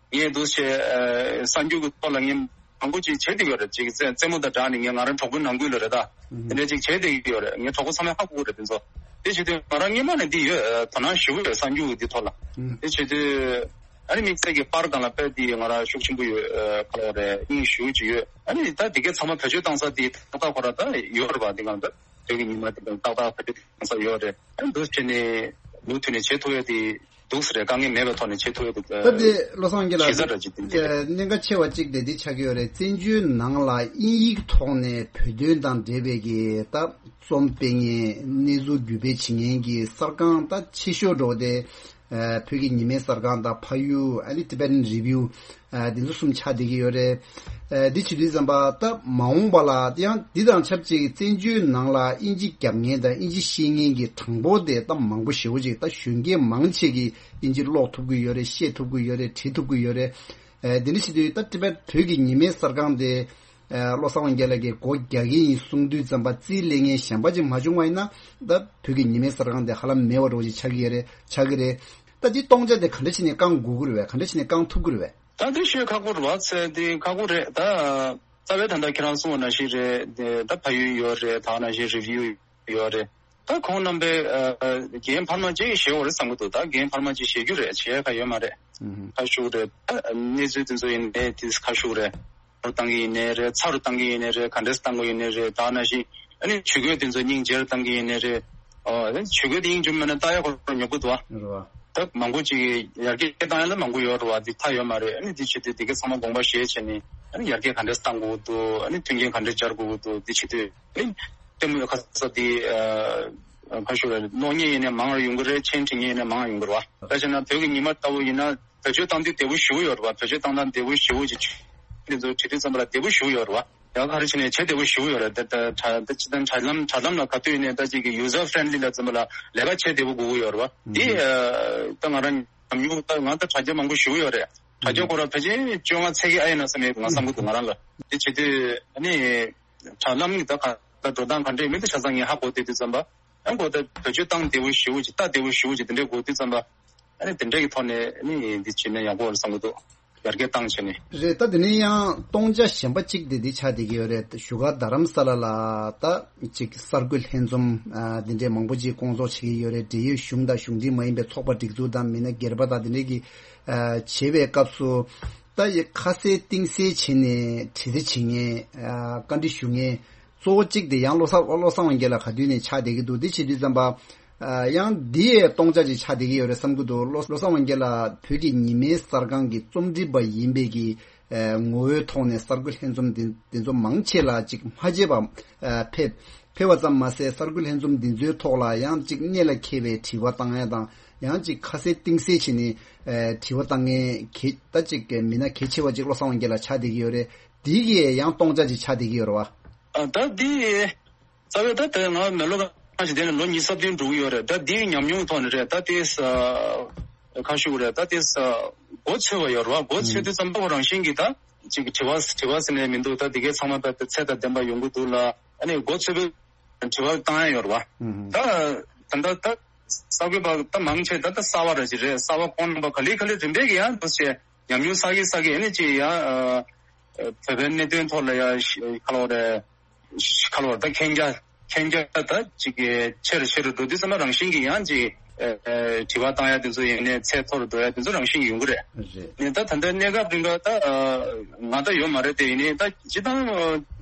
ངས་འདུག་བྱས་ཨ་གསར་འགྱུར་གྱི་ཐོག་ལ་ངས་མང་པོ་ཅིག་བྱེད་བསྡད་ཡོད་རེད། ཅིག་རྩེད་རྩེད་མོ་དང་སྦྲགས་ནས་ངས་ང་རང་གྲོགས་པོའི་ནང་ཁུལ་ལ་རེད་ད། ཨུ་དེ་འདྲ་ཅིག་བྱེད་བསྡད་ཀྱི་ཡོད་རེད། ངའི་གྲོགས་པོ་ཚང་མས་ཧ་གོ་གི་རེད་དེ་ཚོ། དེ་བྱེད་དུས་ང་རང་སྔོན་མ་ནས་འདི་ཡོད། ཨ་དོ་སྣང་ཞེ་པོ་ཡོད་གསར་འགྱུར་འདི་ཐོག་ལ། ཨུ་དེ་བྱེད་དུས་ཨ་ནི་དམིགས་བསལ་གྱི་པར་སྒང་ལ་དཔེ་འདི་ང་རང་ཤུགས་ཆེན་པོ་ཡོད། ཨ་ག་ལབ་རེད། དབྱིངས་ཞེ་པོ་ཅིག་ཡོད། ཨ་ནི་ད་དེ་གའི་ཚང་མ་བེད་སྤྱོད་བཏང་ས་འདི་ཏག་ཏག་ཁོ་ར་ད་ཡོད་རེད་པ། འདི་གང་ད་བོད་ཀྱི་ཉི་མ་འདི་གང་ཏག་ཏག་བེད་སྤྱོད་བཏང་ས་ཡོད་རེད། ཨ་ནི་འདུག་བྱས་ནས་མུ་མཐུད་ནས་བྱེད་ཐུབ་ཡ་དེ་འདུག་ས་རེད། དཀའ་ངལ་མེད་པའི་ཐོག་ནས་བྱེད་ཐུབ་ཡ་དེ། ད་དེ་བློ་བཟང་རྒྱལ་ལགས། གཞི་རྩ་འདྲ་ཅིག་དེ་འདྲ་རེད། གནད་འགག་ཆེ་བ་གཅིག་དེ་འདི་ཆགས་ཀྱི་ཡོད་རེད། བཙན་བྱོལ་ནང་ལ་དབྱིན་ཡིག་ཐོག་ནས་བོད་དོན་དང་འབྲེལ་བའི་གི་ད་རྩོམ་སྤེལ་མཁན་གནས་ཚུལ་བརྒྱུད་སྤེལ་བྱེད་མཁན་གྱི་གསར་ཁང་ད་ཆེ་ཤོས་འགྲོ་དེ་ཨ་བོད་ཀྱི་ཉི་མའི་གསར་ཁང་དང་ཕ་ཡུལ་ཨ་ནི་Tibetan Review ཨ་འདི་ཚོ་གསུམ་ཆགས་བསྡད་ཀྱི་ཡོད་རེད། ཨ་འདི་བྱེད་དུས་ཙམ་པ་ད་མ་འོངས་པ་ལ་ཡང་འདི་དང་ཆབས་ཅིག་བཙན་བྱོལ་ནང་ལ་དབྱིན་ཇི་རྒྱབ་མཁན་དང་དབྱིན་ཇི་ཤེས་མཁན་གྱི་གྲངས་འབོར་དེ་ད་མང་པོ་ཞེ་པོ་ཅིག་ད་གཞོན་སྐྱེས་མང་ཆེ་གིས་དབྱིན་ཇི་ཀློག་ཐུབ་ཀྱི་ཡོད་རེད། ཤེས་ཐུབ་ཀྱི་ཡོད་རེད། བྲིས་ཐུབ་ཀྱི་ཡོད་རེད། ཨ་འདི་འདྲ་བྱེད་དུས་ད་Tibet བོད་ཀྱི་ཉི་མའི་གསར་ཁང་དེ་ཨ་བློ་བཟང་དབང་རྒྱལ་ལགས་ཀྱིས་སྒོ་རྒྱག་གི་ཡིན་གསུང་དུས་ཙམ་པ་རྩིས་ལེན་མཁན་གཞན་པ་ཅིག་མ་བྱུང་བ་ཡིན་ན་ད་བོད་ཀྱི་ཉི་མའི་གསར་ཁང་དེ་ཧ་ལམ་མེད་པ་འདྲ་བོ་ཅིག་ཆགས་ཀྱི་ཡོད་རེད། ཆགས་ཀྱི་རེད། ད་འདི་སྟོང་ཆ་དེ་ག་འདྲ་བྱས་ནས་བསྐང་དགོས་ཀྱི་རེད་པས། ག་འདྲ་བྱས་ནས་བསྐང་ཐུབ་ཀྱི་རེད་པས། ད་འདི་ཤོད་ཁག་པོ་རེད་བ། ཚེ་འདི་ཁག་པོ་རེད་ད། རྩ་བའི་ད་ལྟ་ཁྱེད་རང་གསུངས་པ་ནང་བཞིན་རེད་དེ། ད་ཕ་ཡུལ་ཡོད་རེད། ད་ནང་བཞིན་Review ཡོད་རེད། ད་ཁོང་རྣམ་པས་ཨ་རྒན་འཕར་མ་ཅིག་བཞེས་འོ་རེད་བསམ་གྱི་འདུག་ད་རྒན་འཕར་མ་ཅིག་བཞེས་རྒྱུ་རེད། བྱེད་ཡ་ག་ཡོད་མ་རེད། ཨུམ། ཁ་ཤུགས་རེད། ད་གནས་ཚུལ་དེ་ཚོ་ཡིན་ནའི་དེ་ཁ་ཤུགས་རེད། རུ་བཏང་གི་ཡིན་ནའི་རེད། ཚ་རུ་བཏང་གི་ཡིན་ནའི་རེད། ག་འདྲས་བཏང་གི་ཡིན་ནའི་རེད། ད་ནང་བཞིན་ཨ་ནི་ཇུས་འགོད་དེ་ཚོ་སྙིང་རྗེར་བཏང་གི་ཡིན་ནའི་རེད། ཨོ་ཨ་ནི་ཇུས་འགོད་དེ་སྙིང་རྗེ་མེད་ན་ལྟ་ཡ་ཁོ་རང་ཉོབ་གི་འདུག་ཨ། རེད་བ། ད་མང་པོ་ཅིག་ཡར་རྒྱས་བཏང་ཡ་ལ་མང་པོ་ཡོད་རེད་བ། འདི་མཐའ་ཡོད་མ་རེད། ཨ་ནི་འདི་བྱེད་དུས་འདི་ག་ཚང་མ་དགོངས་པ་བཞེས་བྱས་ནས་ཨ་ནི་ཡར་རྒྱས་ག་འདྲས་བཏང་དགོས་འདུག་ཨ་ནི་མཐུན་རྐྱེན་ག་འདྲས་སྦྱར་དགོས་འདུག་འདི་བྱེད་དུས་ཨ་ནི་ལྟད་མོའི་ཁ་ས་འདི་ཨ་ཁ་ཤོར་བའི་གློག་བརྙན་ཡིན་ནའི་མང་རུ་ཡོང་གི་རེད། མཆན་བྲིས་མཁན་ཡིན་ནའི་མང་རུ་ཡོང་གི་རེད་བ། ད་བྱས་ན་བོད་ཀྱི་ཉི་མ་ལྟ་བུ་ཡིན་ན། བེད་སྤྱོད་བཏང་དུས་བདེ་པོ་ཞེ་པོ་ཡོད་རེད་བ། བེད་སྤྱོད་བཏང་སྟངས་བདེ་པོ་ཞེ་པོ་ཅིག་འདི་ཚོ་བྲིས་དུས་ཙམ་པ་ལ་བདེ་པོ་ཞེ་པོ་ཡོད་རེད་བ། ཡང་ག་རེ་བྱས་ནས་བྱེད་བདེ་པོ་ཞེ་པོ་ཡོད་རེད། ད་ད་ད་ད་དྲ་དྲ་ལམ་དྲ་ལམ་ལ་ག་དུས་ཡིན་ནའི་ད་ཅིག་གི་user friendly ལ་ཙམ་པ་ལ་ལས་ཀ་བྱེད་བདེ་པོ་དགོས་ཀྱི་ཡོད་རེད་བ། འདི་ཨ་ད་ང་རང་ཉམས་མྱོང་ད་ང་ད་དྲ་རྒྱ་མང་པོ་ཞེ་པོ་ཡོད་རེད། དྲ་རྒྱ་ཁོ་རང་ཕལ་ཆེར་བཅོ་ལྔ་ཚད་ཀྱི་ཨ་ཡིན་ན་བསམ་ཡོད་ང་བསམ་གི་འདུག་ང་རང་ལ། འདི་བྱེད་དུས་ཨ་ནི་དྲ་ལམ་གྱི་ད་ག་ད་འགྲོ་སྟངས་ག་འདྲ་ཡིན་མིན་ད་ཆ་ཚང་ངས་ཧ་གོ་བསྡད་དུས་ཙམ་པ། ཡང་གོ་ད་བེད་སྤྱོད་བཏང་བདེ་པོ་ཞེ་པོ་ཅིག་ལྟ་བདེ་པོ་ཞེ་པོ་ཅིག་དེ་འདྲས་གོ་དུས་ཙམ་པ། ཨ་ནི་དེ་འདྲས་ཀྱི་ཐོག་ནས་ཨ་ནི་འདི་བྱས་ན་ཡག་པོ་རེད་བསམ་གི་འདུག་ཡར་རྒྱས་བཏང་བྱས་ནས། རེད། ད་དེ་ནས་ཡང་སྟོང་ཆ་གཞན་པ་གཅིག་དེ་འདི་ཆགས་བསྡད་ཀྱི་ཡོད་རེད། བཞུགས་སྒར་རྡ་རམ་ས་ལ་ལ་ད་ཅིག་གསར་འགོད་ལྷན་འཛོམས་ཨ་འདི་འདྲས་མང་པོ་ཅིག་སྐོང་ཚོགས་བྱེད་ཀྱི་ཡོད་རེད། འབྲེལ་ཡོད་གཞུང་དང་གཞུང་འབྲེལ་མ་ཡིན་པའི་ཚོགས་པ་སྒྲིག་འཛུགས་དང་མི་སྣ་སྒེར་པ་དང་དེ་འདྲས་ཀྱི་ཨ་བྱེད་པའི་སྐབས་སུ་ད་ཡི་ཁ་གསལ་གཏིང་གསལ་བྱས་ནས་དྲི་རྩད་བྱེད་མཁན་ཨ་བཀའ་འདྲི་ཞུ་མཁན་གཙོ་བོ་གཅིག་དེ་ཡང་བློ་བཟང་བློ་བཟང་དབང་རྒྱལ་ལགས་ག་དུས་ནས་ཆགས་བསྡད་ཀྱི་འདུག་འདི་བྱེད་དུས་ཙམ་པ། ཨ་ཡང་འདི་ཡས་སྟོང་ཆ་ཅིག་ཆགས་བསྡད་ཀྱི་ཡོད་རེད་བསམ་གྱི་འདུག་བློ་བློ་བཟང་དབང་རྒྱལ་ལགས་བོད་ཀྱི་ཉི་མའི་གསར་ཁང་གི་རྩོམ་སྒྲིག་པ་ཡིན་པའི་གི་ཨ་ངོ་བོའི་ཐོག་ནས་གསར་འགོད་ལྷན་འཛོམས་འདི་འདི་ཚོ་མང་ཆེ་ལ་ཅིག་མ་བརྗེད་པ་ཨ་ཕེབས་ཕེབས་པ་ཙམ་མ་ཟད་གསར་འགོད་ལྷན་འཛོམས་འདི་ཚོའི་ཐོག་ལ་ཡང་ཅིག་གནད་ལ་འཁེལ་བའི་དྲི་བ་བཏང་ཡ་དང་ཡང་ཅིག་ཁ་གསལ་གཏིང་གསལ་བྱས་ནས་ཨ་དྲི་བ་བཏང་མཁན་གལ་ད་ཅིག་མི་སྣ་གལ་ཆེ་བ་ཅིག་བློ་བཟང་དབང་རྒྱལ་ལགས་ཆགས་བསྡད་ཀྱི་ཡོད་རེད། འདི་གིས་ཡང་སྟོང་ཆ་ཅིག་ཆགས་བསྡད་ཀྱི་ཡོད་རེད་བ། ཨ་ད་འདི་རྩ་བའི་ད་ལྟ་ང་མེ་ལོ་ཁ་ཞིག་དེ་ནས་ལོ་ཉི་ཤུ་རྩ་བདུན་འགྲོ་གི་ཡོད་རེད། ད་འདིའི་ཉམས་མྱོང་ཐོག་ནས་རེད། ད་དེ་ས་ཁ་ཤུ་རེད། ད་དེ་ས་མགོ་ཚོས་པ་ཡོད་རེད་བ། མགོ་ཚོས་དུས་ཙམ་པ་རང་བཞིན་གྱིས་ད་ཅིག་དྲི་བ་དྲི་བ་ཟེར་ནས་མི་འདུག་ད་འདི་གའི་ཚང་མ་ད་ཚད་དང་ལྡན་པ་ཡོང་གི་འདུག་ལ། ཨ་ནི་མགོ་ཚོས་པའི་དྲི་བ་བཏང་ཡ་ཡོད་རེད་བ། ད་ད་ད་ད་གསར་འགོད་པ་ད་མང་ཆེ་ད་ད་གསར་བ་ར་ཅིག་རེད། གསར་བ་ཁོང་རྣམ་པ་ག་ལེ་ག་ལེ་རིམ་པས་ཀྱི་ཡང་འདུག་ཅེས་ཉམས་མྱོང་བསགས་ཀྱི་བསགས་ཀྱི་ཨ་ནི་ཅིག་ཡང་བོད་པའི་གནད་དོན་ཐོག་ལ་ཡང་ཁ་ལོ་རེད། ཁ་ལོ་ད་མཁྱེན་རྒྱ་མཁྱེན་རྒྱ་ད་ཅིག་གི་ཆེ་རུ་ཆེ་རུ་འགྲོ་དུས་ཙམ་པ་རང་བཞིན་གྱིས་ཡང་ཅིག་དྲི་བ་བཏང་ཡ་དེ་ཚོ་ཡིན་ནའི་ཚད་མཐོ་རུ་འགྲོ་ཡ་དེ་ཚོ་རང་བཞིན་གྱིས་ཡོང་གི་རེད། རེད། ནས་ད་ད་ལྟ་གནས་སྐབས་རིང་ག་ད་ང་ད་ཡོད་མ་རེད་དེ་ཡིན་ནའི་ད་སྤྱི་བཏང་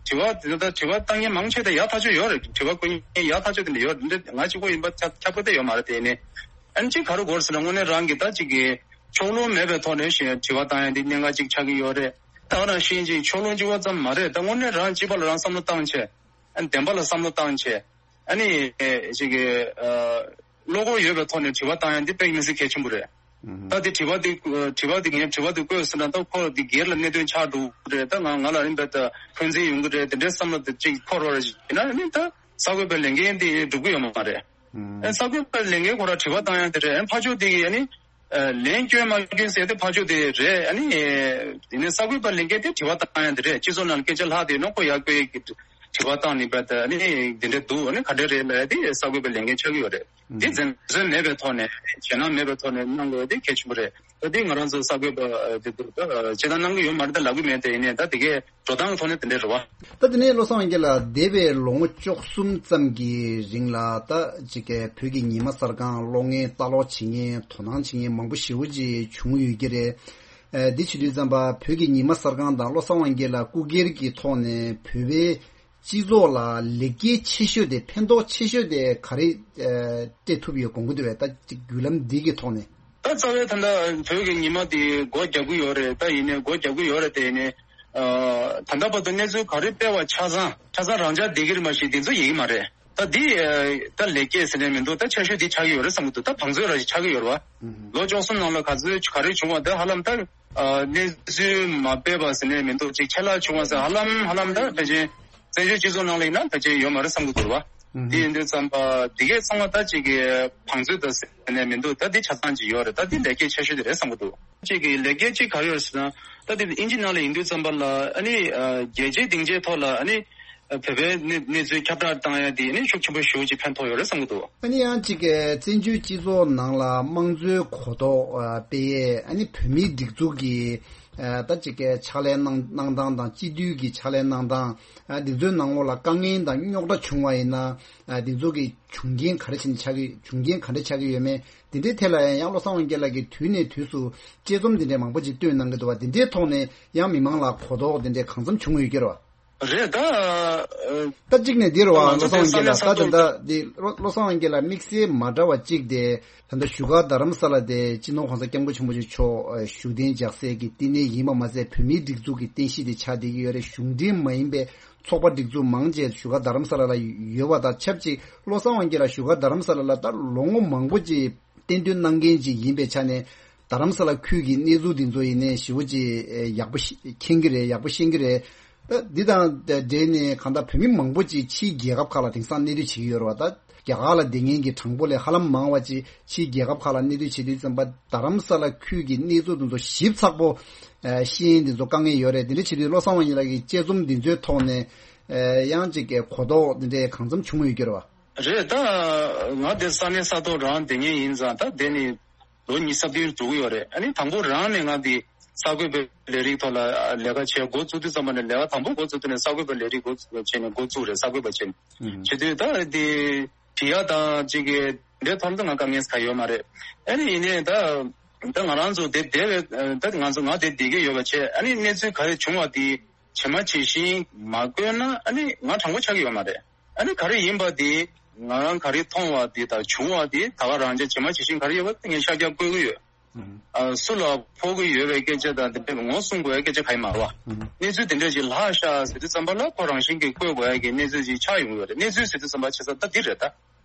དྲི་བ་དེ་ད་དྲི་བ་བཏང་མཁན་མང་ཆེ་ད་ཡག་ཐག་ཆོད་ཡོད་རེད། དྲི་བ་བཀོད་མཁན་ཡག་ཐག་ཆོད་དེ་འདྲ་ཡོད་རེད། འདི་ང་གཅིག་པོ་ཡིན་པ་ཁྱབ་ཁྱབ་ཁོ་ད་ཡོད་མ་རེད་དེ་ཡིན་ནའི། ཨ་ནི་ཅིག་ག་རེ་དགོས་རེད་ཟེར་ན་དངོས་གནས་རང་གི་ད་ཅིག་གི་ཕྱོགས་ལྷུང་མེད་པའི་ཐོག་ནས་ཞེས་དྲི་བ་བཏང་ཡ་འདི་གནད་འགག་ཅིག་ཆགས་ཀྱི་ཡོད་རེད། ད་ག་ནང་བཞིན་ཅིག་ཕྱོགས་ལྷུང་གཅིག་པོ་ཙམ་མ་རེད། ད་དངོས་གནས་རང་སྤྱི་པ་ལ་རང་བསམ་བློ་བཏང་བྱས། ཨ་ནི་བདེན་པ་ལ་བསམ་བློ་བཏང་བྱས། ཨ་ནི་ཅིག་གི་བློ་ཁོག་ཡོད་པའི་ཐོག་ནས་དྲི་བ་བཏང་ཡ་འདི་དཔེ་མི་སྲིད་གལ་ཆེན་པོ་རེད། ད་འདི་དྲི་བ་འདི་དྲི་བ་འདི་ངས་དྲི་བ་འདི་བཀོད་ཟེར་ན་ད་ཁོ་འདི་སྒེར་ལ་གནད་དོན་ཆགས་འགྲོ་གི་རེད། ད་ང་ང་ལ་ཨིན་པ་ད་འཁོན་འཛིན་ཡོང་གི་རེད། དེ་འདྲའི་བསམ་བློ་འདི་ཅིག་འཁོར་བ་ཡིན་ན་ཨ་ནི་ད་གསར་འགོད་པའི་ལས་འགན་འདི་འགྲུབ་ཀྱི་ཡོད་མ་རེད། ཨ་གསར་འགོད་པའི་ལས་འགན་ཁོ་རང་དྲི་བ་བཏང་ཡ་དེ་རེད། ཨ་ཕར་ཕྱོགས་དེ་གིས་ཨ་ནི། ལན་སྐྱོན་མ་སྐྱོན་ཟེར་དེ་ཕར་ཕྱོགས་དེ་རེད། ཨ་ནི། དེ་ནས་གསར་འགོད་པ་ལས་འགན་དེ་དྲི་བ་བཏང་ཡ་དེ་རེད། སྤྱི་ཚོགས་ནང་ལ་སྐད་ཆ་ལྷག་དེ་ནོ་ཁོ་ཡར་བཀོད་ཀྱི་དྲི་བ་བཏང་ནི་པ་དེ་ཨ་ནི་དེ་འདྲ་འདུག་ཨ་ནི་ག་འདྲ་རེད་ལབ་ཡ་དེ་གསར་འགོད་པའི་ལས་འགན་ཆགས་ཀྱི་ཡོད་རེད། དེ་འཛེམ་ཟོན་མེད་པའི་ཐོག་ནས་ཞེད་སྣང་མེད་པའི་ཐོག་ནས་གནང་དགོས་ཡ་དེ་གལ་ཆེན་པོ་རེད། ད་དེ་ང་རང་ཚོ་གསར་འགོད་པ་དེ་ཚོ་ད་བྱེད་སྟངས་གནང་གི་ཡོད་མ་རེད། ད་ལབ་གི་མེད་དེ་ཡིན་ནའི་ད་དེ་གས་འགྲོ་སྟངས་ཐོག་ནས་དེ་འདྲ་རེད་བ། ད་དེ་ནས་བློ་བཟང་དབང་རྒྱལ་ལགས་འདས་པའི་ལོ་ངོ་བཅུ་གསུམ་ཙམ་གྱི་རིང་ལ་ད་ཅིག་གི་བོད་ཀྱི་ཉི་མ་གསར་ཁང་ཀློག་མཁན་ལྟ་ཀློག་བྱེད་མཁན་དོ་སྣང་བྱེད་མཁན་མང་པོ་ཞེ་པོ་ཅིག་བྱུང་ཡོད་ཀྱི་རེད། ཨ་འདི་བྱེད་དུས་ཙམ་པ་བོད་ཀྱི་ཉི་མ་གསར་ཁང་དང་བློ་བཟང་དབང་རྒྱལ་ལགས་སྐུ་སྒེར་གྱི་ཐོག་ནས་བོད་པའི་སྤྱི་ཚོགས་ལ་ལེགས་སྐྱེས་ཆེ་ཤོས་དེ་ཕན་ཐོགས་ཆེ་ཤོས་དེ་ག་རེ་ཨ་སྤྲད་ཐུབ་ཡོད་དགོངས་ཀྱི་འདུག་བས། ད་ཅིག་བརྒྱུད་ལམ་འདི་གི་ཐོག་ནས། ད་རྩ་བའི་ད་ལྟ་བོད་ཀྱི་ཉི་མ་འདི་སྒོ་རྒྱག་གི་ཡོད་རེད། ད་ཡིན་ནའི་སྒོ་རྒྱག་གི་ཡོད་རེད་དེ་ཡིན་ནའི་ཨ་ད་ལྟ་བར་དུ་གནས་ཚུལ་ག་རེ་སྤེལ་བ་ཆ་ཚང་ཆ་ཚང་རང་འཇགས་བསྡད་ཀྱི་རེད་མ་གཞི་འདི་ཚོ་ཡིན་གྱི་མ་རེད། ད་འདི་ཨ་ད་ལེགས་སྐྱེས་ཟེར་ནས་མི་འདུག་ད་ཆེ་ཤོས་འདི་ཆགས་ཀྱི་ཡོད་རེད་བསམ་གྱི་འདུག་ད་བང་མཛོད་ར་ཞིག་ཆགས་ཀྱི་ཡོད་རེད་བ། ལོ་བཅུ་གསུམ་ནང་ལ་ག་ཚོད་ག་རེ་བྱུང་བ་ད་ཧ་ལམ་ད་ཨ་གནས་ཚུལ་མ་སྤེལ་བ་ཟེར་ནས་མི་འདུག་ཅིག་ཆད་ལྷག་བྱུང་བ་ཟེར་ཧ་ལམ་ཧ་ལམ་ད་ཕལ་ཆེར། བཙན་བྱོལ་སྤྱི་ཚོགས་ནང་ལ་ཡིན་ན་ཕལ་ཆེར་ཡོད་མ་རེད་བསམ་གྱི་འདུག་བ། ཨུ་ཧུམ། དེ་ཡིན་དུས་ཙམ་པ་འདི་གས་ཚང་མ་ད་ཅིག་གི་བང་མཛོད་དང་ཟེར་ནས་མི་འདུག་ད་འདི་ཆ་ཚང་ཅིག་ཡོད་རེད། ད་འདི་ལེགས་སྐྱེས་ཆེ་ཤོས་དེ་རེད་བསམ་གྱི་འདུག་ཅིག་གི་ལེགས་སྐྱེས་ཅིག་ག་རེ་ཡོད་ཟེར་ན། ད་འདི་དབྱིན་ཇི་ནང་ལ་ཡིན་དུས་ཙམ་པ་ལ་ཨ་ནི་ཨ་རྒྱལ་སྤྱིའི་སྡིངས་ཆའི་ཐོག་ལ་ཨ་ནི་ཨ་བོད་པའི་གནས་གནས་ཚུལ་ཁྱབ་བསྒྲགས་བཏང་ཡ་དེ་ཨ་ནི་ཤུགས་ཆེན་པོ་ཞེ་པོ་ཅིག་ཕན་ཐོགས་ཡོད་རེད་བསམ་གྱི་འདུག་ཨ་ནི་ཡང་ཅིག་གི་བཙན་བྱོལ་སྤྱི་ཚོགས་ནང་ལ་དམངས་གཙོའི་གོ་རྟོགས་ཨ་སྤེལ་ཡས་ཨ་ནི་བོད་མིའི་སྒྲིག་འཛུགས་ཀྱི་ཨ་ད་ཅིག་གི་ཕྱག་ལས་གནང་གནང་སྟངས་དང་སྤྱི་འཐུས་ཀྱི་ཕྱག་ལས་གནང་སྟངས། ཨ་འདི་ཚོའི་ནང་ལོགས་ལ་དཀའ་ངལ་དང་རྙོག་དྲ་བྱུང་བ་ཡིན་ན། ཨ་འདི་ཚོ་གི་བྱུང་རྐྱེན་ག་རེ་བྱས་ནས་ཆགས་ཀྱི་བྱུང་རྐྱེན་ག་འདྲ་ཆགས་ཀྱི་ཡོད་མེད་འདི་འདྲའི་ཐད་ལ་ཡང་ཡང་བློ་བཟང་དབང་རྒྱལ་ལགས་ཀྱིས་དུས་ནས་དུས་སུ་དཔྱད་རྩོམ་འདི་འདྲའི་མང་པོ་ཅིག་བཏོན་གནང་གི་འདུག་བ། འདི་འདྲའི་ཐོག་ནས་ཡང་མི་མང་ལ་གོ་རྟོགས་འདི་འདྲའི་གང་འཚམ་བྱུང་ཡོད་ཀྱི་རེད་བ། རེད་ད། ཨ། ད་གཅིག་ནས་འདི་རེད་བ། ང་བློ་ཚོ་བཟང་དབང་རྒྱལ་ལགས་ད་ད་ད་འདི་བློ་བློ་བཟང་དབང་རྒྱལ་ལགས་དམིགས་བསལ་མ་འདྲ་བ་གཅིག་དེ། ད་ལྟ་བཞུགས་སྒར་རྡ་རམ་ས་ལ་དེ་སྤྱི་ནོར་༸གོང་ས་༸སྐྱབས་མགོན་ཆེན་པོ་མཆོག་བཞུགས་གདན་འཇགས་སའི་གི་བསྟི་གནས་ཡིན་པ་མ་ཟད་བོད་མིའི་སྒྲིག་འཛུགས་ཀྱི་རྟེན་གཞི་དེ་ཆགས་བསྡད་ཀྱི་ཡོད་རེད། གཞུང་འབྲེལ་མ་ཡིན་པའི་ཚོགས་པ་སྒྲིག་འཛུགས་མང་ཆེ་བཞུགས་སྒར་རྡ་རམ་ས་ལ་ལ་ཡོད་པ་དང་ཆབས་ཅིག་བློ་བཟང་དབང་རྒྱལ་ལགས་བཞུགས་སྒར་རྡ་རམ་ས་ལ་ལ་ད་ལོ་ངོ་མང་པོ་ཅིག་བསྟེན་གཏོང་གནང་མཁན་ཅིག་ཡིན་པའི་ཆ་ནས་ རྡ་རམ་ས་ལ་ཁུལ་གྱི་གནས་ཚུལ་འདི་ཚོ་ཡིན་ནའི་ཞེ་པོ་ཅིག་ཨེ་ཡག་པོ་ཤེས་མཁྱེན་གྱི་རེད། ཡག་པོ་ཤེས་ཀྱི་རེད། ད་འདི་དང་འབྲེལ་ནས་གང་ལྟར་བོད་མི་མང་པོ་ཅིག་ཕྱིའི་རྒྱལ་ཁབ་ཁག་ལ་དེང་སང་གནས་སྡོད་བྱེད་ཀྱི་ཡོད་རེད་བ། ད་རྒྱ་གར་ལ་བསྡད་མཁན་གྱི་གྲངས་འབོར་ལས་ཧ་ལམ་མང་བ་ཅིག་ཕྱིའི་རྒྱལ་ཁབ་ཁག་ལ་གནས་སྡོད་བྱེད་དུས་ཙམ་པ་རྡ་རམ་ས་ལ་ཁུལ་གྱི་གནས་ཚུལ་འདི་ཚོ་ཞིབ་ཚགས་པོ་ཨེ་ཤེས་ཡོན་འདི་ཚོ་དཀའ་ངལ་ཡོད་རེད། དེ་འདྲ་བྱེད་དུས་བློ་བཟང་དབང་ཡེ་ལགས་ཀྱི་དཔྱད་རྩོམ་འདི་ཚོའི་ཐོག་ནས་ཨེ་ཡང་ཅིག་གི་གོ་རྟོགས་འདི་འདྲའི་གང་འཚམ་བྱུང་ཡོད་ཀྱི་རེད་བ། རེད། ད་ང་འདིར་ས་གནས་ས་ཐོག་རང་བསྡད་མཁན་ཡིན་ཙང་ད་འདི་ནི་ལོ་ཉི་ཤུ་རྩ་བདུན་འགྲོ་གི་ཡོད་རེད། ཨ་ནི་དང་པོ་རང་ནས་ང་འདི་གསར་འགོད་པའི་ལས་རིགས་ཐོག་ལ་ལས་ཀ་བྱེད་འགོ་བཙུགས་དུས་ཙམ་པ་ནས་ལས་ཀ་དང་པོ་འགོ་བཙུགས་དུས་ནས་གསར་འགོད་པའི་ལས་རིགས་འགོ་བཙུགས་བྱས་ནས་འགོ་བཙུགས་རེད། གསར་འགོད་པ་བྱས་ནས་བྱེད་དུས་ད་འདི་བྲིས་ཡ་དང་ཅིག་གི་འདི་ཐོག་ཏུ་ང་དཀའ་ངལ་ག་ཡོད་མ་རེད། ཨ་ནི་ཡིན་ནའི་ད་ད་ང་རང་ཚོ་འདི་བསྡད་པའི་ད་ང་ཚོ་ང་འདི་བསྡད་ཀྱི་ཡོད་པ་བྱས། ཨ་ནི་གནས་ཚུལ་ག་རེ་བྱུང་བ་དེ་ཇི་མ་ཇི་བཞིན་མ་བཀོད་ན་ཨ་ནི་ང་དྲང་པོ་ཆགས་ཀྱི་ཡོད་མ་རེད། ཨ་ནི་ག་རེ་ཡིན་པ་དེ་ང་རང་ག་རེ་མཐོང་བ་དེ་དང་བྱུང་བ་དེ་ད་ག་རང་ཅག་ཇི་མ་ཇི་བཞིན་ག་རེ་ཡོད་པ་དེ་ངས་ཤར་རྒྱག་བཀོད་ཀྱི་ཡོད། ཨ་སུ་ལ་ཕོག་གི་ཡོད་པའི་སྐད་ཆ་དང་དེ་འདྲ་ངོ་སྲུང་དགོས་ཡ་སྐད་ཆ་ག་ཡི་མ་རེད་བ། གནས་ཚུལ་དེ་འདྲ་ཞིག་ལྷག་ཤག་ཟེར་དུས་ཙམ་པ་ལ་ཁོ་རང་བཞིན་གྱིས་བཀོད་དགོས་ཡ་གི་གནས་ཚུལ་ཞིག་ཆགས་ཡོང་གི་ཡོད་རེད། གནས་ཚུལ་ཟེར་དུས་ཙམ་པ་བྱས་ཙང་ད་འདི་རེད་ད།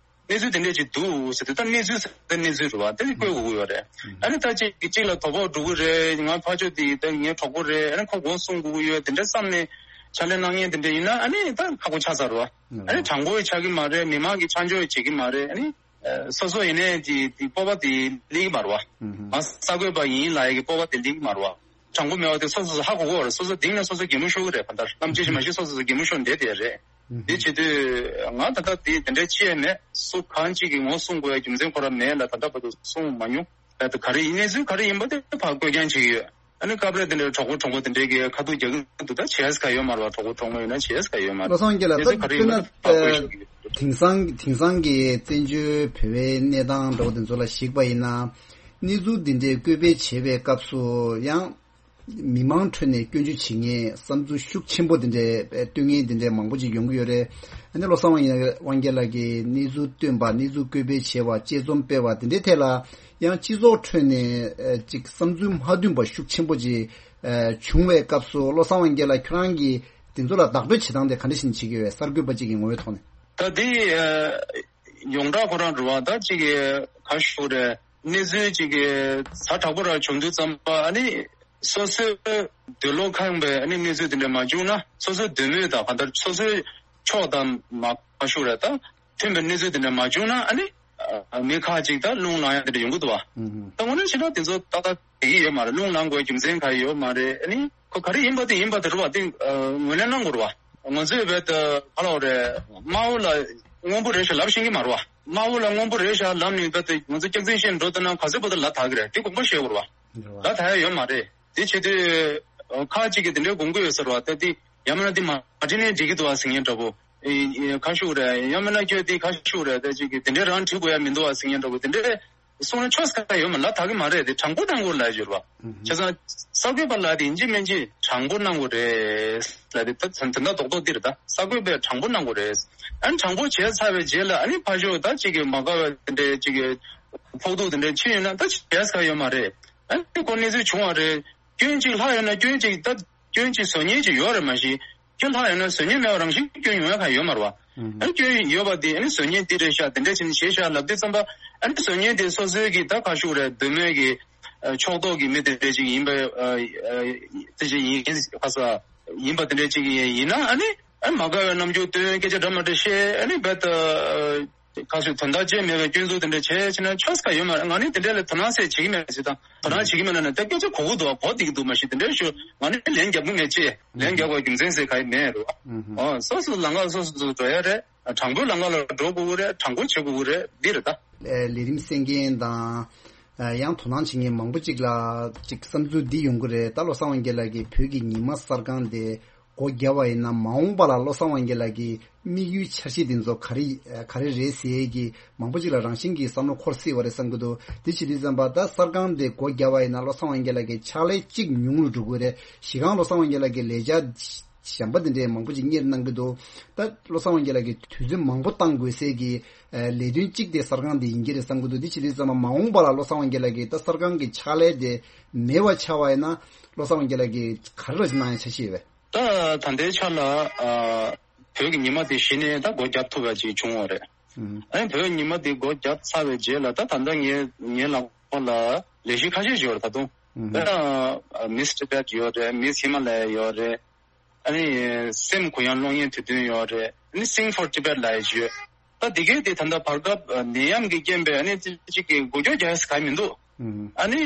གནས་ཚུལ་དེ་འདྲ་ཅིག་འདུག་ཟེར་དུས་ད་གནས་ཚུལ་ཟེར་ད་གནས་ཚུལ་རེད་བ། དེ་ནི་བཀོད་དགོས་ཀྱི་ཡོད་རེད། ཨ་ནི་ད་ཅིག་གཅིག་ལ་དོ་ཕོག་འགྲོ་གི་རེད། ང་ཕར་ཕྱོགས་དེ་ད་ངའི་གྲོགས་པོ་རེད། ཨ་ནི་ཁོ་མགོ་སྲུང་དགོས་ཀྱི་ཡོད་དེ་འདྲ་བསམ་ནས་ཕྱག་ལས་གནང་མཁན་དེ་འདྲ་ཡིན་ན་ཨ་ནི་ད་ཁག་པོ་ཆགས་ཚར་བ། ཨ་ནི་དྲང་པོ་ཆགས་ཀྱི་མ་རེད། མི་མང་གིས་ཆ་འཇོག་བྱེད་ཀྱི་མ་རེད། ཨ་ནི་སོ་སོ་ཡིན་ནའི་དེ་དེ་སྤོབས་པ་དེ་སླེབས་ཀྱི་མ་རེད་བ། ང་གསར་འགོད་པ་ཡིན་ལབ་ཡ་གི་སྤོབས་པ་དེ་སླེབས་ཀྱི་མ་རེད་བ། དྲང་པོ་མེད་པ་དེ་སོ་སོ་སོ་ཧ་གོ་གི་ཡོད་རེད། སོ་སོ་གཏིང་ནས་སོ་སོ་གད་མོ་ཤོར་གི་རེད། གང་ལྟར་གནམ་གཤིས་ཤིག་མ་ཤེས་སོ་སོ་སོ་གད་མོ་ཤོར་བསྡད་བསྡད་རེད། འདི་བྱེད་དུས་ང་ད་ལྟ་དེ་དེ་འདྲའི་ཅི་ཡང་མེད། སུ་གང་ཅིག་གིས་ངོ་སྲུང་དགོས་ཡ་རྒྱུ་མཚན་ཁོ་རང་མེད་ལ་ད་ལྟ་བར་དུ་གསུངས་མ་མྱོང་། ད་ལྟ་ག་རེ་ཡིན་གནས་ཚུལ་ག་རེ་ཡིན་པ་དེ་ཕར་བཀོད་རྐྱང་བྱེད་ཀྱི་ཡོད། ཨ་ནི་སྐབས་རེ་དེ་འདྲའི་གྲོགས་པོ་གྲོགས་པོ་དེ་འདྲའི་གི་ཁ་ཐུག་རྒྱག་གི་འདུག་ད་བྱས་ས་ག་ཡོད་མ་རེད་བ། གྲོགས་པོ་གྲོགས་མོ་ཡོད་ན་བྱས་ས་ག་ཡོད་མ་རེད། བློ་བཟང་དགེ་ལགས། གནས་ཚུལ་ག་རེ་ཡིན་པ་དེ་ཕར་བཀོད་ཤོག་གི་ཡོད། དེང་སང་དེང་སང་གི་བཙན་བྱོལ་བོད་པའི་གནས་སྟངས་འདྲ་བོ་དེ་ཚོ་ལ་གཞིགས་པ་ཡིན་ན། གནས་ཚུལ་འདི་འདྲའི་བཀོད་སྤེལ་བྱེད་པའི་སྐབས་སུ་ཡང་། མི་མང་ཁྲོད་ནས་སྐྱོན་བརྗོད་བྱེད་མཁན་བསམ་ཚུལ་ཤུགས་ཆེན་པོ་དེ་འདྲའི་སྟོན་མཁན་དེ་འདྲའི་མང་པོ་ཅིག་ཡོང་གི་ཡོད་རེད། ཨ་ནི་བློ་བཟང་དབང་དབང་རྒྱལ་ལགས་ཀྱིས་གནས་ཚུལ་བཏོན་པ། གནས་ཚུལ་བཀོད་སྤེལ་བྱས་པ། དཔྱད་རྩོམ་སྤེལ་བ་དེ་འདྲའི་ཐད་ལ་ཡང་སྤྱི་ཚོགས་ཁྲོད་ནས་ཨ་ཅིག་བསམ་ཚུལ་མ་མཐུན་པ་ཤུགས་ཆེན་པོ་ཅིག་ཨ་བྱུང་བའི་སྐབས་སུ་བློ་བཟང་དབང་རྒྱལ་ལགས་ཁྱོད་རང་གིས་དེ་ཚོ་ལ་བདག་སྤྲོད་བྱེད་སྟངས་དེ་ག་འདྲ་ཞིག་བྱེད་ཀྱི་ཡོད། གསར་འགོད་པ་ཅིག་གི་ངོ་བོའི་ཐོག་ནས། ད་དེ་ཨ་ཡོངས་གྲགས་ཁོ་རང་རེད་བ། ད་ཅིག་ག་ཞུ་རེད། གནས་ཚུལ་ཅིག་གི་ཛ་དྲག་པོ་ར་བྱུང་དུས་ཙམ་པ་ཨ་ནི་སོ་སོའི་འདོད་བློ་ཁེངས་པའི་ཨ་ནི་གནས་ཚུལ་དེ་འདྲ་མ་བྱུང་ན་སོ་སོའི་འདོད་མོས་དང་གང་ལྟར་སོ་སོའི་ཕྱོགས་དང་མ་ག་ཞུ་རེད། ད་མཐུན་པའི་གནས་ཚུལ་དེ་འདྲ་མ་བྱུང་ན་ཨ་ནི་ཨ་མི་ཁག་ཅིག་ད་རླུང་ལངས་ཡ་དེ་འདྲ་ཡོང་གི་འདུག་བ། ད་དངོས་གནས་བྱས་ན་དེ་ཚོ་ཏག་ཏག་བསྡད་ཀྱི་ཡོད་མ་རེད། རླུང་ལངས་དགོས་རྒྱུ་མཚན་ག་ཡོད་མ་རེད། ཨ་ནི་ཁོ་ག་རེ་ཡིན་པ་དེ་ཡིན་པ་དེ་རེད་བ། དེ་ཨ་ངོས་ལེན་གནང་དགོས་རེད་བ། ང་ཚོས་བས་ད་ག་ལ་བ་རེད། དམར་པོ་ལ་སྔོན་པོ་རེད་ཤག་ལབ་ཤེས་ཀྱི་མ་རེད་བ། དམར་པོ་ལ་སྔོན་པོ་རེད་ཤག་ལབ་ནས་བས་ད་ང་ཚོ་སྐྱག་རྫུན་བཤད་འགྲོ་ཐུབ་ན་ག་ཚོད་བར་དུ་ལབ་ཐག་གི་རེད། དེ་དགོངས་པ་བཞེས་དགོས་རེད་བ། ལབ་ཐག་ཡ་ཡོད་མ་རེད། དེ་བྱེད་དུས་ཁག་ཅིག་གིས་དེ་འདྲའི་དགོངས་ཀྱི་ཡོད་ས་རེད་བ། ད་དེ་ཡང་མིན་ན་དེ་མ་བྲིས་ནས་འགྲིག་གི་འདུག་བ་ཟེར་མཁན་འདྲ་པོ། ཨེ་ཨེ་ག་ཞུ་རེད། ཡང་མིན་ན་ཁྱོད་དེ་ག་ཞུ་རེད། ད་ཅིག་གིས་དེ་འདྲའི་རང་བྲིས་དགོས་ཡ་མི་འདུག་བ་ཟེར་མཁན་འདྲ་པོ་དེ་འདྲའི་གསུང་ན་ཆོག་ས་ཡོད་མ་ལབ་ཐག་གི་མ་རེད། དེ་དྲང་པོ་གནང་དགོས་ལབ་ཡོད་རེད་བ། བྱས་ཙང་གསར་འགོད་པ་ལ་དེ་ཡིན་གཅིག་མིན་གཅིག་དྲང་པོ་གནང་དགོས་རེད་ལབ་དེ་ད་དོན་དག་རྡོག་རྡོག་འདི་རེད། ད་གསར་འགོད་པས་དྲང་པོ་གནང་དགོས་རེད། ཨ་ནི་དྲང་པོ་བྱས་ཚར་བའི་རྗེས་ལ་ཨ་ནི་ཕར་ཕྱོགས་ད་ཅིག་གི་མ་དགའ་བའི་དེ་འདྲའི་ཅིག་གི་ཕོག་ཐུག་དེ་འདྲའི་ཕྱིན་ཡོད་ན་ད་བྱས་ས་ཡོད་མ་རེད། ཨ་ནི་ཁོ་གནས་ཚུལ་བྱུང་བ་རེད། སྐྱོན་གཅིག་ལྷག་ཡོད་ན་སྐྱོན་གཅིག་ད་སྐྱོན་གཅིག་བཟོ་མཁན་གཅིག་ཡོད་རེད། མ་གཞི་སྐྱོན་ལྷག་ཡོད་ན་བཟོ་མཁན་མེད་པ་རང་བཞིན་སྐྱོན་ཡོང་ཡ་གང་ཡོད་མ་རེད་བ། ཨ་ནི་སྐྱོན་ཡོད་པ་དེ་ཨ་ནི་བཟོ་མཁན་འདི་རེད་ཤག་དེ་འདྲ་བྱས་ནས་བྱས་ཤག་ལབ་དུས་ཙམ་པ་ཨ་ནི་བཟོ་མཁན་དེ་སོ་སོའི་གི་ད་ག་ཞུ་རེད། འདོད་མོས་ཀྱི་ཕྱོགས་གཏོགས་ཀྱི་མི་དེ་འདྲ་ཅིག་ཡིན་པ་དེ་ཅིག་ཡིན་ཁ་ས་ཡིན་པ་དེ་འདྲ་ཅིག་ཡིན་ན་ཨ་ནི་ཨ་ནི་མ་དགའ་བའི་རྣམ་འགྱུར་སྟོན། སྐད་ཆ་འདྲ་མ་འདྲ་བཤད། ཨ་ནི་རྦད་དེ། ག་ཚོད་དོན་དག་ཅན་མེད་པའི་སྐྱོན་འཛུགས་དེ་འདྲ་བྱས་ཕྱིན་ན་ཆོག་ས་ཡོད་མ་རེད། ང་ནི་དེ་འདྲ་ལ་དོ་སྣང་ཟེར་བྱེད་ཀྱི་མེད་ཟེར་དང་། དོ་སྣང་བྱེད་ཀྱི་མེད་ན་ནི་ད་སྐད་ཆ་གོ་གི་འདུག་གོ་བསྡད་ཀྱི་འདུག་མ་གཞི་དེ་འདྲ་ཞུ་ང་ནི་ལན་རྒྱབ་ཀྱི་མེད་ཅེས། ལན་རྒྱབ་པའི་རྒྱུ་མཚན་ཟེར་ག་ཡི་མེད་རེད། ཨོ་སོ་སོ་ལམ་ཁ་སོ་སོ་སོ་འགྲོ་ཡ་རེད། དྲང་པོའི་ལམ་ཁ་ལ་འགྲོ་དགོས་ཀྱི་རེད། དྲང་པོ་བྱེད་དགོས་ཀྱི་རེད། འདི་རེད་ད། ལས་རིམ་གསན་མཁན་དང་། ཡང་དོ་སྣང་བྱེད་མཁན་མང་པོ་ཅིག་ལ་ཅིག་བསམ་ཚུལ་འདི་ཡོང་གི་རེད། ད་བློ་བཟང་དབང་རྒྱལ་ལགས་ཀྱིས་བོད་ཀྱི་ཉི་མ་གསར་ཁང་དེ་སྒོ་བརྒྱབ་པ་ཡིན་ན་མ་འོངས་པ་ལ་བློ་བཟང་དབང་རྒྱལ་ལགས་ཀྱི་དམིགས་ཡུལ་འཆར་གཞི་འདི་ཚོ་ག་རེ་ག་རེ་རེད་ཟེར་གྱི་མང་པོ་ཅིག་ལ་རང་བཞིན་གྱིས་བསམ་བློ་འཁོར་སྲིད་པ་རེད་བསམ་གྱི་འདུག་དེ་བྱེད་དུས་ཙམ་པ་ད་གསར་ཁང་དེ་སྒོ་བརྒྱབ་པ་ཡིན་ན་བློ་བཟང་དབང་རྒྱལ་ལགས་ཀྱི་ཕྱག་ལས་གཅིག་ཉུང་རུ་འགྲོ་གི་རེད། གཞི་རྐང་བློ་བཟང་དབང་རྒྱལ་ལགས་ཀྱི་ལས་བྱ་གཞན་པ་འདི་འདྲའི་མང་པོ་ཅིག་གཉེར་གནང་གི་འདུག་ད་བློ་བཟང་དབང་རྒྱལ་ལགས་ཀྱིས་དུས་ཚོད་མང་པོ་བཏང་དགོས་སའི་གི་ལས་དོན་གཅིག་དེ་གསར་ཁང་འདི་ཡིན་གྱི་རེད་བསམ་གྱི་འདུག་འདི་བྱེད་དུས་ཙམ་པ་མ་འོངས་པ་ལ་བློ་བཟང་དབང་རྒྱལ་ལགས་ཀྱིས་ད་གསར་ཁང་གི་ཕྱག་ལས་དེ་མེད་པ་ཆགས་པ་ཡིན་ན་བློ་བཟང་དབང་རྒྱལ་ལགས་ཀྱིས་ག་རེ་རོགས་ཅིག་གནང་ཡ་འཆར་གཞི་ཡོད་པས། ད་ད་ལྟའི་ཆ་ལ་ཨ་བོད་ཀྱི་ཉི་མ་དེ་གཞི་ནས་ད་སྒོ་བརྒྱབ་ཐུབ་པ་ཅིག་བྱུང་བ་རེད། ཨ་ནི་བོད་ཉི་མ་དེ་སྒོ་བརྒྱབ་ཚར་བའི་རྗེས་ལ་ད་ད་ལྟ་ངའི་ངའི་ལག་པ་ལ་ ལས་གཞི་ཁ་ཤས་ཡོད་རེད་ད་དུང་། ཨུ་ཧུ། ད་ལྟ་Miss Tibet ཡོད་རེད། Miss Himalaya ཡོད་རེད། ཨ་ནི་སེམས་གུ་ཡངས་གློག་བརྙན་དུས་སྟོན་ཡོད་རེད། ཨ་ནི་Sing for Tibet ལབ་ཡ་ཅིག་ཡོད། ད་འདི་གའི་དེ་ད་ལྟ་བར་སྐབས་ནད་ཡམས་ཀྱི་རྐྱེན་པས་ཨ་ནི་ཅིག་གི་འགུལ་སྐྱོད་རྒྱག་ཡ་ག་མི་འདུག་ཨ་ནི་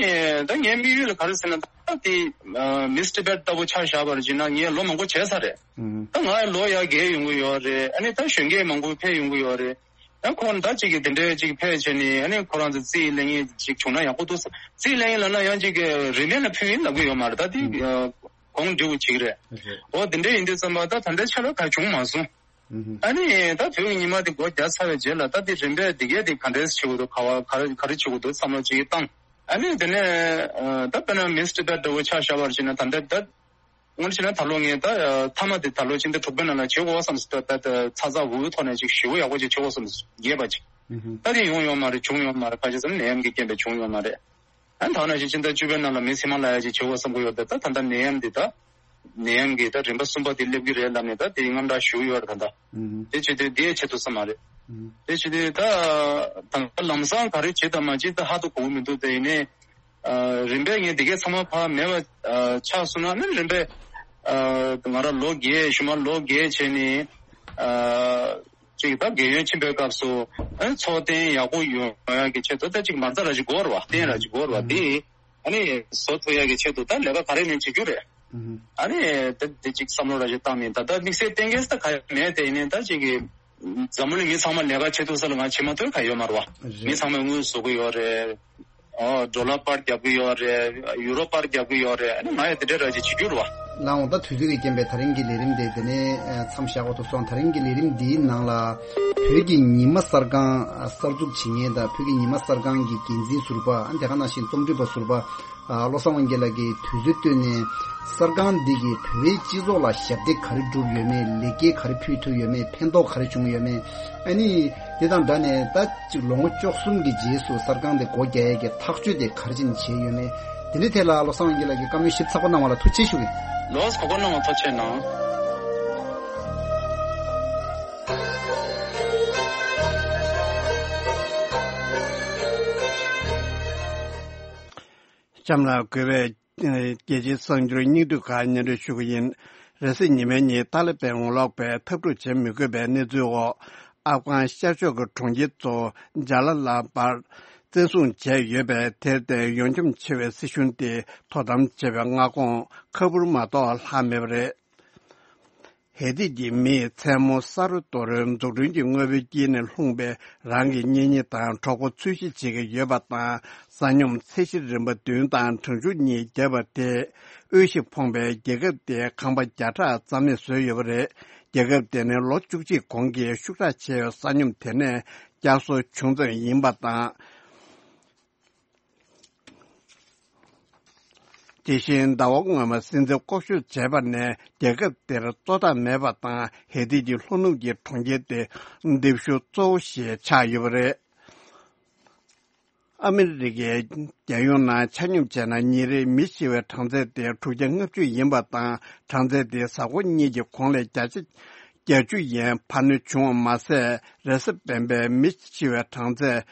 ད་ངའི་དམིགས་ཡུལ་ལ་ག་རེ་ཟེར་ན། ད་དེ་Miss Tibet ལྟ་བུ་ཆ་བཞག་པར་བྱས་ན་ངས་ལོ་མང་པོ་བྱས་ཚར་རེད། ད་ང་ལོ་ཡར་རྒས་ཡོང་གི་ཡོད་རེད། ཨ་ནི་ད་གཞོན་སྐྱེས་མང་པོ་ཕེབས་ཡོང་གི་ཡོད་རེད། ད་ཁོང་ད་ཅིག་གི་དེ་འདྲའི་ཅིག་ཕེབས་བྱས་ནས་ཨ་ནི་ཁོ་རང་ཚོ་རྩིས་ལེན་མཁན་ཅིག་བྱུང་ན་ཡག་པོ་འདུག་བསམ། རྩིས་ལེན་ཡིན་ལབ་ན་ཡང་ཅིག་གི་རིན་མེད་ལ་ཕུལ་ཡིན་ལབ་གི་ཡོད་མ་རེད། ད་དེ་གོང་འདྲི་བོ་ཅིག་རེད། འོ་དེ་འདྲ་ཡིན་དུས་ཙམ་པ་ད་ད་ལྟའི་ཆ་ལ་ག་བྱུང་མ་སོང་། ཨ་ནི་ད་བོད་ཀྱི་ཉི་མ་དེ་སྒོ་རྒྱག་ཚར་བའི་རྗེས་ལ་ད་དེ་རིམ་པས་དེ་གས་དེ་ག་འདྲས་བྱེད་དགོས་འདུག་ག་བ་ག་རེ་ག་རེ་བྱེད་དགོས་འདུག་བསམ་བློ་ཅིག་བཏང་། ཨ་ནི་དེ་ནས་ད་དཔེར་ན་Miss Tibet འདྲ་བོ་ཆ་བཞག་པར་བྱས་ན་ད་ལྟ་ད། དངོས་གནས་ད་ལོ་ངས་ད་མཐའ་མ་དེ་ད་ལོ་ཕྱི་ཟླ་དྲུག་པའི་ནང་ལ་བྱེད་དགོས་བསམ་སོང་། ད་ད་ཚ་ཚ་འུར་འུར་ཐོག་ནས་ཅིག་ཞེ་པོ་ཡག་པོ་ཅིག་བྱེད་དགོས་བསམ་སོང་། རྒྱས་པ་ཅིག་ད་དེ་ཡོང་ཡོད་མ་རེད། བྱུང་ཡོད་མ་རེད། ཁ་ཤས་ཙམ་ནད་ཡམས་ཀྱི་རྐྱེན་པས་བྱུང་ཡོད་མ་རེད། ཨ་ནི་ད་ནང་བཞིན་ཕྱི་ཟླ་བཅུ་པའི་ནང་ལ་མི་སི་མ་ལ་ཡ་ཅིག་བྱེད་དགོས་བསམ་གྱི་ཡོད་པས། ད་ད་ལྟ་ནད་ཡམས་འདི་ད་ནད་ཡམས་ཀྱི་ད་རིམ་པ་གསུམ་པ་དེ་སླེབས་ཀྱི་རེད་ལབ་ནས་ད་དེ་དངངས་སྐྲག་ཞུ་གི་ཡོད་རེད་ད་ལྟ། དེ་བྱེད་དུས་དེའི་ཆེད་དུ་ཙམ་མ་རེད། དེ་བྱེད་དུས་ད་ད་ལམ་སང་ག་རེ་བྱེད་དང་མ་བྱེད་ད་ཧ་ཏུ་གོ་གི་མི་འདུག་དེ་ཡིན་ནའི། རིམ་པས་ངས་འདི་གའི་ཚང་མ་ཕར་མེད་པ་ཆགས་སོང་ན་ནི་རིམ་པས་ང་རང་ལོ་བརྒྱད་གཞུག་མ་ལོ་བརྒྱད་བྱས་ནས་ཅིག་ད་རྒས་ཡོལ་ཕྱིན་པའི་སྐབས་སུ་ཚོགས་གཏན་ཡག་པོ་ཡོང་ཡག་གི་ཆེད་དུ་ད་ཅིག་མ་རྩ་ར་ཅིག་དགོས་ར་བ། གཏན་ར་ཅིག་དགོས་ར་བ། འདི་ཨ་ནི་བཟོ་ཐུབ་ཡག་གི་ཆེད་དུ་ད་ལས་ཀ་ག་རེ་ནས་བྱེད་རྒྱུ་རེད། ཨ་ནི་ད་འདི་ཅིག་བསམ་བློ་ར་ཅིག་བཏང་ནས་ད་ལྟ་དམིགས་བསལ་གཏན་འཁེལ་ད་ག་ཡང་མེད། དེ་ཡིན་ནའི་ད་ཅིག་གི་འཛམ་བུ་གླིང་མི་ཚང་མ་ལས་ཀ་བྱེད་ཐུབ་ས་ལ་ང་བྱེད་མ་ཐུབ་ག་ཡོད་མ་རེད་བ། རེད། མི་ཚང་མས་དངུལ་བཟོ་གི་ཡོད་རེད། ཨོ་ཌོ་ལར་པར་རྒྱབ་གི་ཡོད་རེད། ཡུ་རོ་པར་རྒྱབ་གི་ཡོད་རེད། ཨ་ནི་ང་ཡང་དེ་འདྲའི་ར་ཅིག་བྱེད་རྒྱུ་རེད་བ། ལགས་འོང་། ད་དུས་ཚོད་ཀྱི་རྐྱེན་པས་ད་རིང་གི་ལས་རིམ་དེ་དེ་ནས་མཚམས་བཞག་དགོས་ཐུག་སོང་། ད་རིང་གི་ལས་རིམ་འདིའི་ནང་ལ་བོད་ཀྱི་ཉི་མ་གསར་ཁང་གསར་འཛུགས་བྱེད་མཁན་དང་བོད་ཀྱི་ཉི་མ་གསར་ཁང་གི་འགན་འཛིན་ཟུར་པ། ཨ་ནི་དེ་ག་ནང་བཞིན་རྩོམ་སྒྲིག་པ་ཟུར་པ། ཨ། བློ་བཟང་དབང་རྒྱལ་ལགས་ཀྱིས་དུས་ཚོད་བཏོན་ནས་གསར་ཁང་འདི་གིས་བོད་པའི་སྤྱི་ཚོགས་ལ་ཞབས་འདེགས་ག་རེ་བསྒྲུབས་ཡོད་མེད། ལེགས་སྐྱེས་ག་རེ་ཕུལ་ཐུབ་ཡོད་མེད། ཕན་ཐོགས་ག་རེ་བྱུང་ཡོད་མེད། ཨ་ནི་དེ་དང་སྦྲགས་ནས་ད་ཅིག་ལོ་ངོ་བཅུ་གསུམ་གྱི་རྗེས་སུ་གསར་ཁང་དེ་སྒོ་རྒྱག་ཡས་ཀྱི་ཐག་གཅོད་དེ་ག་རེ་བྱས་ནས་བྱས་ཡོད་མེད། དེ་འདྲའི་ཐད་ལ་བློ་བཟང་དབང་རྒྱལ་ལགས་ཀྱིས་བཀའ་མོལ་ཞིབ་ཚགས་པོ་གནང་བ་ལ་ཐུགས་རྗེ་ཆེ་ཞུ་གི་ཡིན། ལོས་གོ་སྐོར་གནང་བ་ཐུགས་རྗེ་གནང་། གཤམ་ལ་དགོས་པའི་རྒྱལ་སྤྱིའི་གསར་འགྱུར་སྙིང་བསྡུས་ཁག་སྙན་སྒྲོན་ཞུ་གི་ཡིན། རེས་གཟའ་ཉི་མའི་ཉིན་ཏཱ་ལི་པན་ངོ་ལོག་པས་འཐབ་འཁྲུག་བྱེད་མི་དགོས་པའི་གནས་ཚུལ་འོག་ཨབ་གྷན་ཤར་ཕྱོགས་ཀྱི་གྲོང་ཁྱེར་གཙོ་བོ་ཇ་ལ་ལ་པར་བཙན་བཟུང་བྱས་ཡོད་པས། དེར་བརྟེན་ཡོངས་འཁྱོངས་ཆེ་བའི་སྲིད་གཞུང་དེ་དོ་དམ་བྱེད་པའི་མངའ་ཁོངས་ཁ་འབུར་མ་གཏོགས་ལྷག་མེད་པ་རེད། ཧེ་ཏི་གྱི་མིས་མཚན་མོ་ས་རོ་རྡོ་རོལ་འཛུགས་སྐྲུན་གྱི་དངོས་པོའི་དཀྱིལ་ནས་ལྷུང་བས་རང་གི་གཉེན་ཉེ་དང་གྲོགས་པོ་འཚོལ་ཞིབ་བྱེད་ཀྱི་ཡོད་པ་དང་། ས་སྙོམས་ཚད་གཞི་རིམ་པ་བདུན་དང་གྲངས་ཆུང་གཉིས་བརྒྱབ་པ་དེས་དབུལ་ཞིང་ཕོངས་པའི་རྒྱལ་ཁབ་དེའི་ཁང་པ་བརྒྱ་ཕྲག་རྩ་མེད་བཟོས་ཡོད་པ་རེད། རྒྱལ་ཁབ་དེ་ནི་ལོ་བཅུ་གཅིག་གོང་གི་ཤུགས་དྲག་ཆེ་བའི་ས་སྙོམས་དེ་ནས་བསྐྱར་གསོ་བྱུང་ཙམ་ཡིན་པ་དང་། དེ་བཞིན་ཟླ་བ་སྔོན་མ་སྲིད་འཛིན་བསྐོ་གཞག་བྱས་པ་ནས་རྒྱལ་ཁབ་དེར་གཙོ་བདག་མེད་པ་དང་། ཧེ་ཏི་གྱི་ལྷོ་ནུབ་ཀྱི་གྲོང་ཁྱེར་དེ་རྡིབ་ཤུལ་གཙོ་བོ་ཞིག་ཆགས་ཡོད་པ་རེད། ཨ་མི་རི་ཀའི་རྒྱལ་ཡོངས་ནང་ཆ་སྙོམས་བྱས་ན་ཉིན་རེའི་མི་ཤི་བའི་གྲངས་ཚད་དེ་དྲུག་བརྒྱ་ལྔ་བཅུ་ཡིན་པ་དང་། གྲངས་ཚད་དེ་གཟའ་འཁོར་གཉིས་ཀྱི་གོང་ལས་བརྒྱ་ཆ་བརྒྱད་ཅུ་ཡན་འཕར་སྣོན་བྱུང་བ་མ་ཟད། རེས་གཟའ་སྤེན་པའི་མི་ཤི་བའི་གྲངས་ཚད་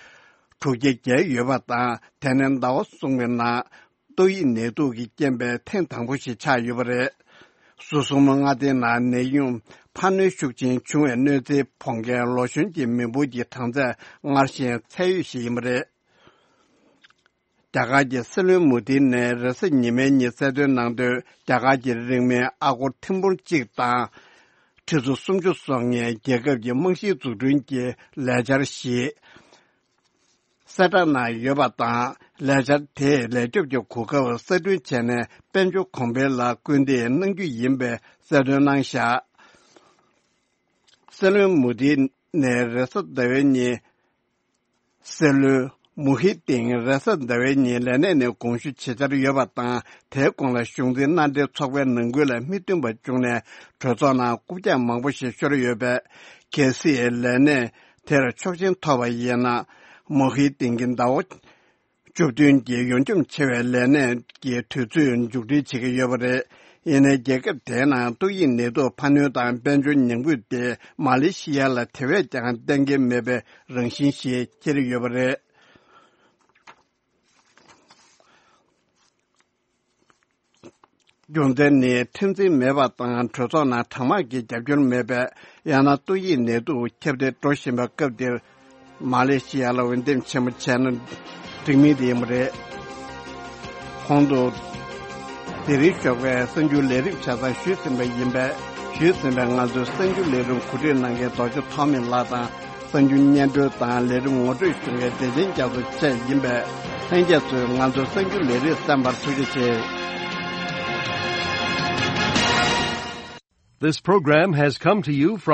དྲུག་བརྒྱ་བརྒལ་ཡོད་པ་དང་། དེ་ནི་ཟླ་བ་གསུམ་གྱི་ནང་ཏོག་དབྱིབས་ནད་དུག་གི་རྐྱེན་པས་ཐེངས་དང་པོ་ཞིག་ཆགས་ཡོད་པ་རེད། ཟུར་གསུམ་མངའ་སྡེའི་ནང་ནད་ཡམས་འཕར་སྣོན་ཤུགས་ཆེན་བྱུང་བའི་གནོད་འཚེ་ཕོག་མཁན་ལོ་གཞོན་གྱི་མི་འབོར་གྱི་གྲངས་ཚད་སྔར་བཞིན་ཚད་ཡོད་ཞིག་ཡིན་པ་རེད། རྒྱ་གར་གྱི་སྲིད་བློན་མོ་དི་ནས་རེས་གཟའ་ཉི་མའི་ཉིན་གསལ་སྟོན་གནང་དོན། རྒྱ་གར་གྱི་རིང་མིན་ཨ་སྒོར་ཐེར་འབུམ་གཅིག་དང་ཁྲི་ཚོ་སུམ་ཅུ་སོ་ལྔའི་རྒྱལ་ཁབ་ཀྱི་རྨང་གཞིའི་འཛུགས་སྐྲུན་གྱི་ལས་འཆར་ཞིག་གསལ་བསྒྲགས་གནང་ཡོད་པ་དང་། ལས་འཆར་དེས་ལས་སྐྱོབ་ཀྱི་གོ་སྐབས་གསར་སྐྲུན་བྱས་ནས་དཔལ་འབྱོར་གོང་འཕེལ་ལ་སྐུལ་འདེད་གནང་རྒྱུ་ཡིན་པའི་གསལ་སྟོན་གནང་བཞག་སྲིད་བློན་མོ་དི་ནས་རེས་གཟའ་ཟླ་བའི་ཉིན། སྲིད་བློན་མུ་ཧི་ཏིན་རེས་གཟའ་ཟླ་བའི་ཉིན་ལས་གནས་ནས་དགོངས་ཞུ་བྱེད་འཆར་ཡོད་པ་དང་། དེའི་གོང་ལ་གཞུང་འཛིན་མནའ་འབྲེལ་ཚོགས་པའི་ནང་ཁུལ་ལ་མི་བསྟུན་པ་བྱུང་ནས་གྲོས་ཚོགས་ནང་རྐུབ་བཀྱག་མང་པོ་ཞིག་ཤོར་ཡོད་པས། གལ་སྲིད་ལས་གནས་དེར་ཆོག་མཆན་ཐོབ་པ་ཡིན་ན། མུ་ཧི་ཏིན་གྱི་ཟླ་བ་བཅུ་བདུན་གྱི་ཡོངས་འཁྱོངས་ཆེ་བའི་ལས་གནས་ཀྱི་དུས་ཚོད་མཇུག་སྒྲིལ་བྱེད་ཀྱི་ཡོད་པ་རེད། ཡིན་ནའི་རྒྱལ་ཁབ་དེའི་ནང་ཏོག་དབྱིབས་ནད་དུག་འཕར་སྣོན་དང་དཔལ་འབྱོར་ཉམས་རྒུད་དེ་མ་ལེ་ཤི་ཡ་ལ་དེ་བས་ཀྱང་གཏན་འཁེལ་མེད་པའི་རང་བཞིན་ཞིག་འཁྱེར་ཡོད་པ་རེད། རྒྱུ་མཚན་ནི་ཁྲིམས་འཛིན་མེད་པ་དང་གྲོས་ཚོགས་ནང་གྲངས་མང་གི་རྒྱབ་སྐྱོར་མེད་པས། ཡང་ན་ཏོག་དབྱིབས་ནད་དུག་ཁྱབ་གདལ་འགྲོ་བཞིན་པའི་སྐབས་འདིར། མ་ལེ་ཤི་ཡ་ལ་འོས་འདེམས་ཆེན་མོ་བྱས་ན་འགྲིག་མིན་དེ་ཡིན་པ་རེད། གོང་དུ། དེ་རིང་ཞོགས་པའི་གསར་འགྱུར་ལས་རིམ་ཆ་ཚང་ཞུས་ཟིན་པ་ཡིན་པས། ཞུས་ཟིན་པའི་ང་ཚོའི་གསར་འགྱུར་ལས་རིམ་གོ་སྒྲིག་གནང་མཁན་རྡོ་རྗེ་ཐོགས་མེད་ལགས་དང་། གསར་འགྱུར་སྙན་སྒྲོན་དང་ལས་རིམ་ངོ་སྤྲོད་ཞུ་མཁན་བདེ་ཆེན་རྒྱ་མཚོ་བཅས་ཡིན་པས། ལྷན་རྒྱས་ཚོས་ང་ཚོའི་གསར་འགྱུར་ལས་རིམ་གསན་པར་ཐུགས་རྗེ་ཆེ། This program has come to you from